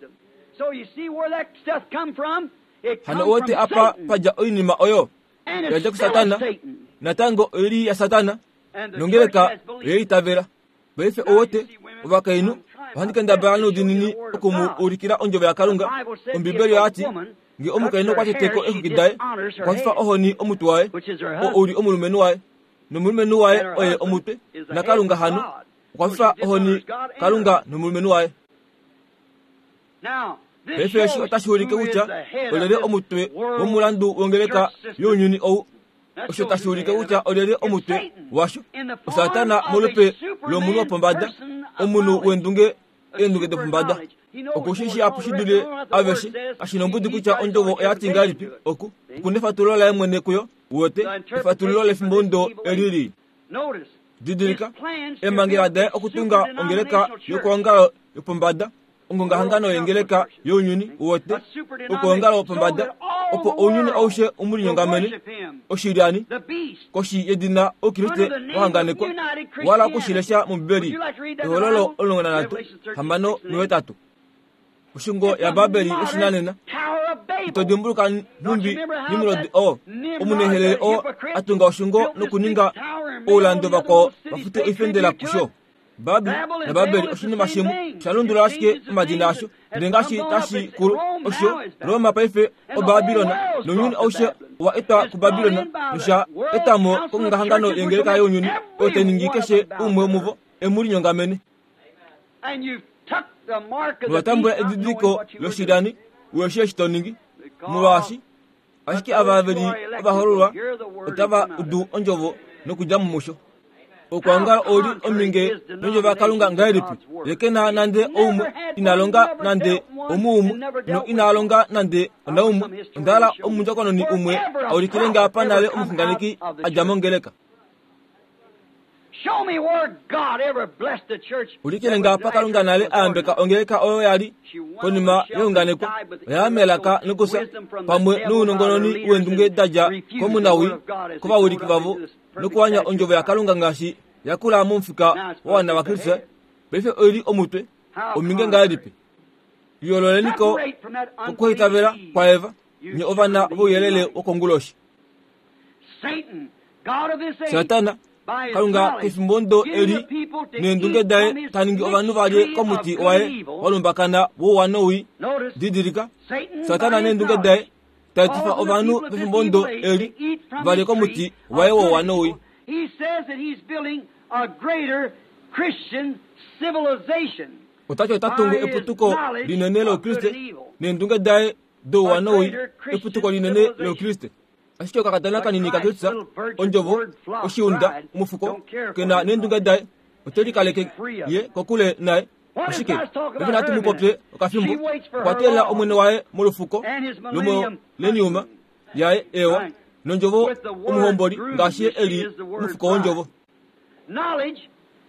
Hano uwete apa pa dja oinima oyo? Oya dja kuSatana, natango oi li yaSatana, nongeleka oye itavela. Paife owote, ovakainhu, ohandi kendabala noudiinini oku mu ulikila Ondjovo yaKalunga. Ombibeli oya ti, Nge omukainhu okwa tete ko eexwiki daye, okwa fifa ohoni omutwe waye, oo u li omulumenhu waye. Nomulumenhu waye oye omutwe, naKalunga hano. Okwa fifa ohoni Kalunga nomulumenhu waye. Paife eshi otashi ulike kutya olyelye omutwe womulandu wongeleka younyuni ou. Osho tashi ulike kutya olyelye omutwe washo. OSatana molupe lomunhu wopombada, omunhu wendunge eendunge dopombada. Oku shi shihapu shi dule aveshe. Kashi nombudi kutya ondjovo oya ti ngahelipi, oku, oku nefatululo laye mwene kuyo, uwete, efatululo lefimbomudo eli lii. Didilika, eemhangela daye okutunga ongeleka yokwoongalo yopombada, ongongahangano yengeleka younyuni wote, okwoongalo wopombada, opo ounyuni aushe u mu linyongamene, oshilyani, koshi yedina Oukriste wa hanganekwa. Wala oku shi lesha mOmbibeli, Ehololo 13, 6 nohetatu. Oshungo yaBabeli yoshinanena. Ito dimbuluka nhumbi Nimrod oo omunehelele oo a tunga oshungo nokuninga oulando vakwao va fute oifendela kusho? Babel naBabeli oshinima shimwe, sha lundulula ashike omadina asho. Ndele ngaashi tashi kulu, osho Roma paife oBabilon, nounyuni aushe owa etwa kuBabilon nosha eta mo kongongahangano yengeleka younyuni oyo tai ningi keshe umwe womuvo e mu linyongamene. Nova tambula edidiliko loshilyani, uhe shii eshi to ningi, molwaashi ashike ava ve li ovahoololwa otava udu ondjovo nokudja mo musho. Okwoongala ou li ominge nondjovo yaKalunga ngahelipi? Ye ke na nande oumwe, ina longa nande omuumwe, no ina longa nande onaumwe. Onda hala omundjokononi umwe a ulikile nge apa nale omuxunganeki a dja mongeleka. Ulikile nge apa Kalunga nale a yambeka ongeleka oyo ya li konima yeunganeko, oya ya melaka nokufya, pamwe nounongononi weendunge da dja komunawii, kovawiliki vavo, nokuwanya ondjovo yaKalunga ngaashi ya kula momufika wa wana waKristus. Paife oi li omutwe, ominge ngahelipi? Yoololeni ko kokuhaitavela kwaEva, nye ovana vouyelele wokonguloshi. Satana, Kalunga kefimbo ndo eli neendunge daye ta ningi ovanhu va lye komuti waye wa lumbakana wouwa nowii. Didilika, Satana neendunge daye ta etifa ovanhu pefimbo ndo eli va lye komuti waye wouwa nowii. Ota ti ota tungu eputuko linene loukriste neendunge daye douwa nowii, eputuko linene loukriste. Ashike okakadona kanini kaKristus, Ondjovo, oshiunda, omufuko, ke na neendunge daye. Ote likaleke ye kokule naye. Oshike? Paife natu mu popye okafimbo. Okwa teelela omwene waye molufuko lomoleniuma yaye, ewa, nondjovo omuhomboli ngaashi ye e li omufuko wondjovo. Knowledge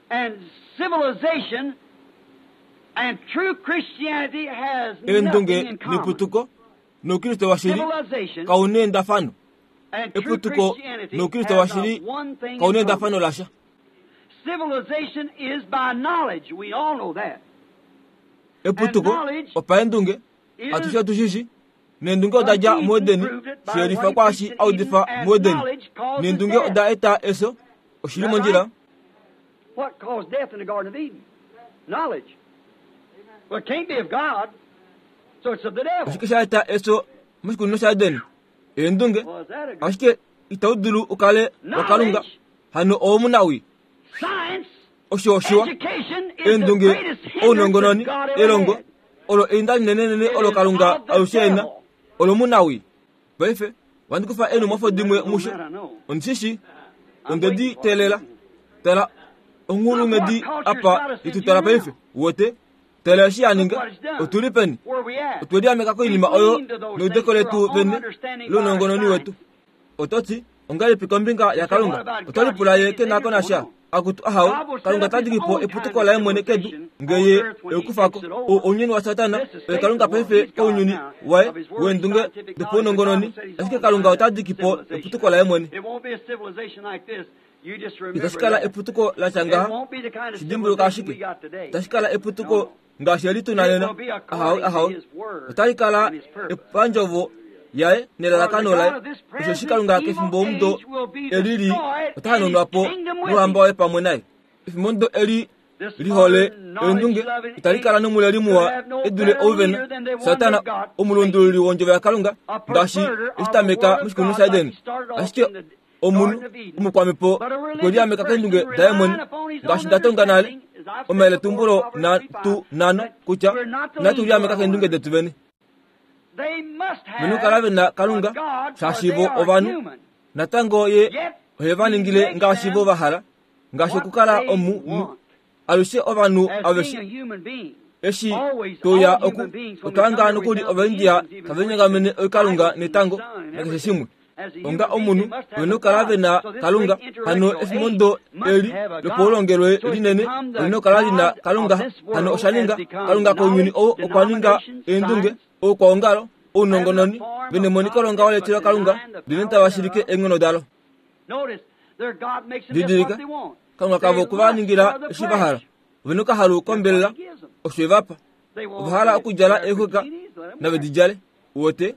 and civilization and true Christianity has nothing Eendunge in common. neputuko noukriste washili Civilization kau neendafano. and true Eputuko Christianity noukriste have not washili one thing kau in common. neendafano lasha. Civilization is by knowledge. We all know that. Eputuko opaendunge atushe otushishi neendunge oda dja muEdeni shiyelifa kwaashi a udifa muEdeni neendunge oda eta efyo oshili mondjila. What caused death in the Garden of Eden? Knowledge. Well, it can't be of God, so it's of the devil. Oshike sha eta efyo moshikunino shaEdeni? Eendunge. Was that a good Ashike itau dulu u kale waKalunga hano owomunawii. science? Osho oshiwa. Education is the Eendunge, greatest hindrance ounongononi, that God ever elongo had. olo einda linenenene olo Kalunga alushe e na olomunawii. Paife ohandi kufa eenhumwafo dimwe musho. Ondishishi onde di teelela. Tala onghulunghedi apa itutala paife. Uwete? Tala eshi ya ninga. Otu li peni? Where we at? Otwe liameka koinima oyo neudeko letu vene lounongononi wetu. Oto ti, ongahelipi kombinga yaKalunga? Oto lipula ye ke na ko nasha? Akutu ahao, Kalunga ta diki po eputuko laye mwene kedu nge ye eukufa ko. Ounyuni waSatana oye Kalunga paife kounyuni waye weendunge dopaunongononi, ashike Kalunga ota diki po eputuko laye mwene. It won't be a civilization like this. You just remember Itashi kala that. eputuko la tya It ngaha, won't be the kind of shidimbuluka civilization we ashike. got today. Itashi kala eputuko ngaashi eli tu na nena. Ahawe, ahawe. Otali kala epandjovo yaye nelalakano laye. Osheshi Kalunga kefimbo omudo eli li ota hanaunwa po nouhamba waye pamwe naye. Efimbo omudo eli lihole eendunge itali kala nomuleli muwa e dule ouvena. Satana omulundululi wondjovo yaKalunga ngaashi eshi tameka moshikunino shaEden. Ashike omunhu omukwamhepo okwe liameka keendunge daye mwene ngaashi nda tonga nale omayeletumbulo tu nano kutya inatu liameka keendunge detu vene. They must have Venokala ve na Kalunga a God, for shaashi they vo are ovanhu human. natango ye Yet ohe va ningile ngaashi vo va hala ngaashi what okukala they omunhu want. alushe ovanhu As being aveshe a human being. eshi Always, toya all oku human beings, when we otwa come hanga here, we nokuli found the Ovaindia Indians even tave worshiping linyengamene oikalunga idols and the netango sun and nakeshe everything. shimwe. As a human Onga being, omunhu they must have vena a okukala God. ve na So this Kalunga great hano intellectual efimbo age ndo must eli have a God. lopaulongelwe So it's linene become the olina okukala lina God Kalunga of this hano world osha ninga has become Kalunga kounyuni knowledge, ou okwa ninga denomination, eendunge science, oukwaongalo ounongononi venemoniko longa leetela Kalunga ndele tava shilike eenghono dalo. Notice, their God makes them just Didilika, what they want. Kalunga kavo They okwe va lust ningila for the eshi va hala. flesh. Ovena okahalu kombelela That's what he gives them. osho e va pa. They want Ova hala to okudjala wear eexwika bikinis, let 'em nave wear di it. djale. Uwete?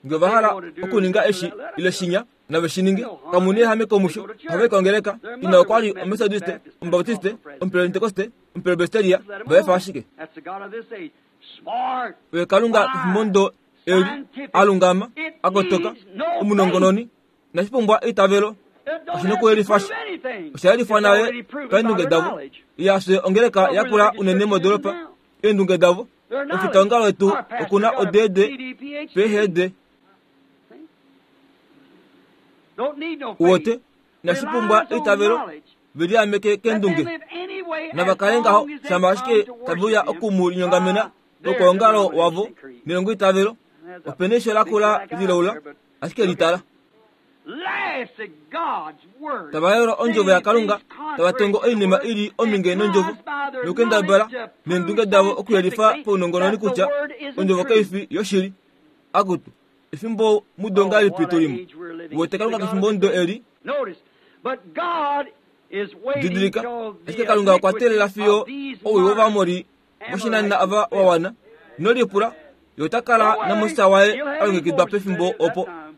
Nge ova hala okuninga eshi ile shinya nave shi ninge. Kamu na ehameko musho. Ohava i kongeleka. Ina okwa li Omethodiste, Omubaptiste, Omupentekoste, Omupresbyteria, va efa ashike. That's the God of this age. Smart. Oye Kalunga kefimbo ndo eli alungama, akotoka, omunongononi, inashi pumbwa eitavelo. It don't Oshina have to okuyelifa prove anything. osha yelifwa It's nale already proven by paendunge their davo. knowledge. Iyafye ongeleka yakula unene modoropa eendunge davo. Their knowledge. Ofitaongalo wetu Our pastor okuna got a odeede PhD, PhD. PhD. Don't need no faith. Uwote inashi pumbwa Relies on eitavelo knowledge. veliameke Let them keendunge. live any way Nava as kale long ngaho as they shama come ashike to worship tavuya him oku mu linyongamena by their lokwaongalo wavo denomination creed. nelongo itavelo. There's a Opena eisho big lakula black eye lilaula there, but ashike litala. laughs at God's word. Tava yola ondjovo yaKalunga Saying things tava tongo contrary to the oinima word, ili and ominge nondjovo tries by their nokendabala knowledge to neendunge prove davo okuyelifa scientifically paunongononi that the kutya word isn't ondjovo true. kai fi yoshili. Akutu efimbo mudo Oh, ngahelipi what tu an limo. age we're living in. Uwete See the Kalunga God kefimbo of ndo this eli Notice, but God is waiting didilika till ashike the Kalunga okwa iniquity teelela fiyo of these owii modern wOvaamori voshinanena Amorites ava is wa wana. Ino lipula, ye ota kala Don't worry, naMoses waye he'll a have his longekidwa forces pefimbo ready at that opo. time.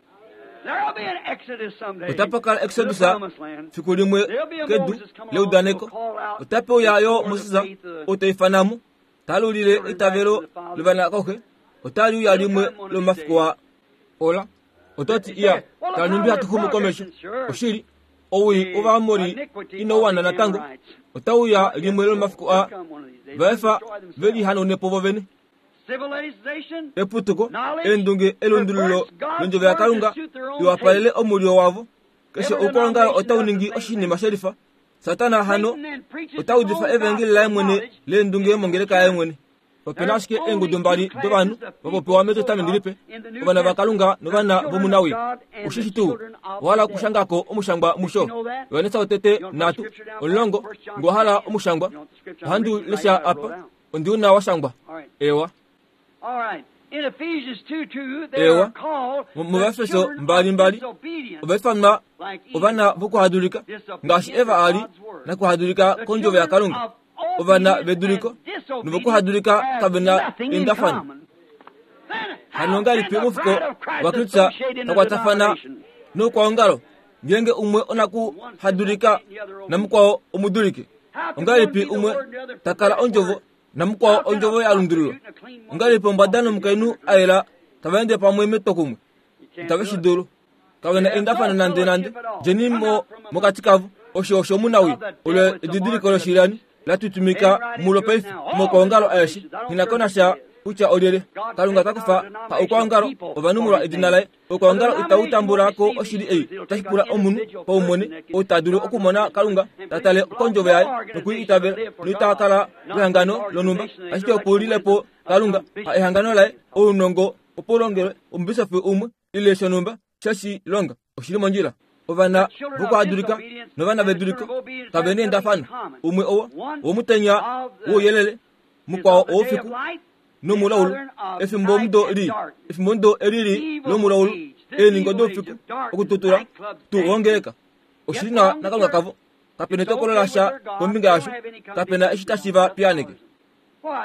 There'll be an exodus someday Otapa kala to the exodus promised land. fiku limwe There'll be a kedu Moses come along who'll leudaneko. call out Otape uya the yo sword of Moses faith, the ou ta ifanamo talulile children back to eitavelo the fathers. lovanakauhe. Otali uya He'll limwe come one of these lomafiku days. a ola. Ototi You iya say, well, look tala how nhumbi we're hatu xumu komesho. progressing. Sure. Oshili owii The wOvaamori iniquity ino of wana the natango. Amorites. Otauya Not yet limwe so. lomafiku They'll a come one of these days. va They'll efa destroy ve themselves. lihanaune po vovene. Civilization, Eputuko, knowledge, eendunge, elundululo perverts God's londjovo word to yaKalunga suit their own liwapalele taste. omulyo wavo. Keshe Every oukwaongalo denomination otau does the ningi same oshinima thing. shelifa. Satana hano ota udifa evangeli laye mwene leendunge mongeleka yaye mwene. Ope na ashike eengudu mbali dovanhu va popiwa mEtestamenti Lipe, ovana vaKalunga novana vomunawii. Ushi shi tuu? Owa hala okushanga ko omushangwa musho? Johannes wotete nhatu, omulongo, nge owa hala omushangwa. Ohandi u lesha apa, ondi u na wa shangwa. Eewa. Eewa. MOvaefeso mbalimbali, ova ifanwa ovana vokuhadulika, ngaashi Eva a li nakuhadulika kondjovo yaKalunga. Ovana veduliko novokuhadulika kave na eendafano. Hano ongahelipi omufuko waKristus ta kwatafana noukwaongalo ngeenge umwe onakuhadulika namukwao omuduliki? Ongahelipi umwe ta kala ondjovo namukwao ondjovo ya lundululwa? Ongahelipi ombwada nomukainhu a yela tava ende pamwe metwokumwe? Itave shi dulu. Kave na eendafano nandenande. Djeni mo mokati kavo. Osho osho omunawii. Olo edidiliko loshilyani la tutumika mulo paife moukwaongalo aeshe. Nghi na ko nasha kutya olyelye. Kalunga ota kufa pa oukwaongalo ovanhu molwa edina laye. Oukwaongalo itau tambula ko oshili ei. Otashi pula omunhu paumwene ou ta dulu okumona Kalunga, ta tale kondjovo yaye noku i itavela, noita kala wehangano lonhumba, ashike oku lile po Kalunga, ha ehangano laye, ounongo opo u longelwe omubisofi umwe ile shonhumba she shi longa. Oshi li mondjila. Ovana vokuhadulika novana veduliko kave na eendafano. Umwe owo womutenya wouyelele, mukwao owoufiku nomulaulu. Efimbomudo lii, efimbomudo eli lii lomulaulu, eeningo doufiku, okututula, tu wongeleka. Oshi li nawa naKalunga kavo. Kape na etokolo lasha kombinga yasho. Kape na eshi tashi va piyaaneke.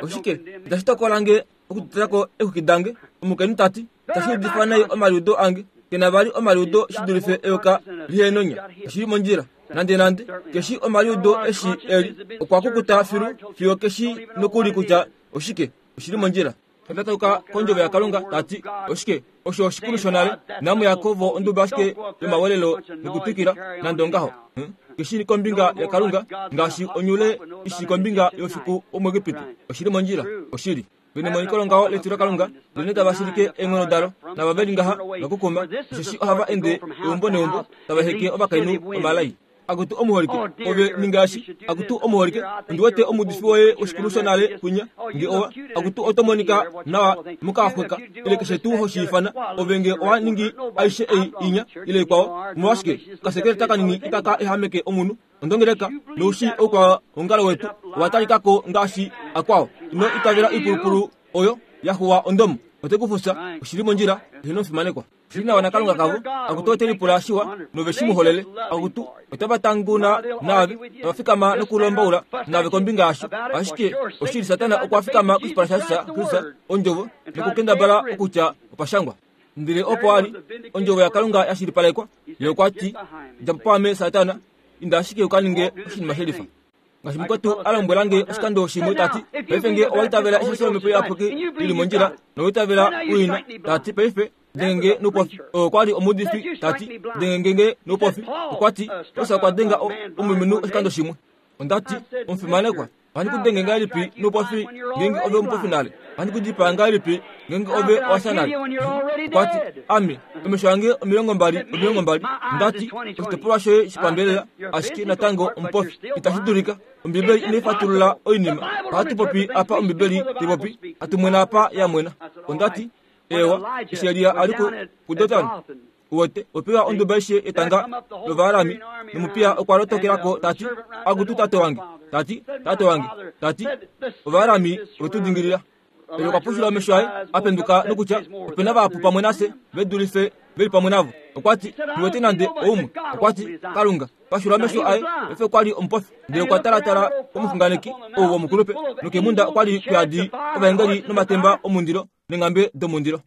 Oshike itashi tokola nge okututula ko eexwiki dange? Omukainhu ta ti, Tashi udifa nai omaliudo ange. Ke na vali omaliudo shi dulife eyoka lihenonya. Oshi li mondjila. Nandenande, ke shii omaliudo eshi e li. Okwa kukuta filu fiyo ke shii nokuli kutya oshike. Oshi li mondjila. Ta tauka kOndjovo yaKalunga, ta ti, Oshike, osho oshikulu shonale. Inamu ya ko vo onduba ashike yomawelelo nokutwikila, nande ongaho. Huh? Ke shii kombinga yaKalunga ngaashi onyule i shii kombinga youfiku womuEgipiti. Oshi li mondjila. Oshili. Ve nemoniko longaho letilokalunga, ndelenee tava shilike eenghono dalo, nava ve li ngaha va kukuma, osheshi ohava ende eumbo neumbo, tava heke ovakainhu omalai. Akutu omuholike, ove ninga eshi. Akutu omuholike, ondi wete omuudifi woye woshikulu shonale kwinya, nge owa. Akutu oto monika nawa mokaxweka, ile keshe tuu ho shi ifana. Ove nge owa ningi aishe ei inya, ile ikwao, omolwashike, okasekeleta kanini itaka ehameke omunhu. Ondongeleka noushi oukwaongalo wetu owa talika ko ngaashi akwao. Ino itavela oipulupulu oyo ya xuwa ondomo. Ote ku fufya. Oshi li mondjila. Eheno omufimanekwa. Oshi li nawa naKalunga kavo. Akutu ote lipula shiwa nove shi mu holele. Akutu otava tanguna naave, tava fikama nokulombaula naave kombinga yasho. Ashike oshili Satana okwa fikama koshipala shaKristus, Ondjovo, nokukendabala okutya opa shangwa. Ndele opo a li, Ondjovo yaKalunga ya shilipalekwa, Ye okwa ti, Dja po paame, Satana, inda ashike u ka ninge oshinima shelifa. Ngaashi mukwetu a lombwela nge oshikando shimwe ta ti, Paife nge owa itavela eshasho lOmhepo Iyapuki li li mondjila, nowa itavela u i na, ta ti, paife, denge nge noupofi. Oo okwa li omuudifi, ta ti, Denge nge noupofi. Okwa ti, Paulus okwa denga o, omulumenhu oshikando shimwe. Onda ti, Omufimanekwa, ohandi ku denge ngahelipi noupofi ngeenge ove omupofi nale? Ohandi ku dipaa ngahelipi ngeenge ove owa fya nale? Okwa ti, Ame, omesho ange 20 20. Onda ti, Oshitopolwa shoye shopambelela, ashike natango omupofi. Itashi dulika. Ombibeli inai fatulula oinima. Ohatu popi apa Ombibeli tai popi, hatu mwena apa ya mwena. Onda ti, Eewa, eshi Elia a li kuDotan, Uwete, opewa onduba aishe yetanga lOvaarami, nomupiya okwa lotokela ko ta ti, Akutu tate wange! Ta ti, Tate wange! Ta ti, Ovaarami ove tu dingilila. Oye okwa pushula omesho aye, a penduka nokutya, Ope na vahapu pamwe nafye ve dulife ve li pamwe navo. Okwa ti, Nghi wete nande oumwe. Okwa ti, Kalunga, pashula omesho aye, paife okwa li omupofi. Ndele okwa talatala komuxunganeki ou womukulupe, nokeemhunda okwa li kuyadi ovaengeli nomatemba omundilo neenghambe domundilo.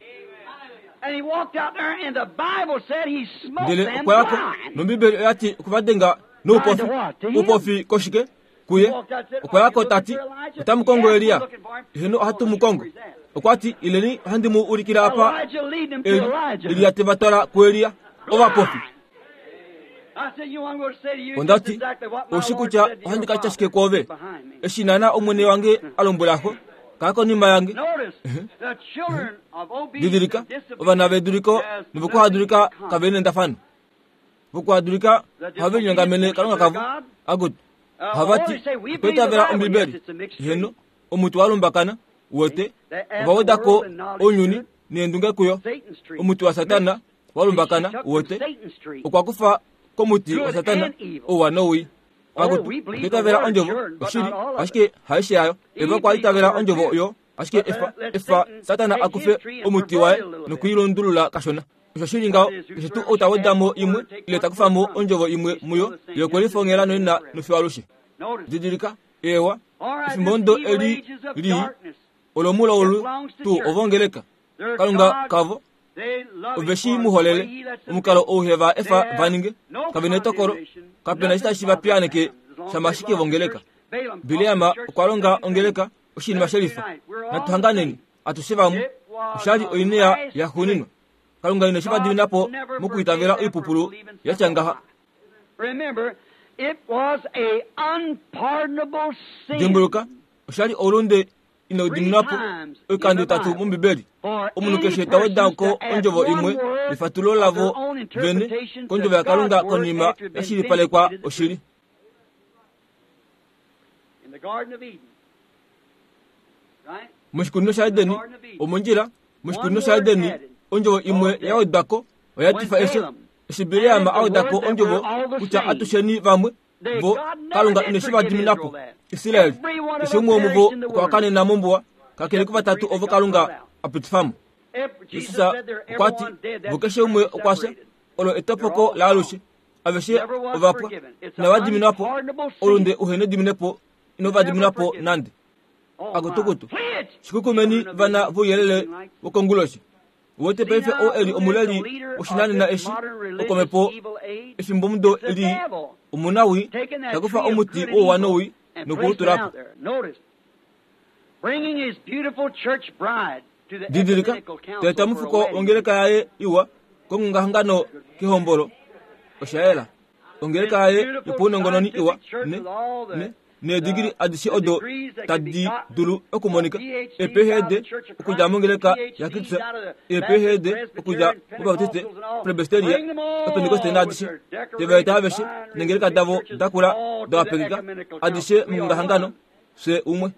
Ndele okwa ya ko, nOmbibeli oya ti okwe va denga noupofi. Oupofi koshike? Kuye. Okwa ya ko ta ti, Otamu kongo Elia? Eheno, ohatu mu kongo. Okwa ti, Ileni, ohandi mu ulikile apa e li. Elia te va twala kuElia. Ovapofi. Onda ti, Oushi kutya ohandi ka tya shike kwoove? Eshi naana Omwene wange a lombwela xo, Kala konima yange. Didilika, ovana veduliko novokuhadulika kave nendafano. Vokuhadulika ohave linyongamene Kalunga kavo. Akutu, ohava ti, Otwa itavela Ombibeli. Heeno, omuti wa lumbakana, uwete, ova weda ko ounyuni neendunge kuyo. Omuti waSatana wa lumbakana, uwete, okwa kufa komuti waSatana ouwa nowii. Akutu, otwa itavela Ondjovo, oshili, ashike haishe yayo. Eva okwa itavela Ondjovo oyo, ashike efa, efa Satana a kufe omuti waye nokuilundulula kashona. Osho shi li ngaho, keshe tuu ou ta weda mo imwe ile ta kufa mo ondjovo imwe muyo, ye okwe lifongela noina nofiyo alushe. Didilika, eewa, efimbo ndo eli lii, olomulaulu tuu ovongeleka. Kalunga kavo, ove shi mu holele, omukalo ou he va efa va ninge. Kave netokolo, kape na eshi tashi va piyaaneke shama ashike vongeleka. Bileam okwa longa ongeleka oshinima shelifa. Natu hanganeni. Atushe vamwe, osha li oinea yaxuuninwa. Kalunga ine shi va dimina po mokwiitavela oipupulu ya tya ngaha. Dimbuluka, osha li oulunde inau diminwa po oikando itatu mOmbibeli. Omunhu keshe ta weda ko ondjovo imwe yefatulo lavo vene kondjovo yaKalunga konima ya shilipalekwa oshili. Moshikunino shaEden, omondjila, moshikunino shaEden, ondjovo imwe ya wedwa ko oya etifa efyo. Eshi Bileam a weda ko ondjovo kutya atusheni vamwe, vo, Kalunga ine shi va dimina po. Israel, keshe umwe womuvo okwa kanena mombuwa, kakele kuvatatu ovo Kalunga a pitifa mo. Jesus okwa ti, vo keshe umwe okwa fya, olo etopoko laalushe. Aveshe ova pwa, inava diminwa po, oulunde uhe nediminepo ino va diminwa po nande. Akutukutu, shikukumeni vana vouyelele wokonguloshi. Uwete paife oo e li omuleli woshinanena eshi, okomhepo efimbomudo lii, omunawii, ta kufa omuti wouwa nowii noku u tula po. Didilika, ta eta omufuko wongeleka yaye iwa kongongahangano kehombolo. Osha yela. Ongeleka yaye yopaunongononi iwa ne, ne, needigili adishe odo tadi dulu okumonika, eePhD okudja mongeleka yaKristus, eePhD okudja mObaptiste, Presbyteria, Opentekoste naadishe, te va eta aveshe neengeleka davo dakula da wapekeka, adishe mongongahangano, fye umwe.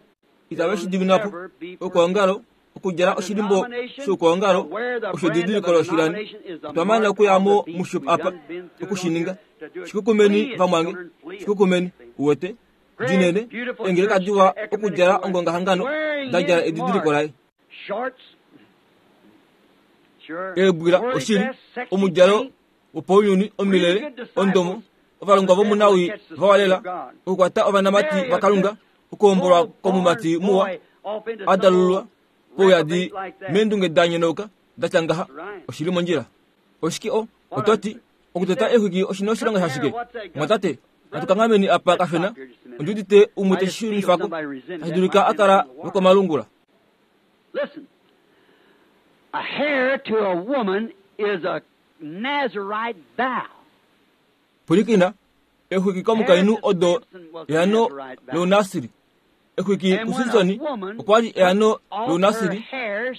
Itave shi dimina po. Okwoongalo, okudjala oshilimbo shoukwaongalo osho edidiliko loshilani. Otwa mana okuya mo musho apa, oku shi ninga. Shikukumeni, vamwange. Shikukumeni. Uwete? Dinene, eengeleka diwa okudjala ongongahangano, da djala edidiliko laye. Eebwila, oshili, omudjalo wopaunyuni, omilele, ondomo, ovalongwa vomunawii va walela, okukwata ovanamati vaKalunga, okuhombolwa komumati muwa a dalululwa pouyadi meendunge da nyonauka da tya ngaha oshi li mondjila. Oshike o oto ti, okuteta exwiki oshi na oshilonga shashike? Mwatate, natu kanghameni apa kashona. Ondi udite umwe te shi shunifa ko, tashi dulika a kala lwokomalungula. Listen, a hair to a woman is a Nazarite vow. Pwilikina, Exwiki komukainhu odo eano lounasiri. Exwiki kuSimson okwa li eano lounasiri,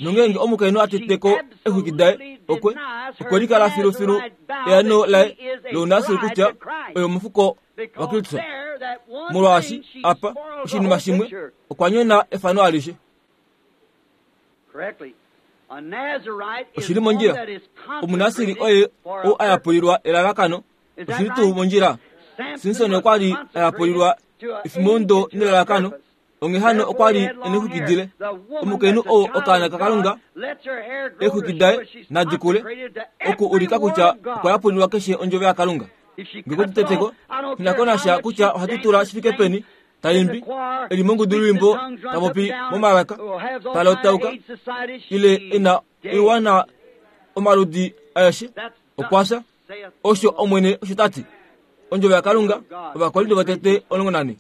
nongeenge omukainhu a tete ko exwiki daye, okwe, okwe likala filufilu eano laye lounasiri kutya oye omufuko waKristus. Molwaashi, apa, oshinima shimwe, okwa nyona efano alishe. Oshi li mondjila. Omunasiri oye ou a yapulilwa elalakano Oshi li tuu mondjila? Simson okwa li a yapulilwa efimbondo nelalakano, onghee hano okwa li e nexwiki dile. Omukainhu ou okaana kaKalunga, eexwiki daye nadi kule, oku ulika kutya okwa yapulilwa keshe ondjovo yaKalunga. Nge ku teteko, ina ko nasha kutya ohatu tula shi fike peni, ta imbi, e li mongudulwiimbo ta popi momalaka, ta lotauka, ile e na oiwana omaludi aeshe, okwa fya. Osho Omwene osho ta ti. Ondjovo yaKalunga, Ovakorinto votete 14.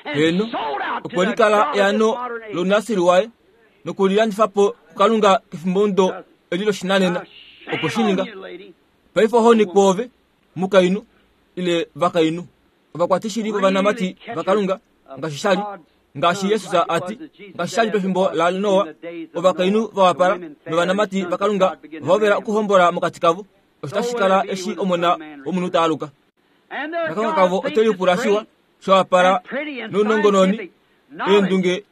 Heeno, okwe likala eano lounasiri waye nokulilandifa po kuKalunga kefimbomudo eli loshinanena. Okwe shi ninga. Paife ohoni kwoove, mukainhu, ile vakainhu. Ovakwatishili vovanamati vaKalunga, ngaashi sha li. Ngaashi Jesus a ti, ngaashi sha li pefimbo laNoa, ovakainhu va wapala novanamati vaKalunga ova hovela okuhombola mokati kavo. Osho tashi kala eshi Omona wOmunhu ta aluka. Nakalunga kavo ote lipula shiwa, sha wapala nounongononi, eendunge,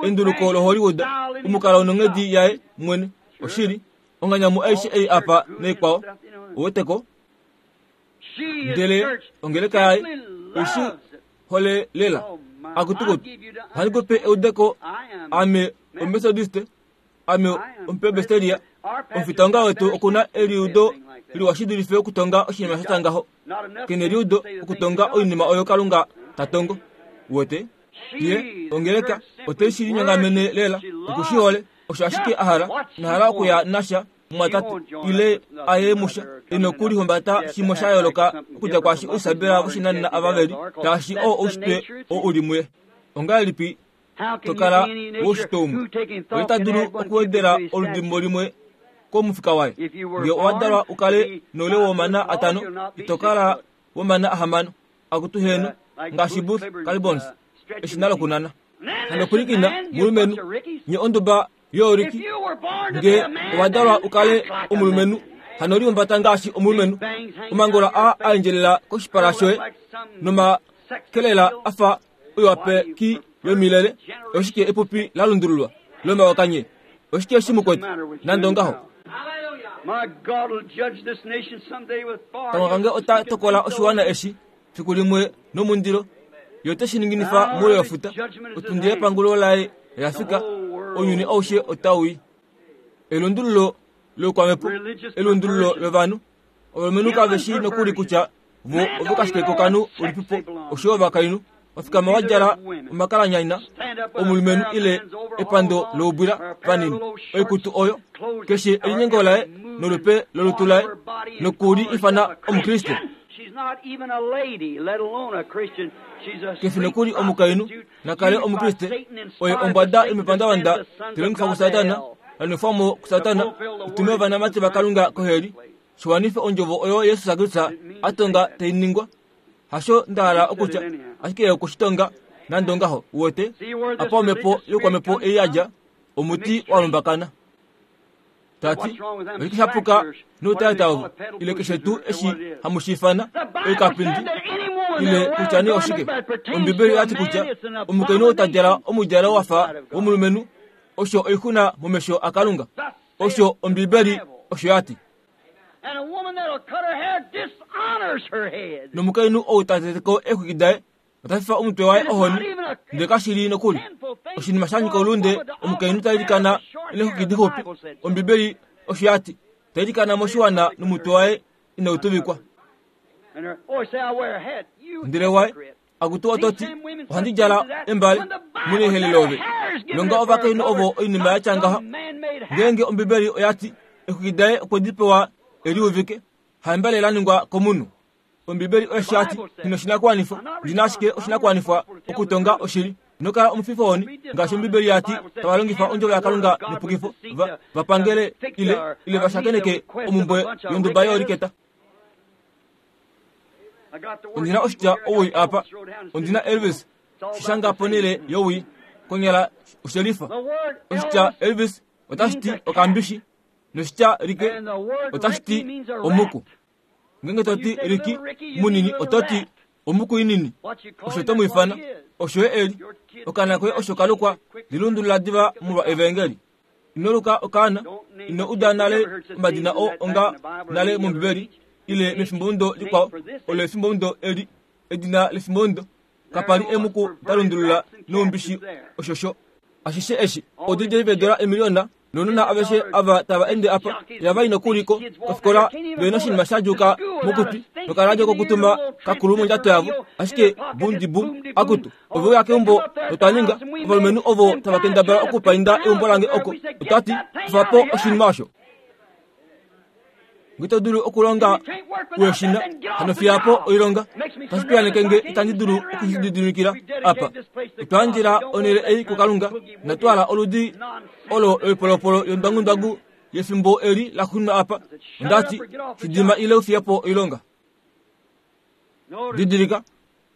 enduluko loHollywood, omukalo nonghedi yaye mwene. Oshili, onganyamu aishe ei apa naikwao. Ouweteko? Ndele ongeleka yaye oishi hole lela. Akutukutu, ohandi ku pe eudeko, ame Omethodiste, ame Omupresbyteria, omufitonga wetu oku na eliudo liwa shi dulife okutonga oshinima sha tya ngaho. Ke neliudo okutonga oinima oyo Kalunga ta tongo. Uwete? Ye, ongeleka, ote shi linyongamene lela, oku shi hole, osho ashike a hala, ina hala okuya nasha mumwatate ile a ye musha e nokulihumbata shimwe sha yooloka okudja kwaashi ousabela voshinanena ava ve li, shaashi oo oushitwe oo u li muye. Ongahelipi to kala woushitwe umwe? Oye ta dulu okuwedela oludimbo limwe komufika waye. Nge owa dalwa u kale noule womana atano, ito kala womana ahamano. Akutu heeno, ngaashi Booth Kalibons, eshina lokunana. Hano pwilikina, mulumenhu, nye onduba yooriki, nge owa dalwa u kale omulumenhu, hano lihumbata ngaashi omulumenhu. Omangola aa a endjelela koshipala shoye nomakelela a fa oiwapeki yomilele, oshike epupi la lundululwa lomayoka nye? Oshike eshi mu kwete? Nande ongaho. Kalunga kange ota tokola oshiwana eshi fiku limwe nomundilo. Ye ote shi ninginifa moule wefuta. Otundi yepangulo laye oya fika. Ounyuni aushe otau i. Elundululo loukwamhepo, elundululo lovanhu. Ovalumenhu kave shii nokuli kutya vo ovekashike kokanhu ulipipo oshoyo ovakainhu. Va fikama va djala omakalanyanya omulumenhu ile epando loubwila vanini. Oikutu oyo, keshe elinyengo laye nolupe lolutu laye, noku li ifana Omukriste. Ke fi nokuli omukainhu, na kale Omukriste. Oye ombwada yomepandavanda, te longifwa kuSatana, la nwefwa mo kuSatana, i tume ovanamati vaKalunga koheli, shi wanife ondjovo oyo Jesus Kristus a tonga tai ningwa. Hasho nda hala okutya, ashike ye okwe shi tonga nande ongaho. Uwete? Apa omhepo youkwamhepo ei ya dja, omuti wa lumbakana. Ta ti, Oshike sha puka noutata ovo, ile keshe tuu eshi hamu shi ifana, oikapindi, ile kutya nee oshike? Ombibeli oya ti kutya omukainhu ou ta djala omudjalo wa fa womulumenhu, osho oixuna momesho aKalunga. Osho Ombibeli osho ya ti. Nomukainhu ou ta tete ko eexwiki daye ota fifa omutwe waye ohoni, ndele kashi li nokuli oshinima sha nyika oulunde omukainhu ta ilikana neexwiki dixupi. Ombibeli osho ya ti, ta ilikana moshiwana nomutwe waye inau tuvikwa. Ndele waye Akutu oto ti, Ohandi djala embale munehele love. Longa ovakainhu ovo oinima ya tya ngaha. Ngeenge Ombibeli oya ti, Exwiki daye okwe di pewa e liuvike, haembale la ningwa komunhu. Ombibeli oye ya ti, Ndi noshinakuwanifwa, ndi na ashike oshinakuwanifwa okutonga oshili. Ino kala omufifohoni, ngaashi Ombibeli ya ti, tava longifa ondjovo yaKalunga nepukifo, va, va pangele ile, ile va shakeneke omumbwe yonduba yooliketa. Ondi na oshitya owii apa. Ondi na Elvis shi shanga ponhele yowii. Konyala oshelifa. Oshitya Elvis otashi ti okambishi, noshitya Ricky otashi ti omuku. Ngeenge to ti Ricky munini oto ti omuku inini. Osho to mu ifana, osho ye e li. Okaana koye osho ka lukwa, lilundulula diva molwa Evaengeli. Ino luka okaana, ino uda nale omadina oo onga nale mOmbibeli ile mefimbomudo likwao. Olo efimbomudo eli, edina lefimbomudo. Kapa li emuku da lundulula noumbishi oshosho. Ashishe eshi, odj veedola emiliona nounona aveshe ava tava ende apa, ihava i nokuli ko kofikola ve noshinima sha djuuka mokutwi nokaradio kokutuma kakulu mondjato yavo, ashike bum-di-bum, akutu, Ove uya keumbo notwa ninga ovalumenhu ovo tava kendabala okupainda eumbo lange oko. Otwa ti, Kufa po oshinima osho. Nge to dulu okulonga weshina, hano fiya po oilonga. Tashi piyaneke nge itandi dulu oku shi lididimikila apa. Otwa yandjela onhele ei kuKalunga, inatu hala oludi olo loipolopolo yondwangundwangu yefimbo eli la xuninwa apa. Onda ti, Shi dima ile u fiye po oilonga. Didilika,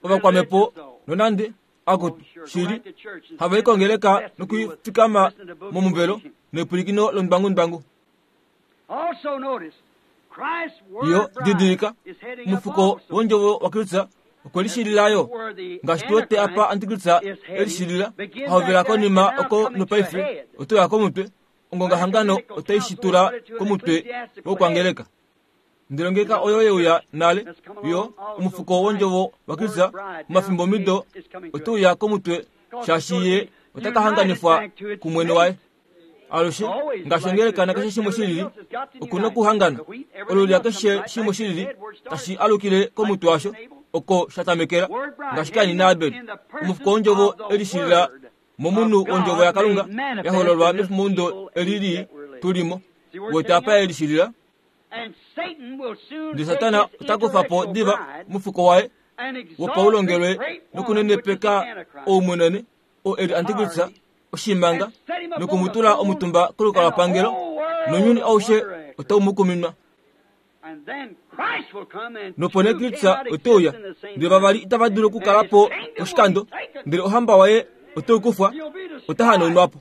ovakwamhepo nonande. Akutu, shili, hava i kongeleka nokufikama momuvelo nepwilikino lomudwangudwangu. Yo, didilika, omufuko wondjovo waKristus okwe lishilila yo, ngaashi tu wete apa Antikristus e lishilila, a hovela konima oko nopaife oto ya komutwe, ongongahangano otai shi tula komutwe wokwangeleka. Ndele ongeleka oyo ye uya nale, yo, omufuko wondjovo waKristus momafimbomido ote uya komutwe, shaashi ye ota ka hanganifwa kumwene waye. Alushe, ngaashi ongeleka nakeshe shimwe shilili, oku nokuhangana. Olulya keshe shimwe shilili tashi alukile komutwe washo, oko sha tamekela, ngaashi Kain naAbel. Omufuko wondjovo e lishilila momunhu wondjovo yaKalunga ya hololwa mefimbomudo eli lii tu li mo. Wete apa e lishilila? Ndele Satana ota kufa po diva omufuko waye wopaulongelwe nokunenepeka oumunene, oo e li antikristus, oshimanga, noku mu tula omutumba kolukalwapangelo, nounyuni aushe otau mu kuminwa. Nopo nee Kristus ote uya, ndele vavali itava dulu okukala po poshikando, ndele ohamba waye ote kufwa, ota hanaunwa po.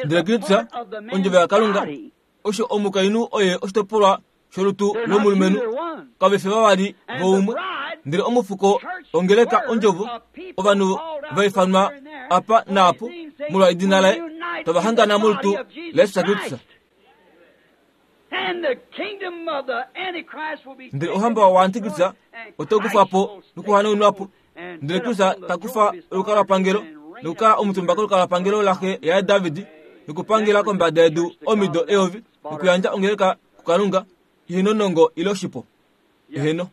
Ndele Kristus, ondjovo yaKalunga, osho omukainhu oye oshitopolwa sholutu lomulumenhu, kave fi vavali voumwe. Ndele omufuko ongeleka ondjovo, ovanhu va ifanwa apa naapo molwa edina laye, tava hangana molutu laJesus Kristus. Ndele ohamba waAntikristus otai kufwa po nokuhanaunwa po. Ndele Kristus ta kufa olukalwapangelo nokukala omutumba kolukalwapangelo laxe yaye David nokupangela kombada yedu omido eyovi nokuyandja ongeleka kuKalunga ihe nonongo ile oshipo. Eheno.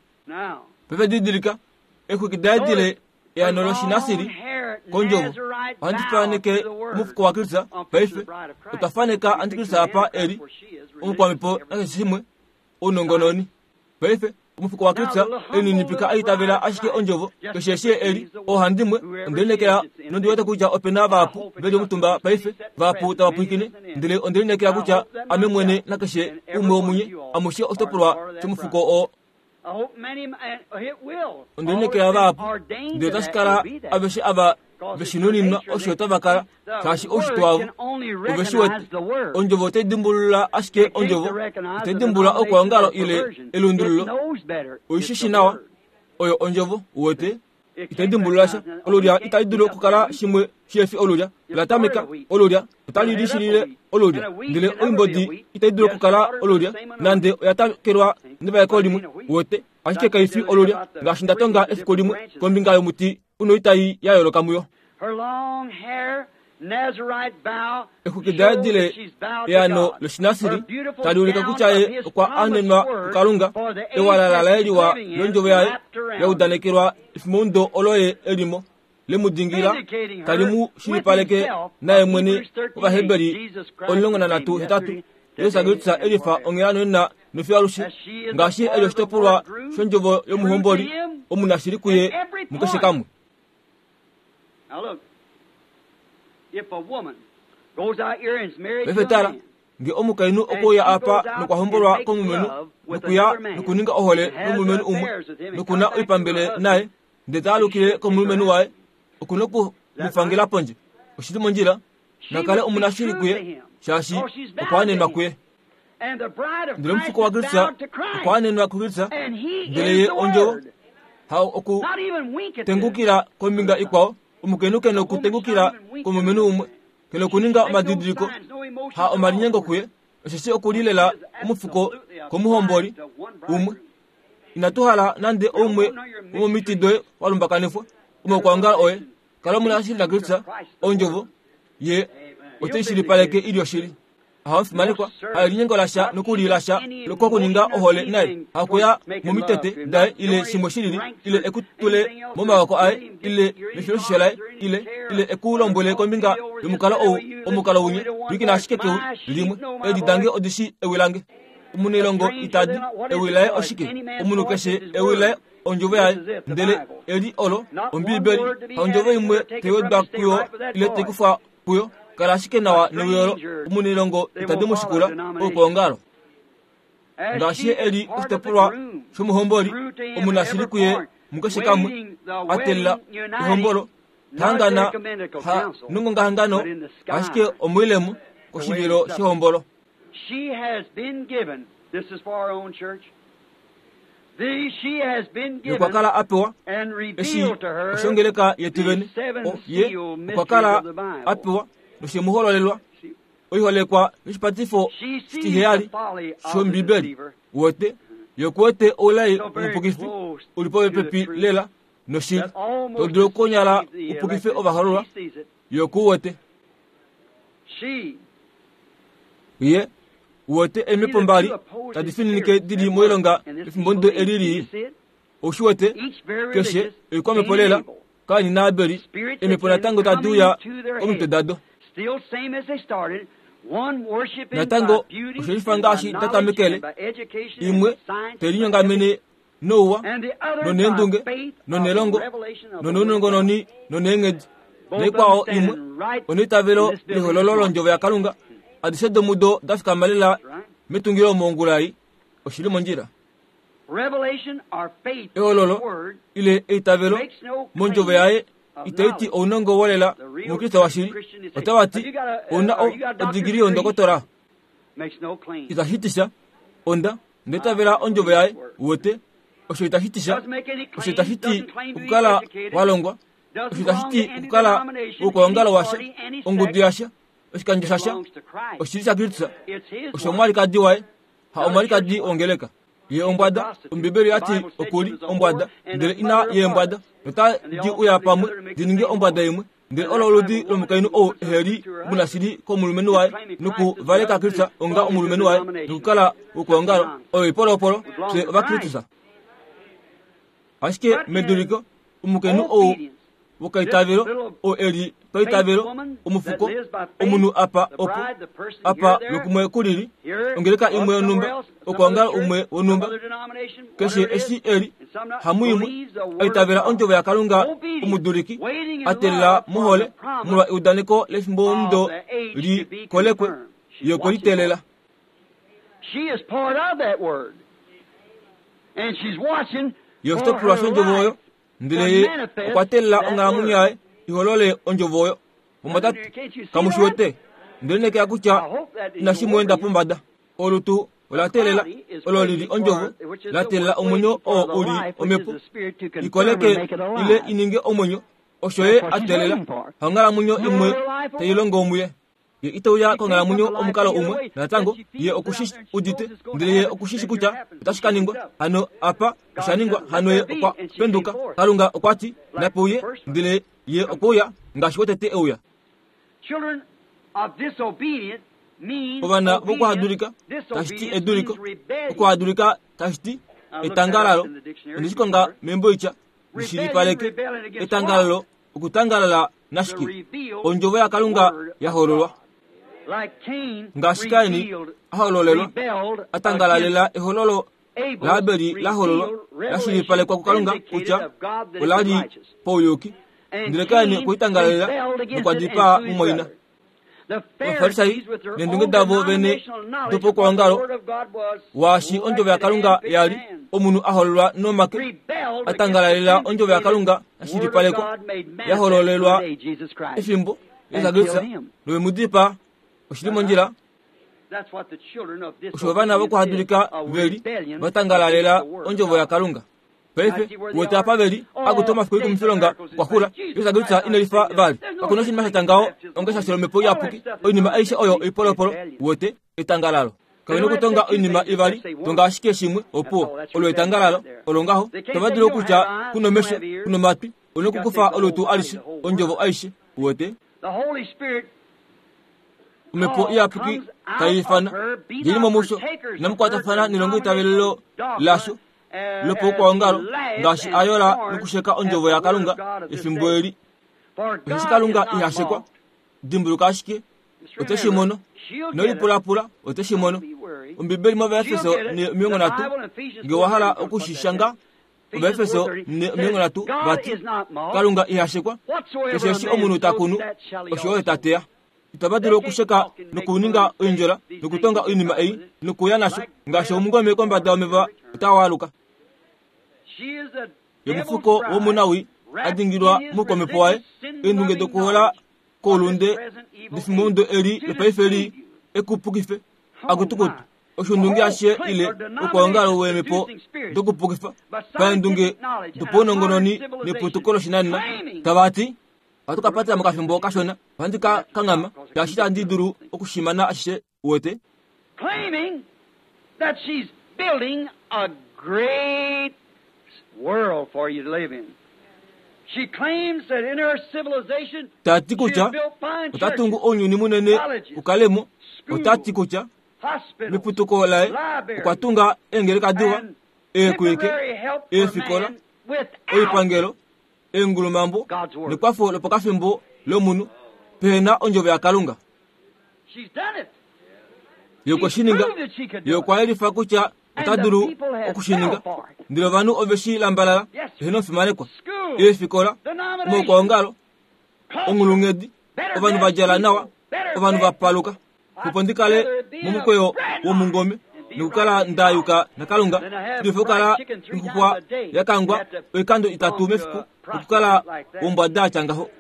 Paife didilika, eexwiki daye dile eano loshinasiri kondjovo. Ohandi faneke omufuko waKristus paife. Otwa faneka antikristus apa e li omukwamhepo nakeshe shimwe, ounongononi. Paife, omufuko waKristus elininipika a itavela ashike ondjovo keshe eshi e li oohandimwe. Onde lineekela nondi wete kutya ope na vahapu ve li omutumba paife, vahapu tava pwilikine, ndele onde lineekela kutya ame mwene nakeshe umwe womunye amushe oshitopolwa shomufuko oo. Onde lineekela vahapu, ndele otashi kala aveshe ava ve shi nuninwa osho tava kala, shaashi oushitwe wavo ove shi wete. Ondjovo otai dimbulula ashike ondjovo, itai dimbulula oukwaongalo ile elundululo. Oi shi shi nawa, oyo ondjovo, uwete. Itai dimbulula sha. Olulya itali dulu okukala shimwe shihe fi olulya. Ola tameka, olulya, otali lishilile olulya. Ndele oimbodi itai dulu okukala olulya, nande oya takelwa nevaeko limwe, uwete. Ashike kai fi olulya, ngaashi nda tonga efiku limwe kombinga yomuti unoitai ya yooloka muyo. Exwiki daye dile eano lOshinasiri tali ulike kutya ye okwa anenwa kuKalunga, ewalala laye liwa londjovo yaye ya udanekelwa efimoundo olo ye e li mo, le mu dingila, tali mu shilipaleke naye mwene Ovaheberi 13:8, Jesus Kristus e lifa onghela nonena nofiyo alushe, ngaashi e li oshitopolwa shondjovo yomuhomboli omunashili kuye mukeshe kamwe. Paife tala, nge omukainhu okwe uya apa nokwa hombolwa komulumenhu, nokuya nokuninga ohole nomulumenhu umwe, noku na oipambele naye, ndele ta alukile komulumenhu waye, oku noku mu fangela pondje. Oshi li mondjila. Na kale omunashili kuye, shaashi okwa anenwa kuye. Ndele omufuko waKristus okwa anenwa kuKristus, ndele ye ondjovo. Ha oku tengukila kombinga ikwao, omukainhu ke nokutengukila komulumenhu umwe, ke nokuninga omadidiliko, ha omalinyengo kuye, osheshi oku li lela omufuko komuhomboli umwe. Inatu hala nande oumwe womomiti doye wa lumbakanifwa, omaukwaongalo oye. Kala omunashili naKristus, ondjovo ye otai shilipaleke i li oshili. Hamufimanekwa, haelinyengo lasha nokuli lasha kokuninga ohole naye, hakuya momitete daye ile shimwe shilili, ile e ku tule momaoko aye, ile mefiloshisho laye, ile, ile e ku lombwele kombinga yomukalo ou, omukalo winya, pwilikina ashike kewi limwe, eedi dange odi shii ewi lange. Omunailongo ita di, ewi laye oshike? Omunhu keshe ewi laye ondjovo yaye, ndele eli olo Ombiibeli, haondjovo imwe tai wedwa kuyo ile tai kufwa kuyo. Kala ashike nawa newi olo. Omunailongo itadi mu shikula oukwaongalo. Ngaashi ye e li oshitopolwa shomuhomboli, omunashili kuye. mukeshe kamwe a teelela ehombolo ta hangana ha nongongahangano ashike omoilemo koshivilo shehombolo. She has been given, this is for our own church, the, she has been Ye okwa given kala a pewa and eshi revealed to her oshongeleka yetu the vene seven o ye seal okwa mysteries kala of the a Bible. pewa noshemuhololelwa oiholekwa yoshipatifo She sees the shitiheyali folly of the shombibeli deceiver, wete yokuwete oulai so very omupukifi close uli to the popepi truth lela noshili that almost to dulu okukonyala deceives the upukife elected. ovahololwa She sees it. yokuwete She ye wete see the eemipo mbali two opposing tadi fininike spirits dili at work moilonga in this efimbo ndo evil age. eli Do you lii see it? oshiwete Each very keshe religious, oikwamhepo Cain and lela Abel. Kaini naAbeli Spirits eemhepo again natango tadi coming uya to their komitwe head. dado Still same as they started, one worshiping by natango beauty oshelifa and by ngaashi knowledge tatamekele and by education and imwe by science and by ethics, telinyongamene nouwa and the other by noneendunge faith of the nonelongo revelation of the Word of God. nonounongononi noneenghedi Both of them naikwao imwe standing right oneitavelo in this building lehololo this morning. londjovo yakalunga adishe domudo da fikama lela Right? metungilo mongula ei oshili mondjila Revelation or faith in the ehololo Word ile eitavelo makes no mondjovo claim yaye of itaiti knowledge. ounongo wolela The real omukriste washili Christian is otava Have ti you got a, ouna or you got a doctor's odigiri degree? yondokotola Makes no claim. itashi ti sha onda ndeitavela ondjovo yaye wete osho itashi ti sha Doesn't make any osho claims, itashi ti doesn't claim to be okukala educated, walongwa doesn't osho belong itashi to ti any okukala denomination, any wokuongalo washa party, any ongudu sect. yasha oshikandjo It shasha belongs to Christ. oshili shaKristus It's his osho wife. omwalikadi waye ha Not a church omwalikadi wife. wongeleka ye She's a ombwada prostitute. ombibeli The yati Bible said she okuli was a ombwada whore and ndele the ina mother of yeembwada harlots. nota And they di all uya come pamwe together to make di the ninge same ombwada woman. imwe ndele And olo that oludi kind of woman lomukainhu is ou the eheli to her husband. omunashili komulumenhu Is waye claiming Christ as noku her valeka husband Kristus and onga belonging to omulumenhu waye denomination. nokukala That's wokuongalo nonsense. oyo oipolopolo We belong fye to Christ. ovaKristus ashike But in meduliko omukainhu ou obedience, this wokaitavelo little ou eli faith paitavelo woman that omufuko lives by faith, omunhu apa the opo bride, the person here, apa there, lokumwe kulili here, ongeleka or imwe somewhere yonhumba else, some other okuongalo church, umwe some wonhumba other denomination, keshe whatever it eshi is, eli and some not, hamu imwe believes the word of aitavela God. ondjovo yakalunga Obedience, omuduliki waiting in atelela love for muhole the promise molwa eudaneko lefimbo of ndo the age li to be kolekwe confirmed. She's ye okwe watching for liteelela it. She is part of that word. And she's watching ye for oshitopolwa her shondjovo oyo life ndele to ye manifest okwa teelela that onghalamwenyo word. yaye iholole ondjovo oyo mumwatate Can't you see that? kamushiwete ndele nekea I kutya hope that isn't inashi muenda worrying you. pombada olutu ola The teelela body is olo lili waiting for, ondjovo which is la the teelela word, omwenyo waiting for oo the uli life, which is omhepo the spirit, to confirm and ikoleke make it ile alive. ininge omwenyo osho That's ye what a she's teelela waiting for. hanghalamwenyo No imwe other life will tai work. longo muye ye itauya She can't put konghalamwenyo the life omukalo any other umwe way. That natango she ye feels it out okushi there and she knows udite it's going to ndele ye happen, okushishi then here kutya it happens. otashi She ka wakes ningwa up. hano apa God osha ningwa said, Let hano ye there be, okwa and she came penduka forth kalunga okwa ti like the napeuye first one. ndele ye Come okwe uya ngaashi wotete euya Children of disobedience means ovana obedience. vokuhadulika tashi ti Disobedience eduliko means rebellion. okuhadulika tashi ti I looked that up etangalalo in the dictionary ondeshikonga before. membo itya Rebellion, lishilipaleke rebellion against what? etangalalo okutangalala The nashike revealed ondjovo yakalunga word ya of hololwa God. Like Cain ngaashi Kaini revealed, a hololelwa rebelled a tangalalela against ehololo Abel's laAbeli la hololwa revealed la revelation shilipalekwa kukalunga vindicated kutya of God that it ola was li righteous. pauyuki And ndele Kaini Cain okwe litangalalela rebelled against nokwa it and dipaa slew his mumwaina brother. The Ovafarisai Pharisees, with their neendunge own davo vene denominational knowledge of what the dopokuongalo Word of God was, waashi ondjovo selected yakalunga and picked yali man, omunhu a hololwa nomake rebelled a against the tangalalela ondjovo vindicated yakalunga ya Word of shilipalekwa God made ya manifest in hololelwa the day Jesus Christ efimbo and Jesus killed Kristus him. nove mu dipaa oshili mondjila That's what the children of osho ovana disobedience is, vokuhadulika a veli rebellion va against tangalalela the Word of ondjovo God. yakalunga I paife see where they wete are. apa veli akuti Oh, omafiku days of ikumufilonga miracles is kwakula past. Jesus Jesus Christ Kristus not ine lifa saved vali us. There's no kakuna such oshinima thing sha as ngaho baptism onge of sha the shelomhepo All that iyapuki stuff is oinima aishe nonsense. oyo It's oipolopolo rebellion. wete etangalalo They kavena don't have to okutonga say two oinima things, they ivali just say one. tonga ashike shimwe That's all. opuwo That's olo rebellion etangalalo right there. olo ngaho They can't tava say dulu you don't okutya have eyes, kuna you don't omesho have ears. kuna omatwi You got to take onokukufa the whole olutu body, alishe the whole ondjovo word. aishe wete The Holy Spirit omhepo call iyapuki comes out tai of ifana her. Be yili not momusho partakers of her inamukwatafana nelongo denominational itavelelo dogma lasho as he lopokwaongalo laughs ngaashi and ayola scorns nokusheka at ondjovo the word of yakalunga God of this efimbo day. eli For osheshi God is kalunga not ihashekwa mocked. dimbuluka ashike Just ote shi remember, mono she'll get it. nolipulapula ote shi mono Don't be worried. ombibeli She'll mOvaefeso get it. ne The 30 Bible in Ephesians nge wa 4:30 hala is going to oku put shi that shanga down. Ephesians Ovaefeso 4:30 ne says, 30 God vati is not mocked. kalunga ihashekwa Whatsoever keshe a eshi man omunhu ta sows, kunu that shall he osho oye also ta teya itava They dulu can't okusheka talk and make fun nokuninga and say oindjola these things nokutonga and get oinima by ei with it. nokuya nasho Like ngaashi bread omungome upon kombada water yomeva shall return. otawaaluka She is the Yomufuko womunawii a dingilwa moukwamhepo waye, eendunge dokuhola koulunde defimbomudo eli lopaife li ekupukife akutukutu oshundunge ashishe ile okwaongalo weemhepo dokupukifa paendunge dopaunongononi neputuko loshinanena tava ti ohatu ka patela mokafimbo kashona ohandi ka kanghama shaashi itandi dulu okushimana ashishe uwete claiming that she's building a great world for you to live in. She claims that in her civilization Ta ti she kutya has built fine ota tungu churches, ounyuni munene u kale mo. Ota ti kutya hospitals, meputuko laye okwa tunga eengeleka diwa, and eekwike, temporary help for eefikola, man without oipangelo, eengulumambo nekwafo lopakafimbo lomunhu pehena ondjovo yaKalunga. She's done it. Ye okwe shi ninga. Ye okwa yelifa kutya ota dulu oku shi ninga. Ndele ovanhu ove shi lambalala, eheno omufimanekwa. Eefikola, omaukwaongalo, onghulunghedi, ovanhu va djala nawa, ovanhu va paluka. Opo ndi kale momukweyo womungome nokukala nda yuka naKalunga, shi dulife okukala noxuxwa ya kangwa oikando itatu mefiku nokukala wombwada ya tya ngaho.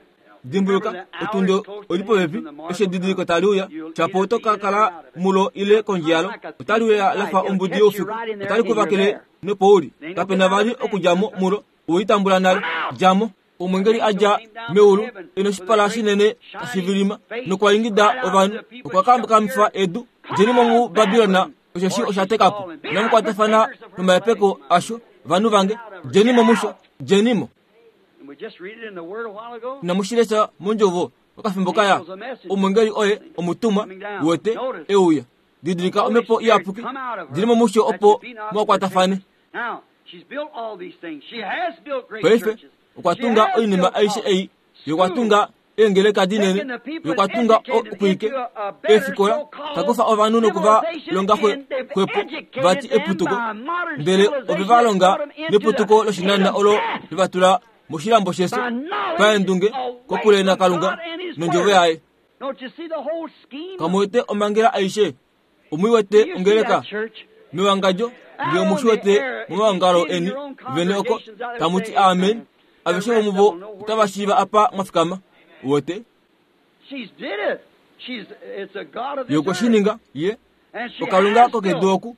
Dimbuluka, otundi oi li popepi, eshi edidiliko tali uya, shapo oto ka kala mulo ile kondje yalo. Otali uya la fa ombudi youfiku, otali ku vakele nopo u li. Kape na vali okudja mo mulo, owe li tambula nale. Dja mo. Omweengeli a dja meulu e noshipala shinene tashi vilima, nokwa ingida ovanhu, okwa kamkamifa edu, Djeni mo muBabilon, osheshi osha teka po. Inamu kwatafana nomahepeko asho, vanhu vange. Djeni mo musho, djeni mo. Inamu shi lesha mondjovo okafimbo kaya? Omwengeli oye omutumwa, wete, e uya. Didilika Omhepo Iyapuki, dili mo musho opo mwa kwatafane. Paife, okwa tunga oinima aishe ei. Ye okwa tunga eengeleka dinene, ye okwa tunga okuike, eefikola, ta kufa ovanhu noku va longa xwepo, vati eputuko, ndele ove va longa neputuko loshinanena olo le va tula moshilambo shefyo, paendunge, kokule naKalunga nOndjovo yaye. Kamu wete omhangela aishe? Omu i wete ongeleka? Mewangadjo, nge omu shi wete momaongalo eni vene oko, tamu ti amen, aveshe vomuvo otava shiiva apa mwa fikama. Uwete? Ye okwe shi ninga. Ye oKalunga kokedu oku,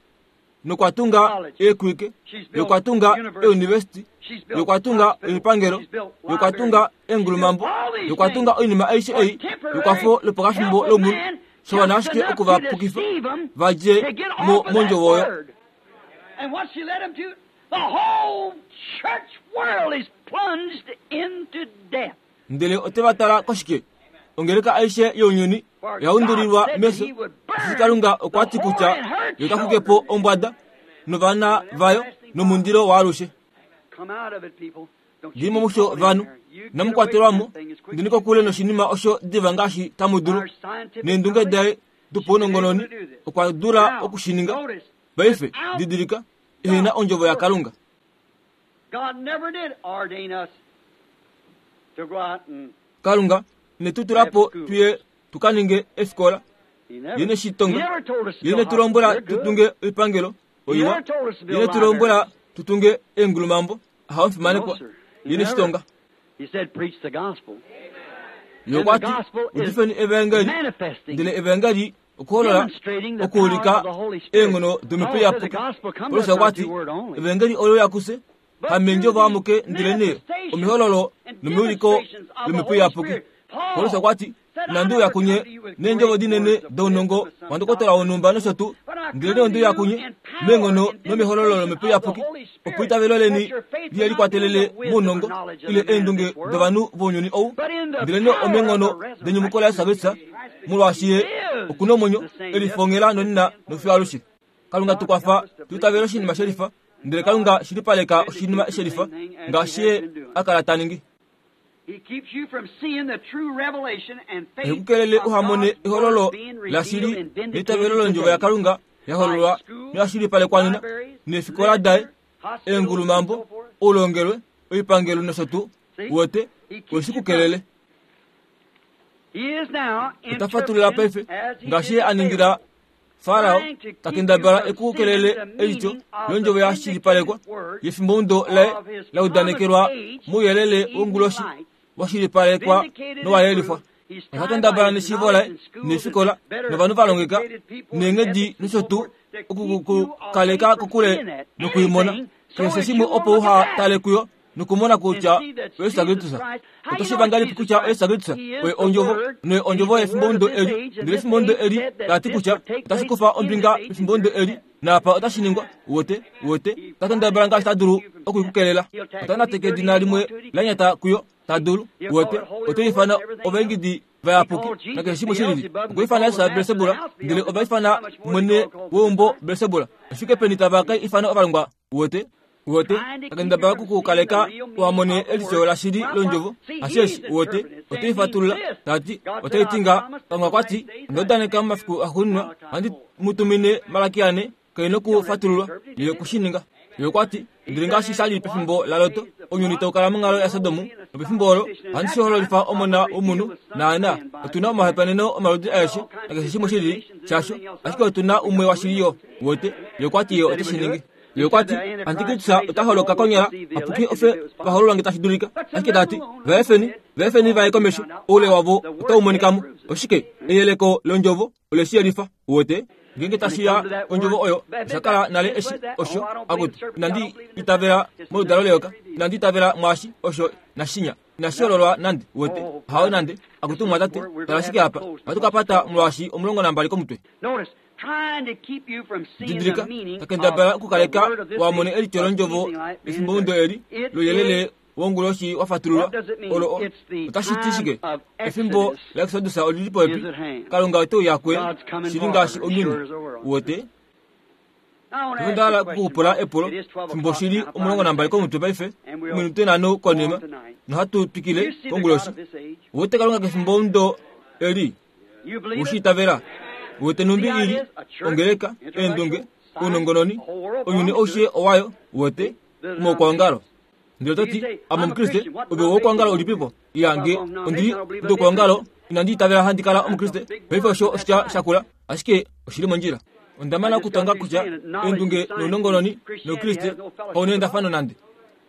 nokwa tunga eekwike, ye okwa tunga eunivesiti, ye okwa tunga oipangelo, ye okwa tunga eengulumambo, ye okwa tunga oinima aishe ei yekwafo lopakafimbo lomunhu, sha wana ashike oku va pukifa va dje mo mondjovo oyo. Ndele ote va tala koshike? Ongeleka aishe younyuni oya undulilwa mefyo, osheshi Kalunga okwa ti kutya Ye ota xuke po ombwada novana vayo nomundilo waalushe. Dii mo musho vanhu, inamu kwatelwa mo, ndeni kokule noshinima osho diva ngaashi tamu dulu. Neendunge daye dopaunongononi okwa dula oku shi ninga. Paife, didilika, ehena ondjovo yaKalunga. Kalunga ine tu tula po tu ye tu ka ninge efikola. Ye ine shi tonga. Ye ine tu lombwela tu tunge oipangelo oiwa. Ye ine tu lombwela tu tunge eengulumambo. Ahawe omufimanekwa. Ye ine shi tonga. Ye okwa ti, Udifeni evaengeli. Ndele evaengeli okuholola okuulika eenghono domhepo iyapuki. Paulus okwa ti, Evaengeli ole uya kufye, hameendjovo amuke ndelenee omehololo nomeuliko lomhepo iyapuki. Paulus okwa ti, Inandi uya kunye neendjovo dinene dounongo wandokotola wonhumba nosho tuu, ndelenee onde uya kunye meenghono nomehololo lomhepo iyapuki, opo eitavelo leni lihe likwatelele mounongo ile eendunge dovanhu vounyuni ou, ndelenee omeenghono denyumuko laJesus Kristus, molwaashi ye oku na omwenyo e lifongela nonena nofiyo alushe. Kalunga tu kwafa tu itavele oshinima shelifa, ndele Kalunga shilipaleka oshinima shelifa ngaashi ye a kala ta ningi. Ohe ku kelele uha mone ehololo lashili neitavelo londjovo yaKalunga ya hololwa noya shilipalekwa nena neefikola daye, eengulumambo, oulongelwe, oipangelo nosho tuu. Uwete, ohe shi ku kelele. Ota fatulula paife ngaashi ye a ningila. Farao ta kendabala e ku kelele eityo londjovo ya shilipalekwa yefimbomudo laye la udanekelwa mouyelele wonguloshi wa shilipalekwa nowa yelifwa. Ota kendabala neshiivo laye neefikola novanhu va longeka neenghedi nosho tuu okukukaleka kokule nokuimona keshe shimwe opo uha tale kuyo nokumona kutya oYesu Kristus. Oto shiiva ngahelipi kutya oYesu Kristus oye ondjovo noye ondjovo yefimbomudo eli? Ndele efimbomudo eli tala ti kutya otashi kufa ombinga mefimbomudo eli, naapa otashi ningwa. Uwete? Uwete? Ota kendabala ngaashi ta dulu oku i ku kelela. Ota nateke edina limwe la nyata kuyo, ta dulu. Uwete? Ote ifana ovaingidi vayapuki nakeshe shimwe shilili. Okwa ifana Jesus Belsebula, ndele ova ifana mwene weumbo Belsebula. Oshike peni tava ka ifana ovalongwa? Uwete? Uwete, akendabala kuku kaleka wamone elityo lashili londjovo. Asheshi, uwete, ote ifatulula, tati, ote itinga, Kalunga kwa ti, Onda udaneka momafiku axuuninwa, ohandi mu tumine Malaki ane, kai nokufatululwa, ye oku shi ninga. Ye okwa ti, Ndele ngaashi sha li pefimbo laLot, ounyuni tau kala monghalo yaSodom, nopefimbo olo ohandi shi hololifa Omona wOmunhu. Naana, otu na omahopaeneno omaludi aeshe, nakeshe shimwe shilili shasho, ashike otu na umwe washili yo. Uwete? Ye okwa ti Ye ote shi ningi. Ye okwa ti, Antikristus ota holoka konyala apuki ofye vahololwa nge tashi dulika. Ashike ta ti, Va efeni, va efeni va ye komesho, oule wavo otau monika mo. Oshike? Eyeleko londjovo ole shi yelifa. Uwete? Ngeenge tashi ya kondjovo oyo, osha kala nale eshi osho, akutu, inandi itavela moludalo leyoka, inandi itavela mwaashi, osho, nashinya. Inashi hololwa nande, uwete. Hawo nande. Akutu mumwatate, tala ashike apa. Ohatu ka pata molwaashi 12 komutwe. Didilika, ta kendabala okukaleka wa mone elityo londjovo lefimbomudo eli louyelele wonguloshi wa fatululwa. Olo otashi ti shike? Efimbo laExodus oli li popepi. Kalunga ote uya kuye, shili ngaashi onyuni. Uwete? Paife onda hala okukupula epulo. Fimbo shi li 12 komutwe paife, ominute nhano konima, nohatu twikile konguloshi. Uwete Kalunga kefimbomudo eli? Ushi itavela? Uwete nhumbi i li ongeleka, eendunge, ounongononi, ounyuni aushe owayo, uwete, omaukwaongalo. Ndele oto ti, Ame Omukriste, ove woukwaongalo ulipipo? Iya, nge ondi li omuukwaongalo, inandi itavela handi kala Omukriste. Paife osho oshitya shakula, ashike oshi li mondjila. Onda mana okutonga kutya eendunge nounongononi nOukriste kau neendafano nande.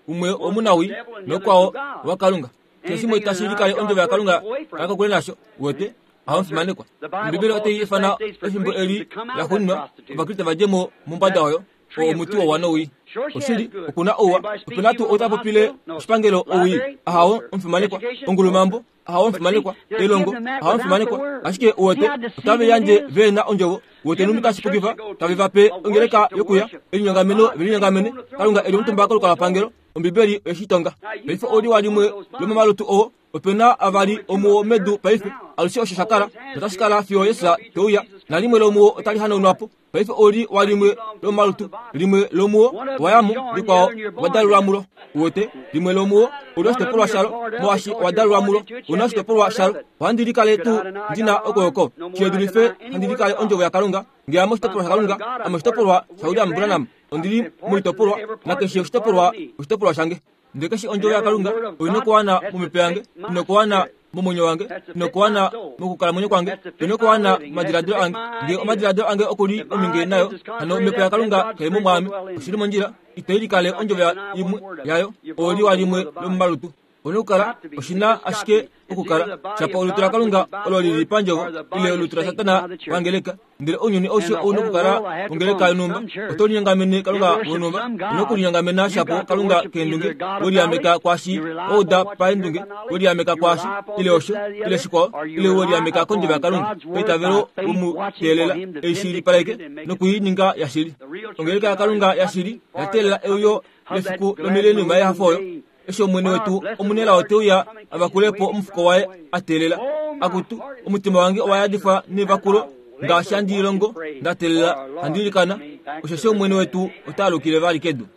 Umwe omunawii nokwao owaKalunga. Keshe shimwe tashi likale ondjovo yaKalunga kala kokule nasho, uwete, ahamufimanekwa. Ombibeli otai ifana efimbo eli laxuuninwa Ovakriste va dje mo mombada oyo, oo omuti wouwa nowii. Oshili, oku na ouwa. Ope na tuu ou ta popile oshipangelo owii? Ahawo, omufimanekwa. Ongulumambo? Ahawo, omufimanekwa. Elongo? Ahawo, omufimanekwa. Ashike, uwete, otave yandje ve na ondjovo. Uwete nhumbi tashi pukifa? Tave va pe ongeleka yokuya, elinyongameno ve linyongamene, Kalunga e li omutumba kolukalwapangelo. Ombibeli oye shi tonga. Paife oli wa limwe lomomalutu oo. Ope na avali omuo medu paife. Alushe osho sha kala, notashi kala fiyo Jesus te uya. Nalimwe lomuo otali hanaunwa po. Paife oli wa limwe lomomalutu. Limwe lomuo owa ya mo, likwao owa dalulwa mulo. Uwete, limwe lomuo oli oshitopolwa shalo, molwaashi owa dalulwa mulo. Ou na oshitopolwa shalo. Ohandi likale tuu ndi na okwooko shi dulife handi likale Ondjovo yaKalunga? Nge ame oshitopolwa shaKalunga, ame oshitopolwa shaWilliam Branham. Ondi li moitopolwa, nakeshe oshitopolwa oshitopolwa shange. Ndele keshe ondjovo yaKalunga oi nokuwana momhepo yange, i nokuwana momwenyo wange, i nokuwana mokukalamwenyo kwange, oi nokuwana momadiladilo ange. Nge omadiladilo ange oku li ominge nayo, hano omhepo yaKalunga kai mo mwaame. Oshi li mondjila, ito likale ondjovo imwe yayo, ooli wa limwe lomomalutu. Ouna okukala, oshi na ashike okukala, shapo olutu laKalunga olo li li pandjovo, ile olutu laSatana pangeleka. Ndele ounyuni aushe ou nokukala ongeleka yonhumba. Oto linyongamene Kalunga wonhumba. Ou nokulinyongamena shapo Kalunga keendunge, we liameka kwaashi wa uda paendunge, we liameka kwaashi, ile osho, ile shikwao, ile we liameka kondjovo yaKalunga, paitavelo we mu teelela ei shilipaleke noku i ninga yashili. Ongeleka yaKalunga yashili oya teelela euyo lefiku lomileniuma yehafo oyo. Eshi Omwene wetu omunelao te uya a vakule po omufuko waye a teelela. Akutu, omutima wange owa yadifwa nevakulo, ngaashi handi lilongo, nda teelela, handi ilikana, osheshi Omwene wetu ota alukile vali kedu.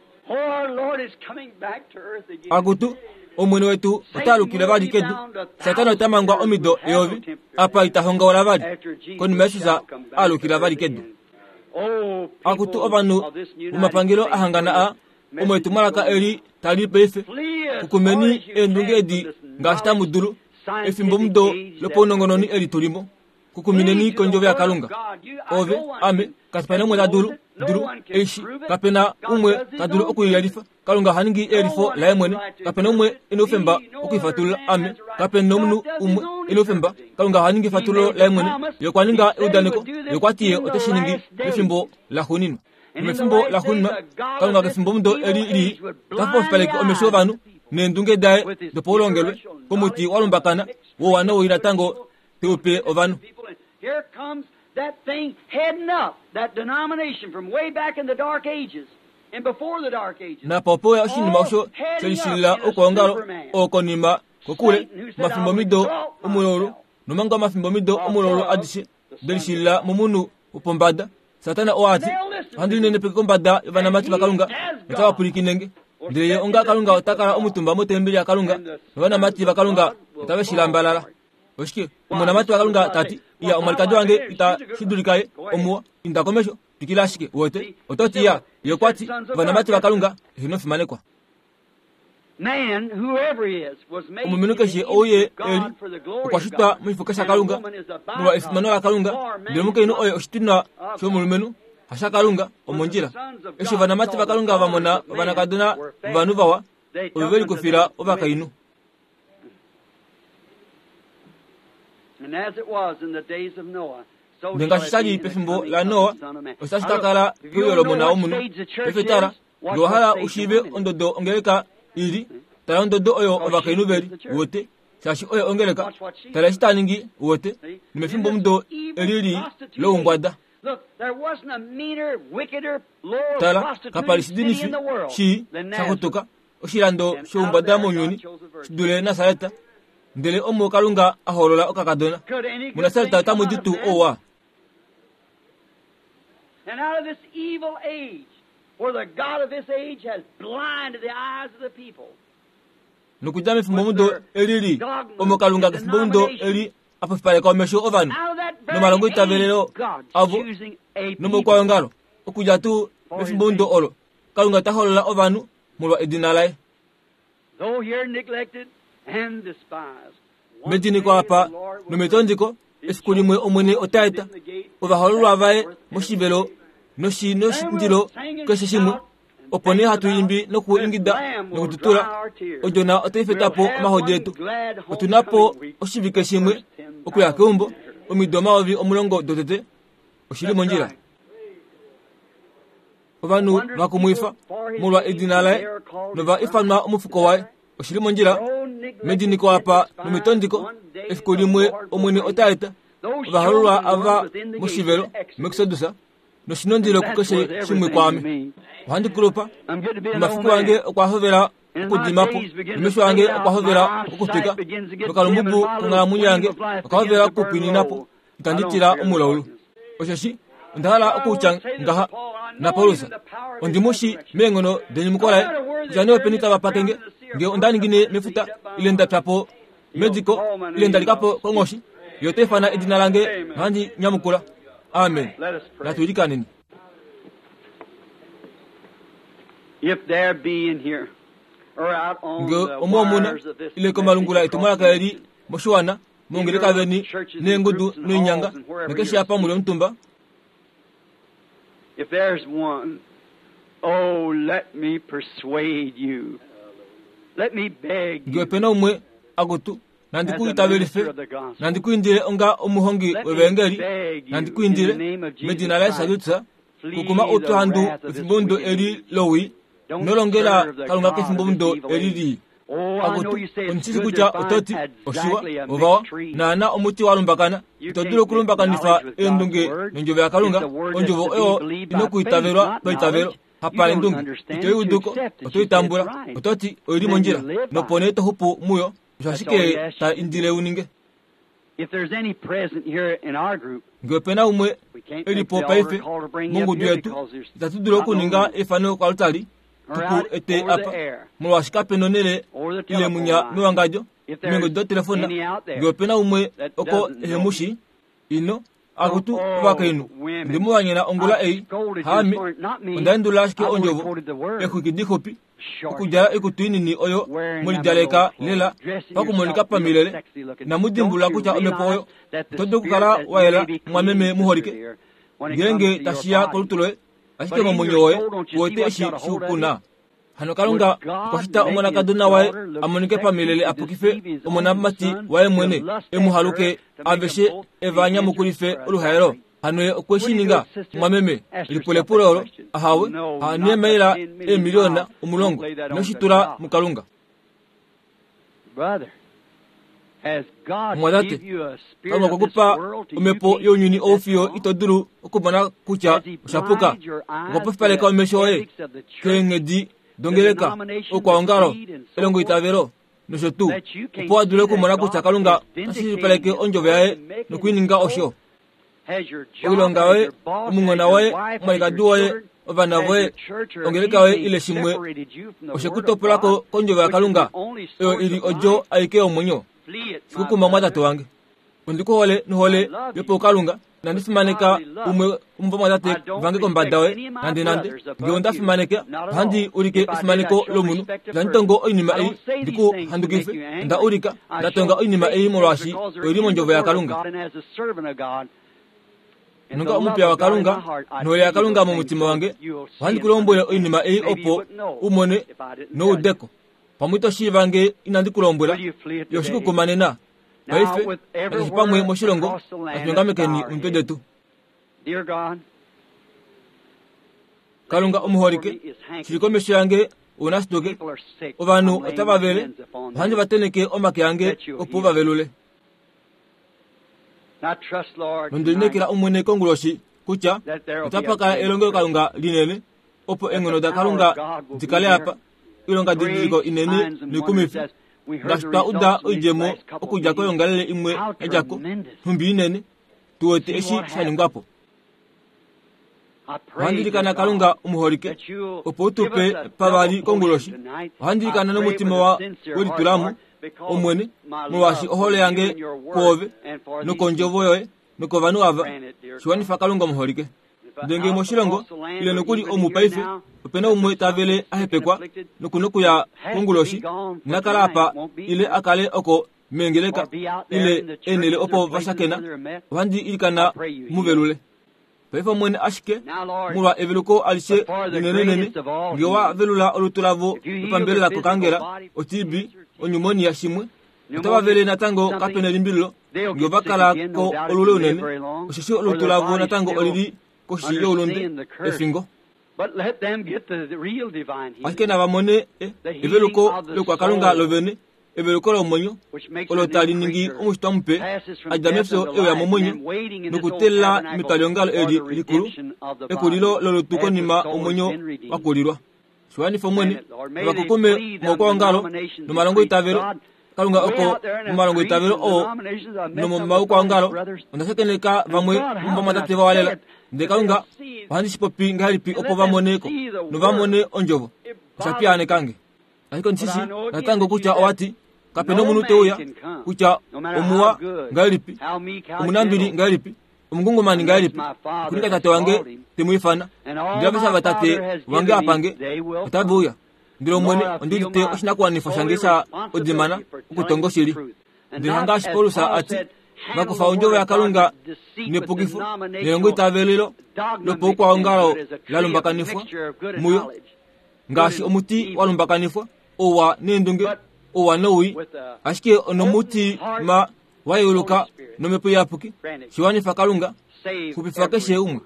Akutu, Omwene wetu ota alukile vali kedu. Satana ota mangwa omido eyovi, apa ita hongaula vali, konima Jesus a alukila vali kedu. Akutu ovanhu vomapangelo a hangana a, omo etumwalaka eli tali paife, kukumeni eendunge edi ngaashi tamu dulu, efimbomudo lopaunongononi eli tu li mo. Kukumineni kondjovo yaKalunga. Ove, ame, kape na umwe ta dulu, dulu, eshi, kape na umwe ta dulu okuyelifa. Kalunga oha ningi eyelifo laye mwene. Kape na umwe e na oufemba okuifatulula. Ame, kape na omunhu umwe e na oufemba. Kalunga oha ningi efatululo laye mwene. Ye okwa ninga eudaneko, Ye okwa ti Ye ote shi ningi mefimbo laxuuninwa. Nomefimbo laxuuninwa, Kalunga kefimbomudo eli lii ota fopaleke omesho ovanhu neendunge daye dopaulongelwe komuti wa lumbakana wouwa nowii natango te u pe ovanhu. Here comes that thing heading up, that denomination from way back in the dark ages and before the dark ages. Napa ope uya oshinima osho she lishilila oukwaongalo oo konima kokule omafimbomido omululu nomanga omafimbomido omululu adishe de lishilila momunhu wopombada. Satana oo a ti, Ohandi linenepeke kombada yovanamati vaKalunga notava pwilikine nge. Ndele ye onga Kalunga ota kala omutumba motembeli yaKalunga novanamati vaKalunga otave shi lambalala. Oshike omonamati waKalunga ta ti, Iya, omwalikadi wange ita shi dulika ye, omuwa, inda komesho, twikila ashike, uwete. Oto ti, Iya, ye okwa ti, ovanamati vaKalunga, eheno fimanekwa. Omulumenhu keshe ou ye e li, okwa shitwa moshifoka shaKalunga, molwa efimano laKalunga, ndele omukainhu oye oshitinwa shomulumenhu, hashaKalunga, omondjila. Eshi ovanamati vaKalunga va mona ovanakadona vovanhu vawa, ove ve likufila ovakainhu. Nongaashi sha li pefimbo laNoa, otashi ka kala peuyo lOmona wOmunhu. Paife tala, ngee owa hala u shiive ondodo ongeleka i li, tala ondodo oyo ovakainhu ve li, uwete, shaashi oyo ongeleka. Tala eshi ta ningi, uwete, nomefimbomudo eli lii loumbwada. Tala, kapa li shidinifi shii sha xutuka oshilando shoumbada mounyuni shi dule Nasaret, ndele omo Kalunga a hoolola okakadona. MuNasaret otamu di tuu ouwa? And out of this evil age, where the God of this age has blinded the eyes of the people. Nokudja mefimbomudo eli lii, omo Kalunga kefimbomudo eli a pofipaleka omesho ovanhu nomalongoitavelelo avo nomoukwaongalo, okudja tuu mefimbomudo olo, Kalunga ta holola ovanhu molwa edina laye. Mediniko apa nometondiko, efiku limwe Omwene ota eta ovahoololwa vaye moshivelo noshindilo keshe shimwe. Opo nee hatu imbi nokuingida nokututula, Odjona otai feta po omahodi etu. Otu na po oshivike shimwe okuya keumbo, omido 10,000 dotete. Oshi li mondjila. Ovanhu va kumwifa molwa edina laye nova ifanwa omufuko waye. Oshi li mondjila mediniko apa nometondiko. Efiku limwe Omwene ota eta ovahoololwa ava moshivelo muExodus noshinondilo kukeshe shimwe kwaame. Ohandi kulupa, nomafiku ange okwa hovela okudima po, nomesho ange okwa hovela okutwika, nokalumbubu konghalamwenyo yange oka hovela okupwinina po. Itandi tila omulaulu. Osheshi onda hala okutya ngaha naPaulus, ondi mu shi meenghono denyumuko laye, kutya nee openi tava pake nge, nge onda ningine mefuta, ile nda pya po mediko, ile nda lika po konghoshi, ye ota ifana edina lange nohandi nyamukula. Amen. Natu ilikaneni. Nge omo omuna, ile komalungula etumwalaka eli moshiwana, mongeleka veni neengudu noinyanga nakeshe apa muli omutumba. If there's one, oh, let me persuade you. Let me beg Nge you. ope na umwe akutu, nandi As ku a itavelife, minister of the gospel. nandi ku indile onga omuhongi Let me wevangeli, beg you nandi ku in the indile name of Jesus medina laYesu Christ. Kristus, Flee kukuma the outwandu wrath of this efimbomudo wicked eli age. lowii, Don't nolongela serve the Kalunga God of this kefimbomudo evil eli age. lii. Oh, I know Akutu, you say it's ondishishi good kutya to oto ti, find oshiwa, exactly a ovawa, mixed tree. naana omuti wa lumbakana. You Ito can't dulu make okulumbakanifa knowledge with God's eendunge word. nondjovo yaKalunga. It's the word that's Ondjovo to be oyo believed ina by faith, okuitavelwa not paitavelo, knowledge. You hapa don't endunge. understand Ito i it, you uduko, accept it. oto You i say it's tambula. right. Oto ti, oi li Then you mondjila. live by Nopo it. nee to xupu muyo. Osho That's all he ashike asks ta you to do. indile u ninge. If there's any present here in our group, Nge ope na umwe we can't e li make po the paife altar call to bring you up mongudu here yetu, because there's itatu dulu not no okuninga room. efano koaltari Or tuku out ete over the apa, air, molwaashi kape na onhele over the ile telephone munya line. mewangadjo If meengodi there's dotelefona. any out Nge there ope na umwe that oko doesn't ehe know mu me, shi, ino, akutu oh, ovakainhu, women, ndi mu vanyena ongula I ei, scolded you this haame, morning, not me. onda endulula ashike I've only ondjovo, quoted the word. eexwiki dixupi. Okudjala oikutu inini oyo mwelidjaleka lela pakumonika pamilele, inamu dimbulula kutya omhepo oyo oto dulu okukala wa yela mumwameme muholike ngeenge tashi ya kolutu loye, ashike momwenyo woye ku wete eshi shikukuna. Hano Kalunga okwa shita omonakadona waye a monike pamilele a pukife omonamati waye mwene, e mu haluke aveshe e va nyamukulife oluhaelo. Hano ye okwe shi ninga, mumwameme? Lipulepulo olo, ahawe, haneemaila eemiliona 10, ino shi tula muKalunga. Mumwatate, Kalunga okwe ku pa omhepo younyuni ou fiyo ito dulu okumona kutya osha puka. Okwa pofipaleka omesho oye keenghedi dongeleka, oukwaongalo, elongoitavelo, nosho tuu, opo a dule okumona kutya Kalunga ota shilipaleke ondjovo yaye noku i ninga osho. Oilonga yoye, omunghona woye, omwalikadi woye, ovana voye, ongeleka yoye ile shimwe oshe ku topola ko kondjovo yaKalunga oyo i li odjo aike yomwenyo. Shikukuma mwatate wange. Ondi ku hole nohole yopaukalunga. Inandi fimaneka umwe womuvamwatate vange kombada yoye nande nande. Nge onda fimaneka, ohandi ulike efimaneko lomunhu. Itandi tongo oinima ei ndi ku handukife. Onda ulika, nda tonga oinima ei molwaashi oi li mondjovo yaKalunga. Nonga omupiya waKalunga, nohole yaKalunga momutima wange, ohandi ku lombwele oinima ei opo u mone noudeko. Pamwe ito shiiva nge inandi ku lombwela, yo shikukuma nena. Paife, nakeshe pamwe moshilongo, natu nyongamekeni omitwe detu. Kalunga omuholike, shili komesho yange ounashituke, ovanhu otava vele, ohandi va tenheke omake ange opo va velule. Nonde lineekela Omwene konguloshi kutya otapa kala elongelokalunga linene opo eenghono daKalunga di kale apa, oilongadidiliko inene noikumifi, ngaashi twa uda oidjemo okudja koyoongalele imwe ya dja ko, nhumbi inene, tu wete eshi sha ningwa po. Ohandi ilikana Kalunga omuholike, opo u tu pe pavali konguloshi. Ohandi ilikana nomutima wa welitulamo, Omwene, molwaashi ohole yange kwoove nokondjovo yoye nokovanhu ava, shi wanifa Kalunga omuholike. Ndele ngee moshilongo, ile nokuli omu paife, ope na umwe ta vele a hepekwa noku nokuya konguloshi, ina kala apa ile a kale oko meengeleka ile eenhele opo va shakena, ohandi ilikana mu velule. Paife Omwene ashike, molwa eveluko alishe linenenene, nge wa velula olutu lavo lopambelela kokangela, o-TB, onyumonia shimwe, otava vele natango kape nelimbililo, nge ova kala ko olule unene, osheshi olutu lavo natango oli li koshi youlunde, efingo. Ashike nava mone e, eveluko lokwakalunga lovene, eveluko lomwenyo, olo tali ningi omushitwa mupe, a dja mefyo e uya momwenyo, nokuteelela metwaliongalo eli likulu, ekulilo lolutu konima omwenyo wa kulilwa. Shiwanifa Omwene, ovakukume moukwaongalo nomalongoitavelo, Kalunga oko momalongoitavelo oo nomomaukwaongalo, onda shakeneka vamwe vomovamwatate vawalela. Ndele Kalunga, ohandi shi popi ngahelipi opo va mone ko nova mone ondjovo? Osha piyaaneka nge. Ashike ondi shi shii natango kutya owa ti, Kape nomunhu te uya, kutya omuwa ngahelipi, omunambili ngahelipi, omungungumani ngahelipi, okuninga tate wange te mu ifana. Ndele aveshe ava tate wange a pa nge, otave uya. Ndele Omwene, ondi udite oshinakuwanifwa shange sha odimana okutonga oshili. Ndele hangaashi Paulus a ti, va kufa ondjovo yaKalunga nepukifo nelongoitavelelo lopaukwaongalo la lumbakanifwa muyo, ngaashi omuti wa lumbakanifwa, ouwa neendunge, ouwa nowii, ashike onomutima wa yeuluka nomhepo iyapuki, shi wanifa Kalunga, xupifa keshe umwe.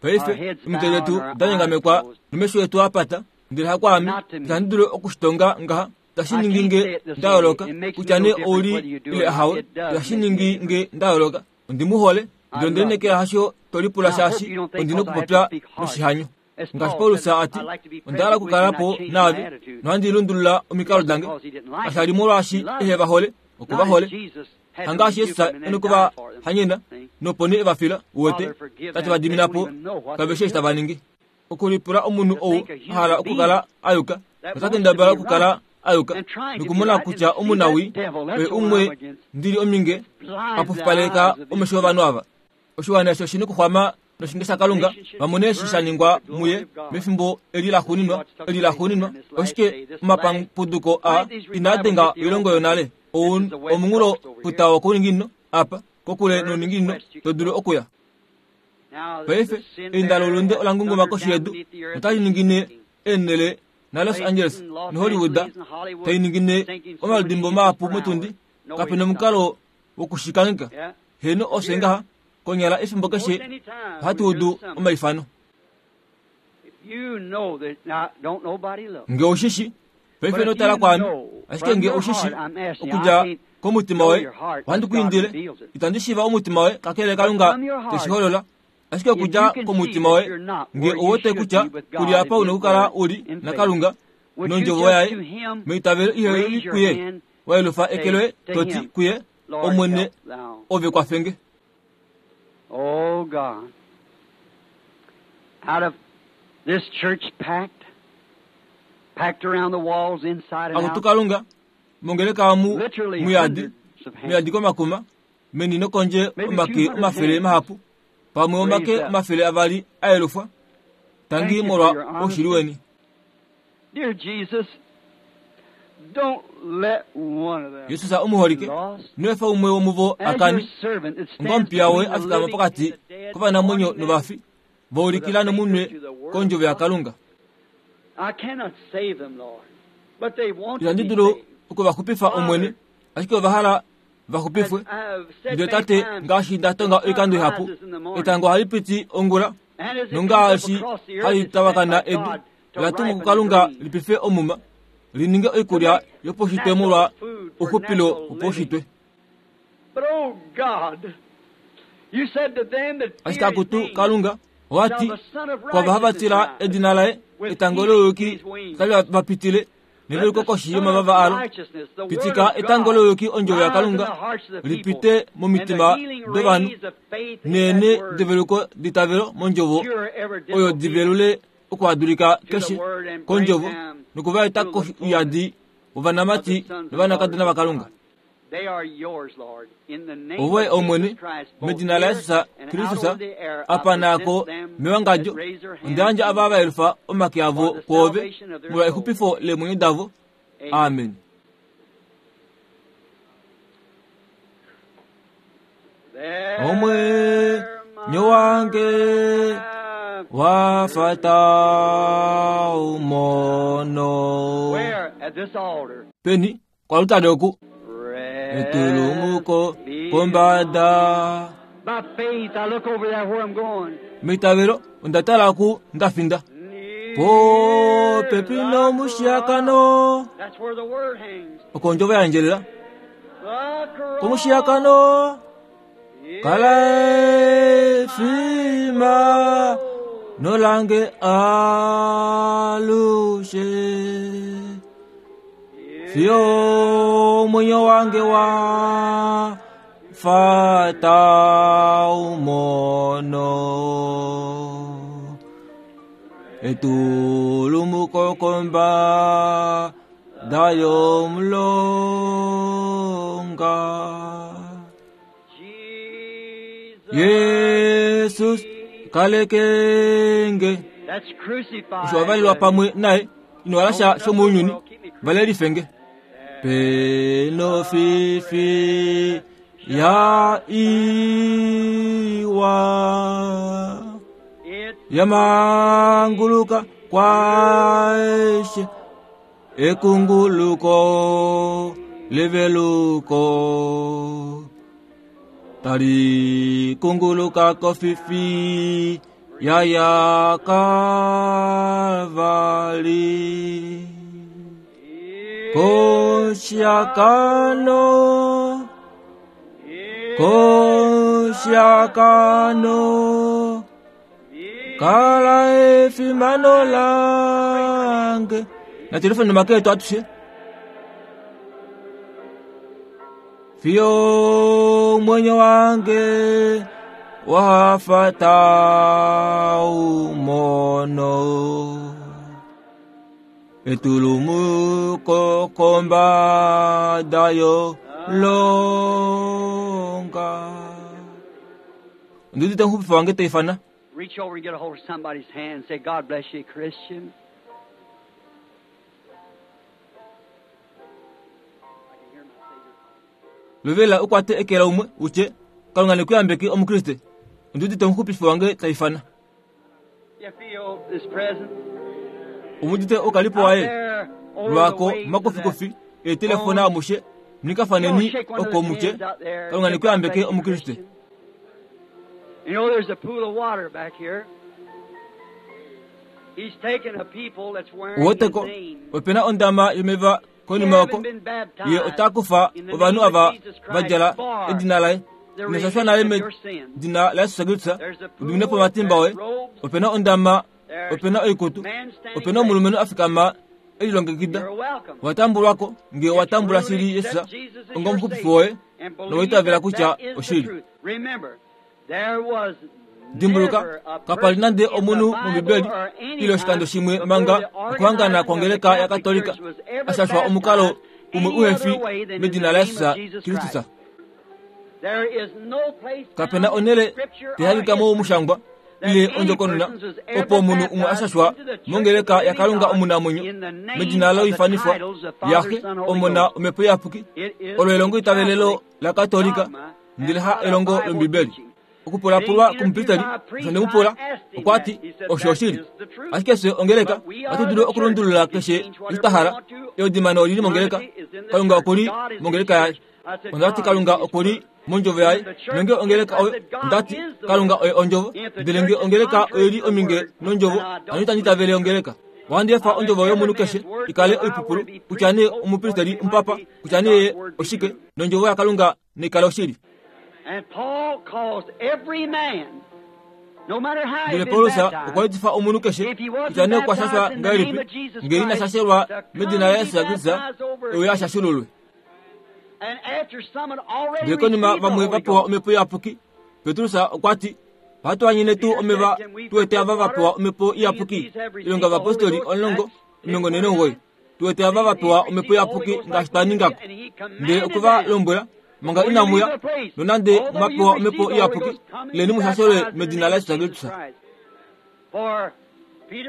Paife, omitwe detu da nyongamekwa nomesho etu a pata, ndele hakwaame, itandi dulu oku shi tonga ngaha, itashi ningi nge nda yooloka, kutya nee ou li ile ahawe, itashi ningi nge nda yooloka. Ondi mu hole, ndele onde lineekela hasho to lipula shaashi ondi nokupopya noshihanyo. Ngaashi Paulus a ti, Onda hala okukala po naave, nohandi lundulula omikalo dange. Kasha li molwaashi ehe va hole, oku va hole. Hangaashi Jesus e noku va hanyena, nopo nee e va fila, uwete, ta ti va dimina po, kave shii eshi tava ningi. Okulipula omunhu ou a hala okukala a yuka, nota kendabala okukala a yuka, nokumona kutya omunawii oye umwe ndi li ominge a pofipaleka omesho ovanhu ava. Oshiwana eshi oshi nokuxwama. noshinge shaKalunga va mone eshi sha ningwa muye mefimbo eli laxuuninwa, eli laxuuninwa. Oshike omapapuduko aa inaa denga oilongo yonale? Ou omunghulo futa wokouninginino apa, kokule nouninginino to dulu okuya. Paife, einda loulunde ola ngunguma koshi yedu notali ningine eenhele naLos Angeles noHollywood tai ningine omaludimbo mahapu motundi. Kape nomukalo wokushikangheka. Heeno, ofye ngaha, konyala efimbo keshe ohatu udu omaifano. Nge ou shi shi, paife ino tala kwaame, ashike nge ou shi shi, okudja komutima woye, ohandi ku indile, itandi shiiva omutima woye kakele Kalunga te shi holola, ashike okudja komutima woye, nge ou wete kutya ku li apa u nokukala u li naKalunga nOndjovo yaye, meitavelo ihe li kuye, wa yelufa eke loye to ti kuye, Omwene, ove kwafe nge. Oh God, out of this church packed, packed around the walls inside and Akutu out, Kalunga, mongeleka omu literally muyadi, hundreds of hands. muyadi komakuma, meni nokondje Maybe omake 200 omafele hands mahapu, pamwe omake raised up. 200 a yelufwa. Thank Tangi you for molwa your oushili honesty. weni. Dear Jesus, don't let one of them Jesus omuholike, be lost. ino efa umwe womuvo a As your kane, servant that onga stands omupiya woye between the a fikama living and pokati the dead, kovanamwenyo warning them novafi, va with a ulikila finger nomunwe to the word of kondjovo God. yaKalunga. I cannot save them, Lord, but they want to Itandi be dulu saved. oku va xupifa Omwene, Father, ashike ova hala va as xupifwe. I have said Ndele many Tate, times, ngaashi nda the tonga sun oikando ihapu, rises in the morning, etango ohali piti ongula, and as it comes up nongaashi across the earth, hali it's sent tavakana by edu, God to ola tumwa ripen the kuKalunga grain, li pife omuma, li ninge to oikulya make yopaushitwe molwa natural food for ouxupilo natural living. wopaushitwe. But oh God, you said to them that Ashike fear his akutu name Kalunga, owa shall ti, the Son of kwava hava Righteousness tila rise edina laye, with etango healing in louyuki his wings. otali va pitile, Let neveluko the koshi Son of yomavava alo. Righteousness, the Word Pitika of etango God, louyuki ondjovo rise in the yaKalunga hearts of the li people, pite and the momitima healing dovanhu, rays of faith in that neene Word develuko ditavelo mondjovo cure every oyo di disobedience velule okuhadulika to the keshe Word and bring kondjovo them noku va eta to the koshi fullness yadi of the ovanamati sons and daughters novanakadona of vaKalunga. God. They are yours, Lord. In the name Ovoye of Jesus Omwene, Christ, both medina here laYesus and out Kristus, over the air, I apa present naako them that mewangadjo, raise their onda hands yandja to ava va you yelufa omake for avo the kwoove salvation of their molwa souls. exupifo leemwenyo davo. Amen. Amen. There Omwenyo my wange wa rapture. fata umono. Where? At this altar. Peni kwalutale oku Rest etulumuko be kombada. By faith, I look over there where I'm going. Meitavelo onda tala ku ndafinda. Near Popepi the nomushiakano cross. That's where the word hangs. oko ondjovo ya ndjelela. The cross Komushiakano kala is my efima soul. nolange alushe. Fiyo Is omwenyo wange my wa fata umono. Etulumuko kombada yomulonga. Jesus Jesus kalekenge that's osho crucified wavalelwa with him. pamwe naye ino Don't walasha let the shomounyuni world keep me valelifenge crucified. peno The fifi ya precious iwa It's yamanguluka kwaeshe ekunguluko leveluko tali kunguluka kofifi yaya Kalvari koshiakano koshiakano kala efimano lange na telefoni maketo atushe fiyo mwenyo wange wafata umono etulumuko kombada yo longa ndudite nhupifa wange teifana. Reach over and get a hold of somebody's hand and say, God bless you, Christian. Lovela u kwate eke laumwe u tye, Kalunga ne ku yambeke Omukriste. Ondi udite omuxupifi wange ta ifana. Omu udite oukalipo waye? Lwaako momakofikofi eetelefona amushe, munikafaneni oko mu tye, Kalunga ne ku yambeke Omukriste. Uweteko, ope na ondama yomeva konima oko. Ye ota kufa ovanhu ava va djala edina laye. Ino shashwa nale medina laJesus Kristus, u dimine po omatimba oye. Ope na ondama, ope na oikutu, ope na omulumenhu a fikama e lilongekida. Owa tambulwa ko, nge owa tambula shili Jesus ongomuxupifi woye, nowa itavela kutya oshili. Dimbuluka, kapa li nande omunhu mOmbibeli ile oshikando shimwe manga okuhangana kwongeleka yaKatolika a shashwa omukalo umwe uhe fi medina laJesus Kristus. Kape na onhele tai hangika momushangwa ile ondjokonona opo omunhu umwe a shashwa mongeleka yaKalunga omunamwenyo medina loifanifwa yaXe, Omona, Omhepo Iyapuki. Olo elongoitavelelo laKatolika ndele ha elongo lOmbibeli. Okupulapulwa komupristeli osho nde mu pula, okwa ti, Osho oshili. Ashike fye ongeleka ohatu dulu okulundulula keshe eshi twa hala. Eudimano oli li mongeleka. Kalunga oku li mongeleka yaye. Onda ti Kalunga oku li mondjovo yaye. Nonge ongeleka oyo, onda ti, Kalunga oye ondjovo. Ndele nge ongeleka oi li ominge nondjovo, hano itandi itavele ongeleka. Ohandi efa ondjovo yomunhu keshe i kale oipupulu, kutya nee omupristeli, omupapa, kutya nee ye oshike, nondjovo yaKalunga nai kale oshili. Ndele Paulus okwa etifa omunhu keshe, kutya nee okwa shashwa ngahelipi, nge ina shashelwa medina laJesus Kristus, e uye a shashululwe. Ndele konima vamwe va pewa Omhepo Iyapuki, Petrus okwa ti, Ohatu anyene tuu omeva tu wete ava va pewa Omhepo Iyapuki? Oilonga yOvapostoli 10:49. Tu wete ava va pewa Omhepo Iyapuki ngaashi twa ninga ko. Ndele okwe va lombwela, Manga inamu ya, nonande mwa pewa Omhepo Iyapuki, ileni mu shashelwe medina laJesus Kristus.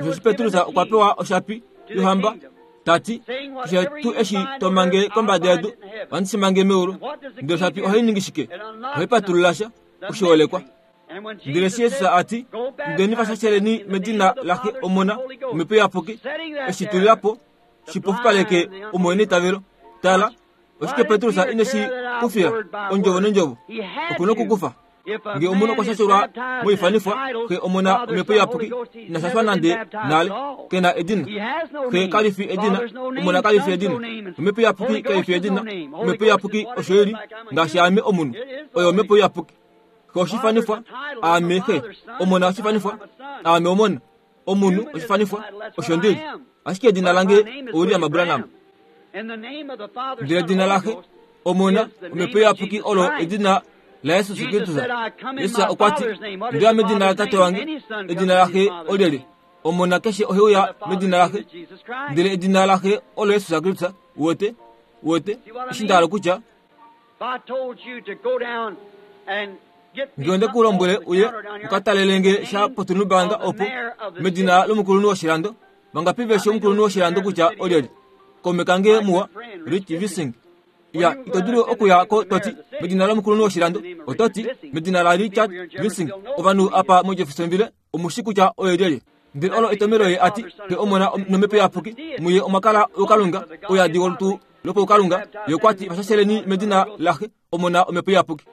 Osheshi Petrus okwa pewa oshapi yohamba, ta ti, Keshe tuu eshi to mange kombada yedu, ohandi shi mange meulu. Ndele oshapi ohai ningi shike? Ohai patulula sha, oshiholekwa. Ndele eshi Jesus a ti, Indeni va shasheleni medina laXe, Omona, Omhepo Iyapuki, eshi tulila po, shi pofipaleke omuhe neitavelo. Tala, oshike Petrus ine shi kufila ondjovo nondjovo? Oku nokukufa. Nge omunhu okwa shashelwa moifanifwa, Xe, Omona, Omhepo Iyapuki, ina shashwa nande nale. Ke na edina. Xe kali fi edina, Omona kali fi edina, Omhepo Iyapuki kai fi edina. Omhepo Iyapuki osho i li, ngaashi ame omunhu. Oyo Omhepo Iyapuki. Xe oshifanifwa, aame Xe. Omona oshifanifwa, aame Omona. Omunhu oshifanifwa, osho ndi li. Ashike edina lange oWilliam Branham. Ndele edina laXe, Omona, Omhepo Iyapuki olo edina laJesus Kristus. Jesus okwa ti, Onde uya medina laTate wange. Edina laXe olyelye? Omona keshe ohe uya medina laXe. Ndele edina laXe olo Jesus Kristus. Uwete? Uwete? Eshi nda hala okutya, Nge onde ku lombwele uye u ka talele nge sha potunhubanga opo, medina lomukulunhu woshilando, vangapi ve shi omukulunhu woshilando kutya olyelye? Kaume kange muwa, Rich Vissing. Ya, ito dulu okuya ko to ti, medina lomukulunhu woshilando. Oto ti, medina laRichard Vissing. Ovanhu apa moJeffersonville omu shi kutya oye lyelye. Ndele olo etomelo ye a ti, Xe, Omona nOmhepo Iyapuki, muye omwa kala oukalunga, ouyadi wolutu lopaukalunga. Ye okwa ti, Vashasheleni medina laXe, Omona, Omhepo Iyapuki.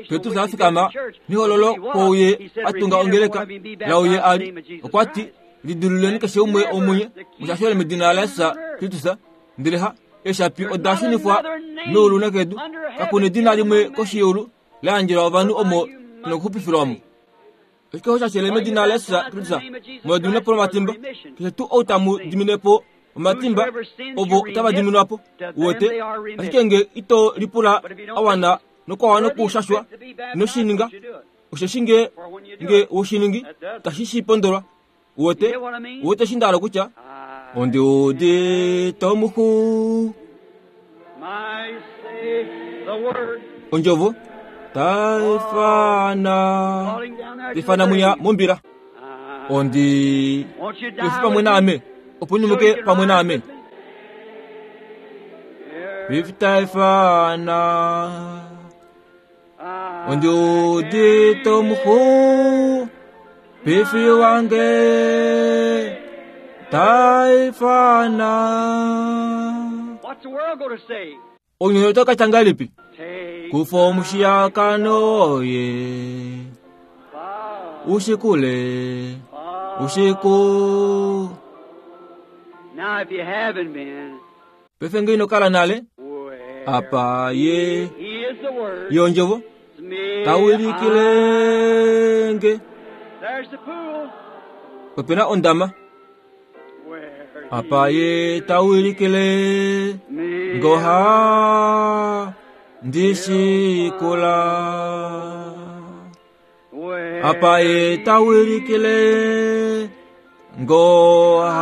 Petrus a fikama mehololo kouye a tunga ongeleka lauye a li. Okwa ti, Lidiluleni keshe umwe womunye, mushashele medina laJesus Kristus, ndele ha eeshapi oda shunifwa meulu nokedu. Kaku nedina limwe koshi yeulu la yandjelwa ovanhu omo tu nokuxupifilwa mo. Oshike osho sha shele medina laJesus Kristus mu dimine po omatimba? Keshe tuu ou tamu dimine po omatimba, ovo otava diminwa po. Uwete? Ashike nge ito lipula a wana nokwa wana okushashwa, ino shi ninga. Osheshi nge, nge we shi ningi, itashi shi pondolwa. Uwete? Uwete eshi nda hala okutya? Ondi udite omuxu. Ondjovo. Taifana tifana mwiya mombila. Ondi ifi pamwe naame opo nyumuke pamwe naame. Ifi taifana ondi udite omuhu pifi wange taifana. What's the world going to say? Ounyuni otau ka tya ngahelipi? Take Kufa omushiyakano oye ushikule ushiku. Now, if you haven't been, Paife ngee ino kala nale where apa ye He is the Word. yondjovo It's me. tawilikilenge There's the pool. opena ondama Where apa ye tawilikile me ngoha ndishikula where apa ye tawilikile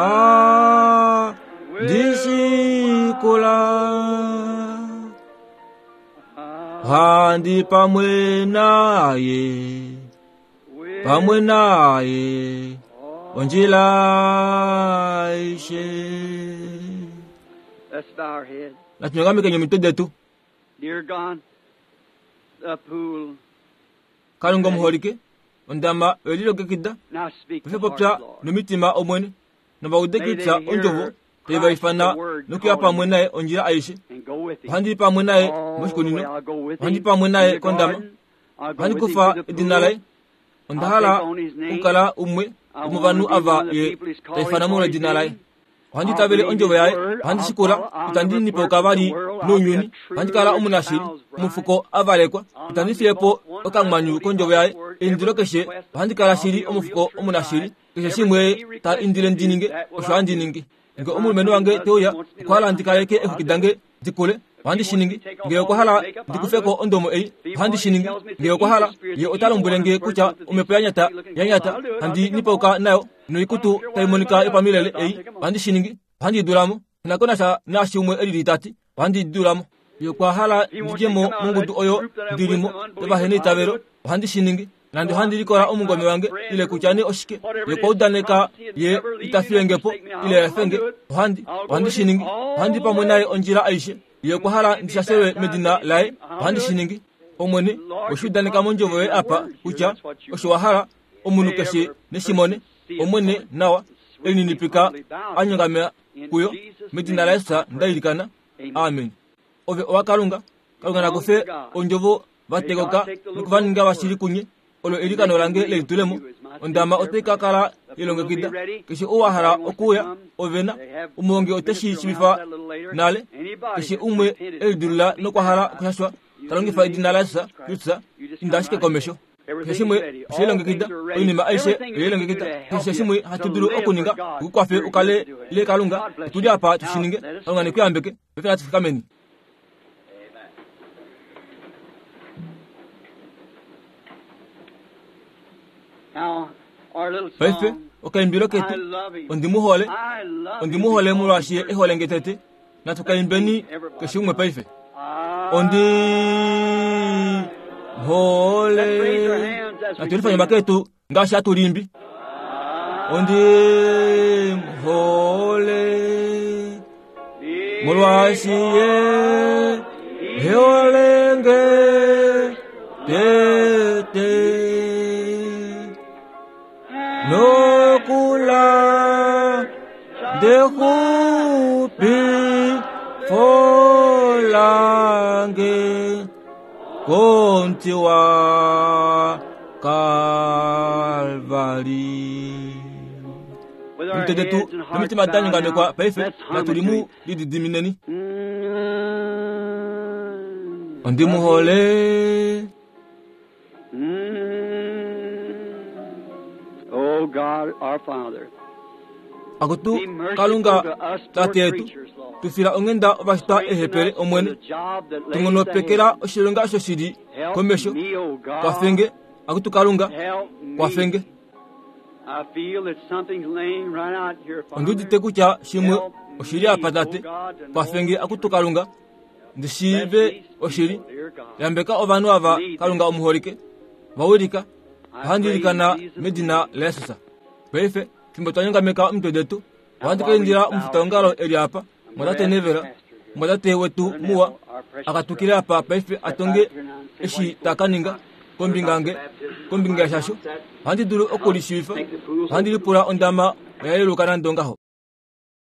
ngoha ndishikula handi pamwe naye pamwe naye ondjila aishe. Let's bow our heads. Natunyongamike omitwe detu. Dear God, the pool. Kalunga omuholike ondama oyelilongekida Now speak paife to popya hearts, Lord. nomitima omwene novaude kutya ondjovo taivaifana nokuya pamwe naye ondjila aishe. And go with him. Ohandi pamwe naye All the way moshikunino, I'll go with ohandi him pamwe in naye the kondama, garden. I'll go ohandi with him kufa to the edina laye. pool. Onda hala okukala umwe womovanhu ava ye taifana molwa edina laye. Ohandi tavele ondjovo yaye, ohandi shikula, itandi nipoka vali nounyuni, ohandi kala omunashili, omufuko avalekwa, itandi fiye po okamwanyu kondjovo yaye. Eindilo keshe ohandi kala shili omufuko omunashili, keshe shimwe ta indile ndi ninge, osho handi ningi. Nge omulumenhu wange teuya, okwa hala ndi kaleke eexwiki dange dikule, ohandi shi ningi. Nge okwa hala ndi kufe ko ondomo ei, ohandi shi ningi. Nge okwa hala ye ota lombwele nge kutya omhepo yanyata yanyata handi nipauka nayo noikutu tai monika yopamilele ei, ohandi shi ningi. Ohandi dulamo. Nako nasha naashi umwe elili tati, ohandi dulamo. Ye okwa hala ndidje mo mongudu oyo ndilimo yovaheneitavelo, ohandi shi ningi. Nande ohandi likola omungome wange ile kutya nee oshike, ye okwa udaneka ye ita fiye po ile efe nge, ohandi shi ningi. Ohandi pamwe naye ondjila aishe. Ye okwa hala ndishashelwe medina laye, ohandi shi ningi. Omwene, weshi udaneka mondjovo yoye apa kutya osho wa hala omunhu keshe neshimone. Omwene nawa elininipika anyongamea kuyo medina laYesu ndailikana. Amen. Ove owa Kalunga, Kalunga nakufe ondjovo vatekoka nokuvaninga vashili kunye. Olo elikano lange lelitulemo. Ondama otai ka kala yelongekida. Keshe ou wa hala okuuya, ovena omuhongi oteshi shiivifa nale. Keshe umwe elidulula nokwa hala okushashwa, ta longifa edina laYesu Kristus, inda ashike komesho. Keshe shimwe oshelongekida, oinima aishe oyelongekida. Keshe shimwe hatu dulu okuninga okukwafe ukale ile Kalunga, otuli apa tushininge. Kalunga nekuyambeke. Paife natu fikameni. Now, our little Paife song, okaimbilo I ketu love him. ondimuhole, I love him ondimuhole because molwaashi he ye ehole nge tete. Natu kaimbeni keshe umwe paife. Ondimuhole. Natu lifanye omake etu ngaashi hatu limbi. Ondimuhole molwaashi ye ehole nge tete. Nokula ndexupi folange komuti wa Kalvari. With our Omitwe detu heads and hearts nomitima bowed danyongamekwa now, paife let's hum natu it to limu him. lididimineni. Ondimuhole. Oh God, our Father, Akutu be merciful Kalunga to us poor tate yetu, creatures, Lord. tufila onghenda ovashitwa Strengthen ehepele us for omwene, the job that lays tungonopekela ahead. oshilonga osho shili Help komesho. me, oh God. Kwafenge, akutu Kalunga, Help me. kwafenge. I feel that something's laying right out here, Father. Ondiudite kutya shimwe Help oshili apa me, tate. oh God, to know Kwafenge the akutu truth. Kalunga, Ndi shiive oshili. Yambeka ovanhu ava, Kalunga omuholike. Va wilika. Ohandi ilikana medina laJesus. Paife, fimbo twa nyongameka omitwe detu, ohandi ka indila omufitaongalo e li apa, mwatate Neville, mwatate wetu muwa, a katukile apa paife a tonge eshi ta ka ninga kombinga nge kombinga yashasho. Ohandi dulu oku li shiivifa. Ohandi lipula ondama oya yeluka nande ongaho.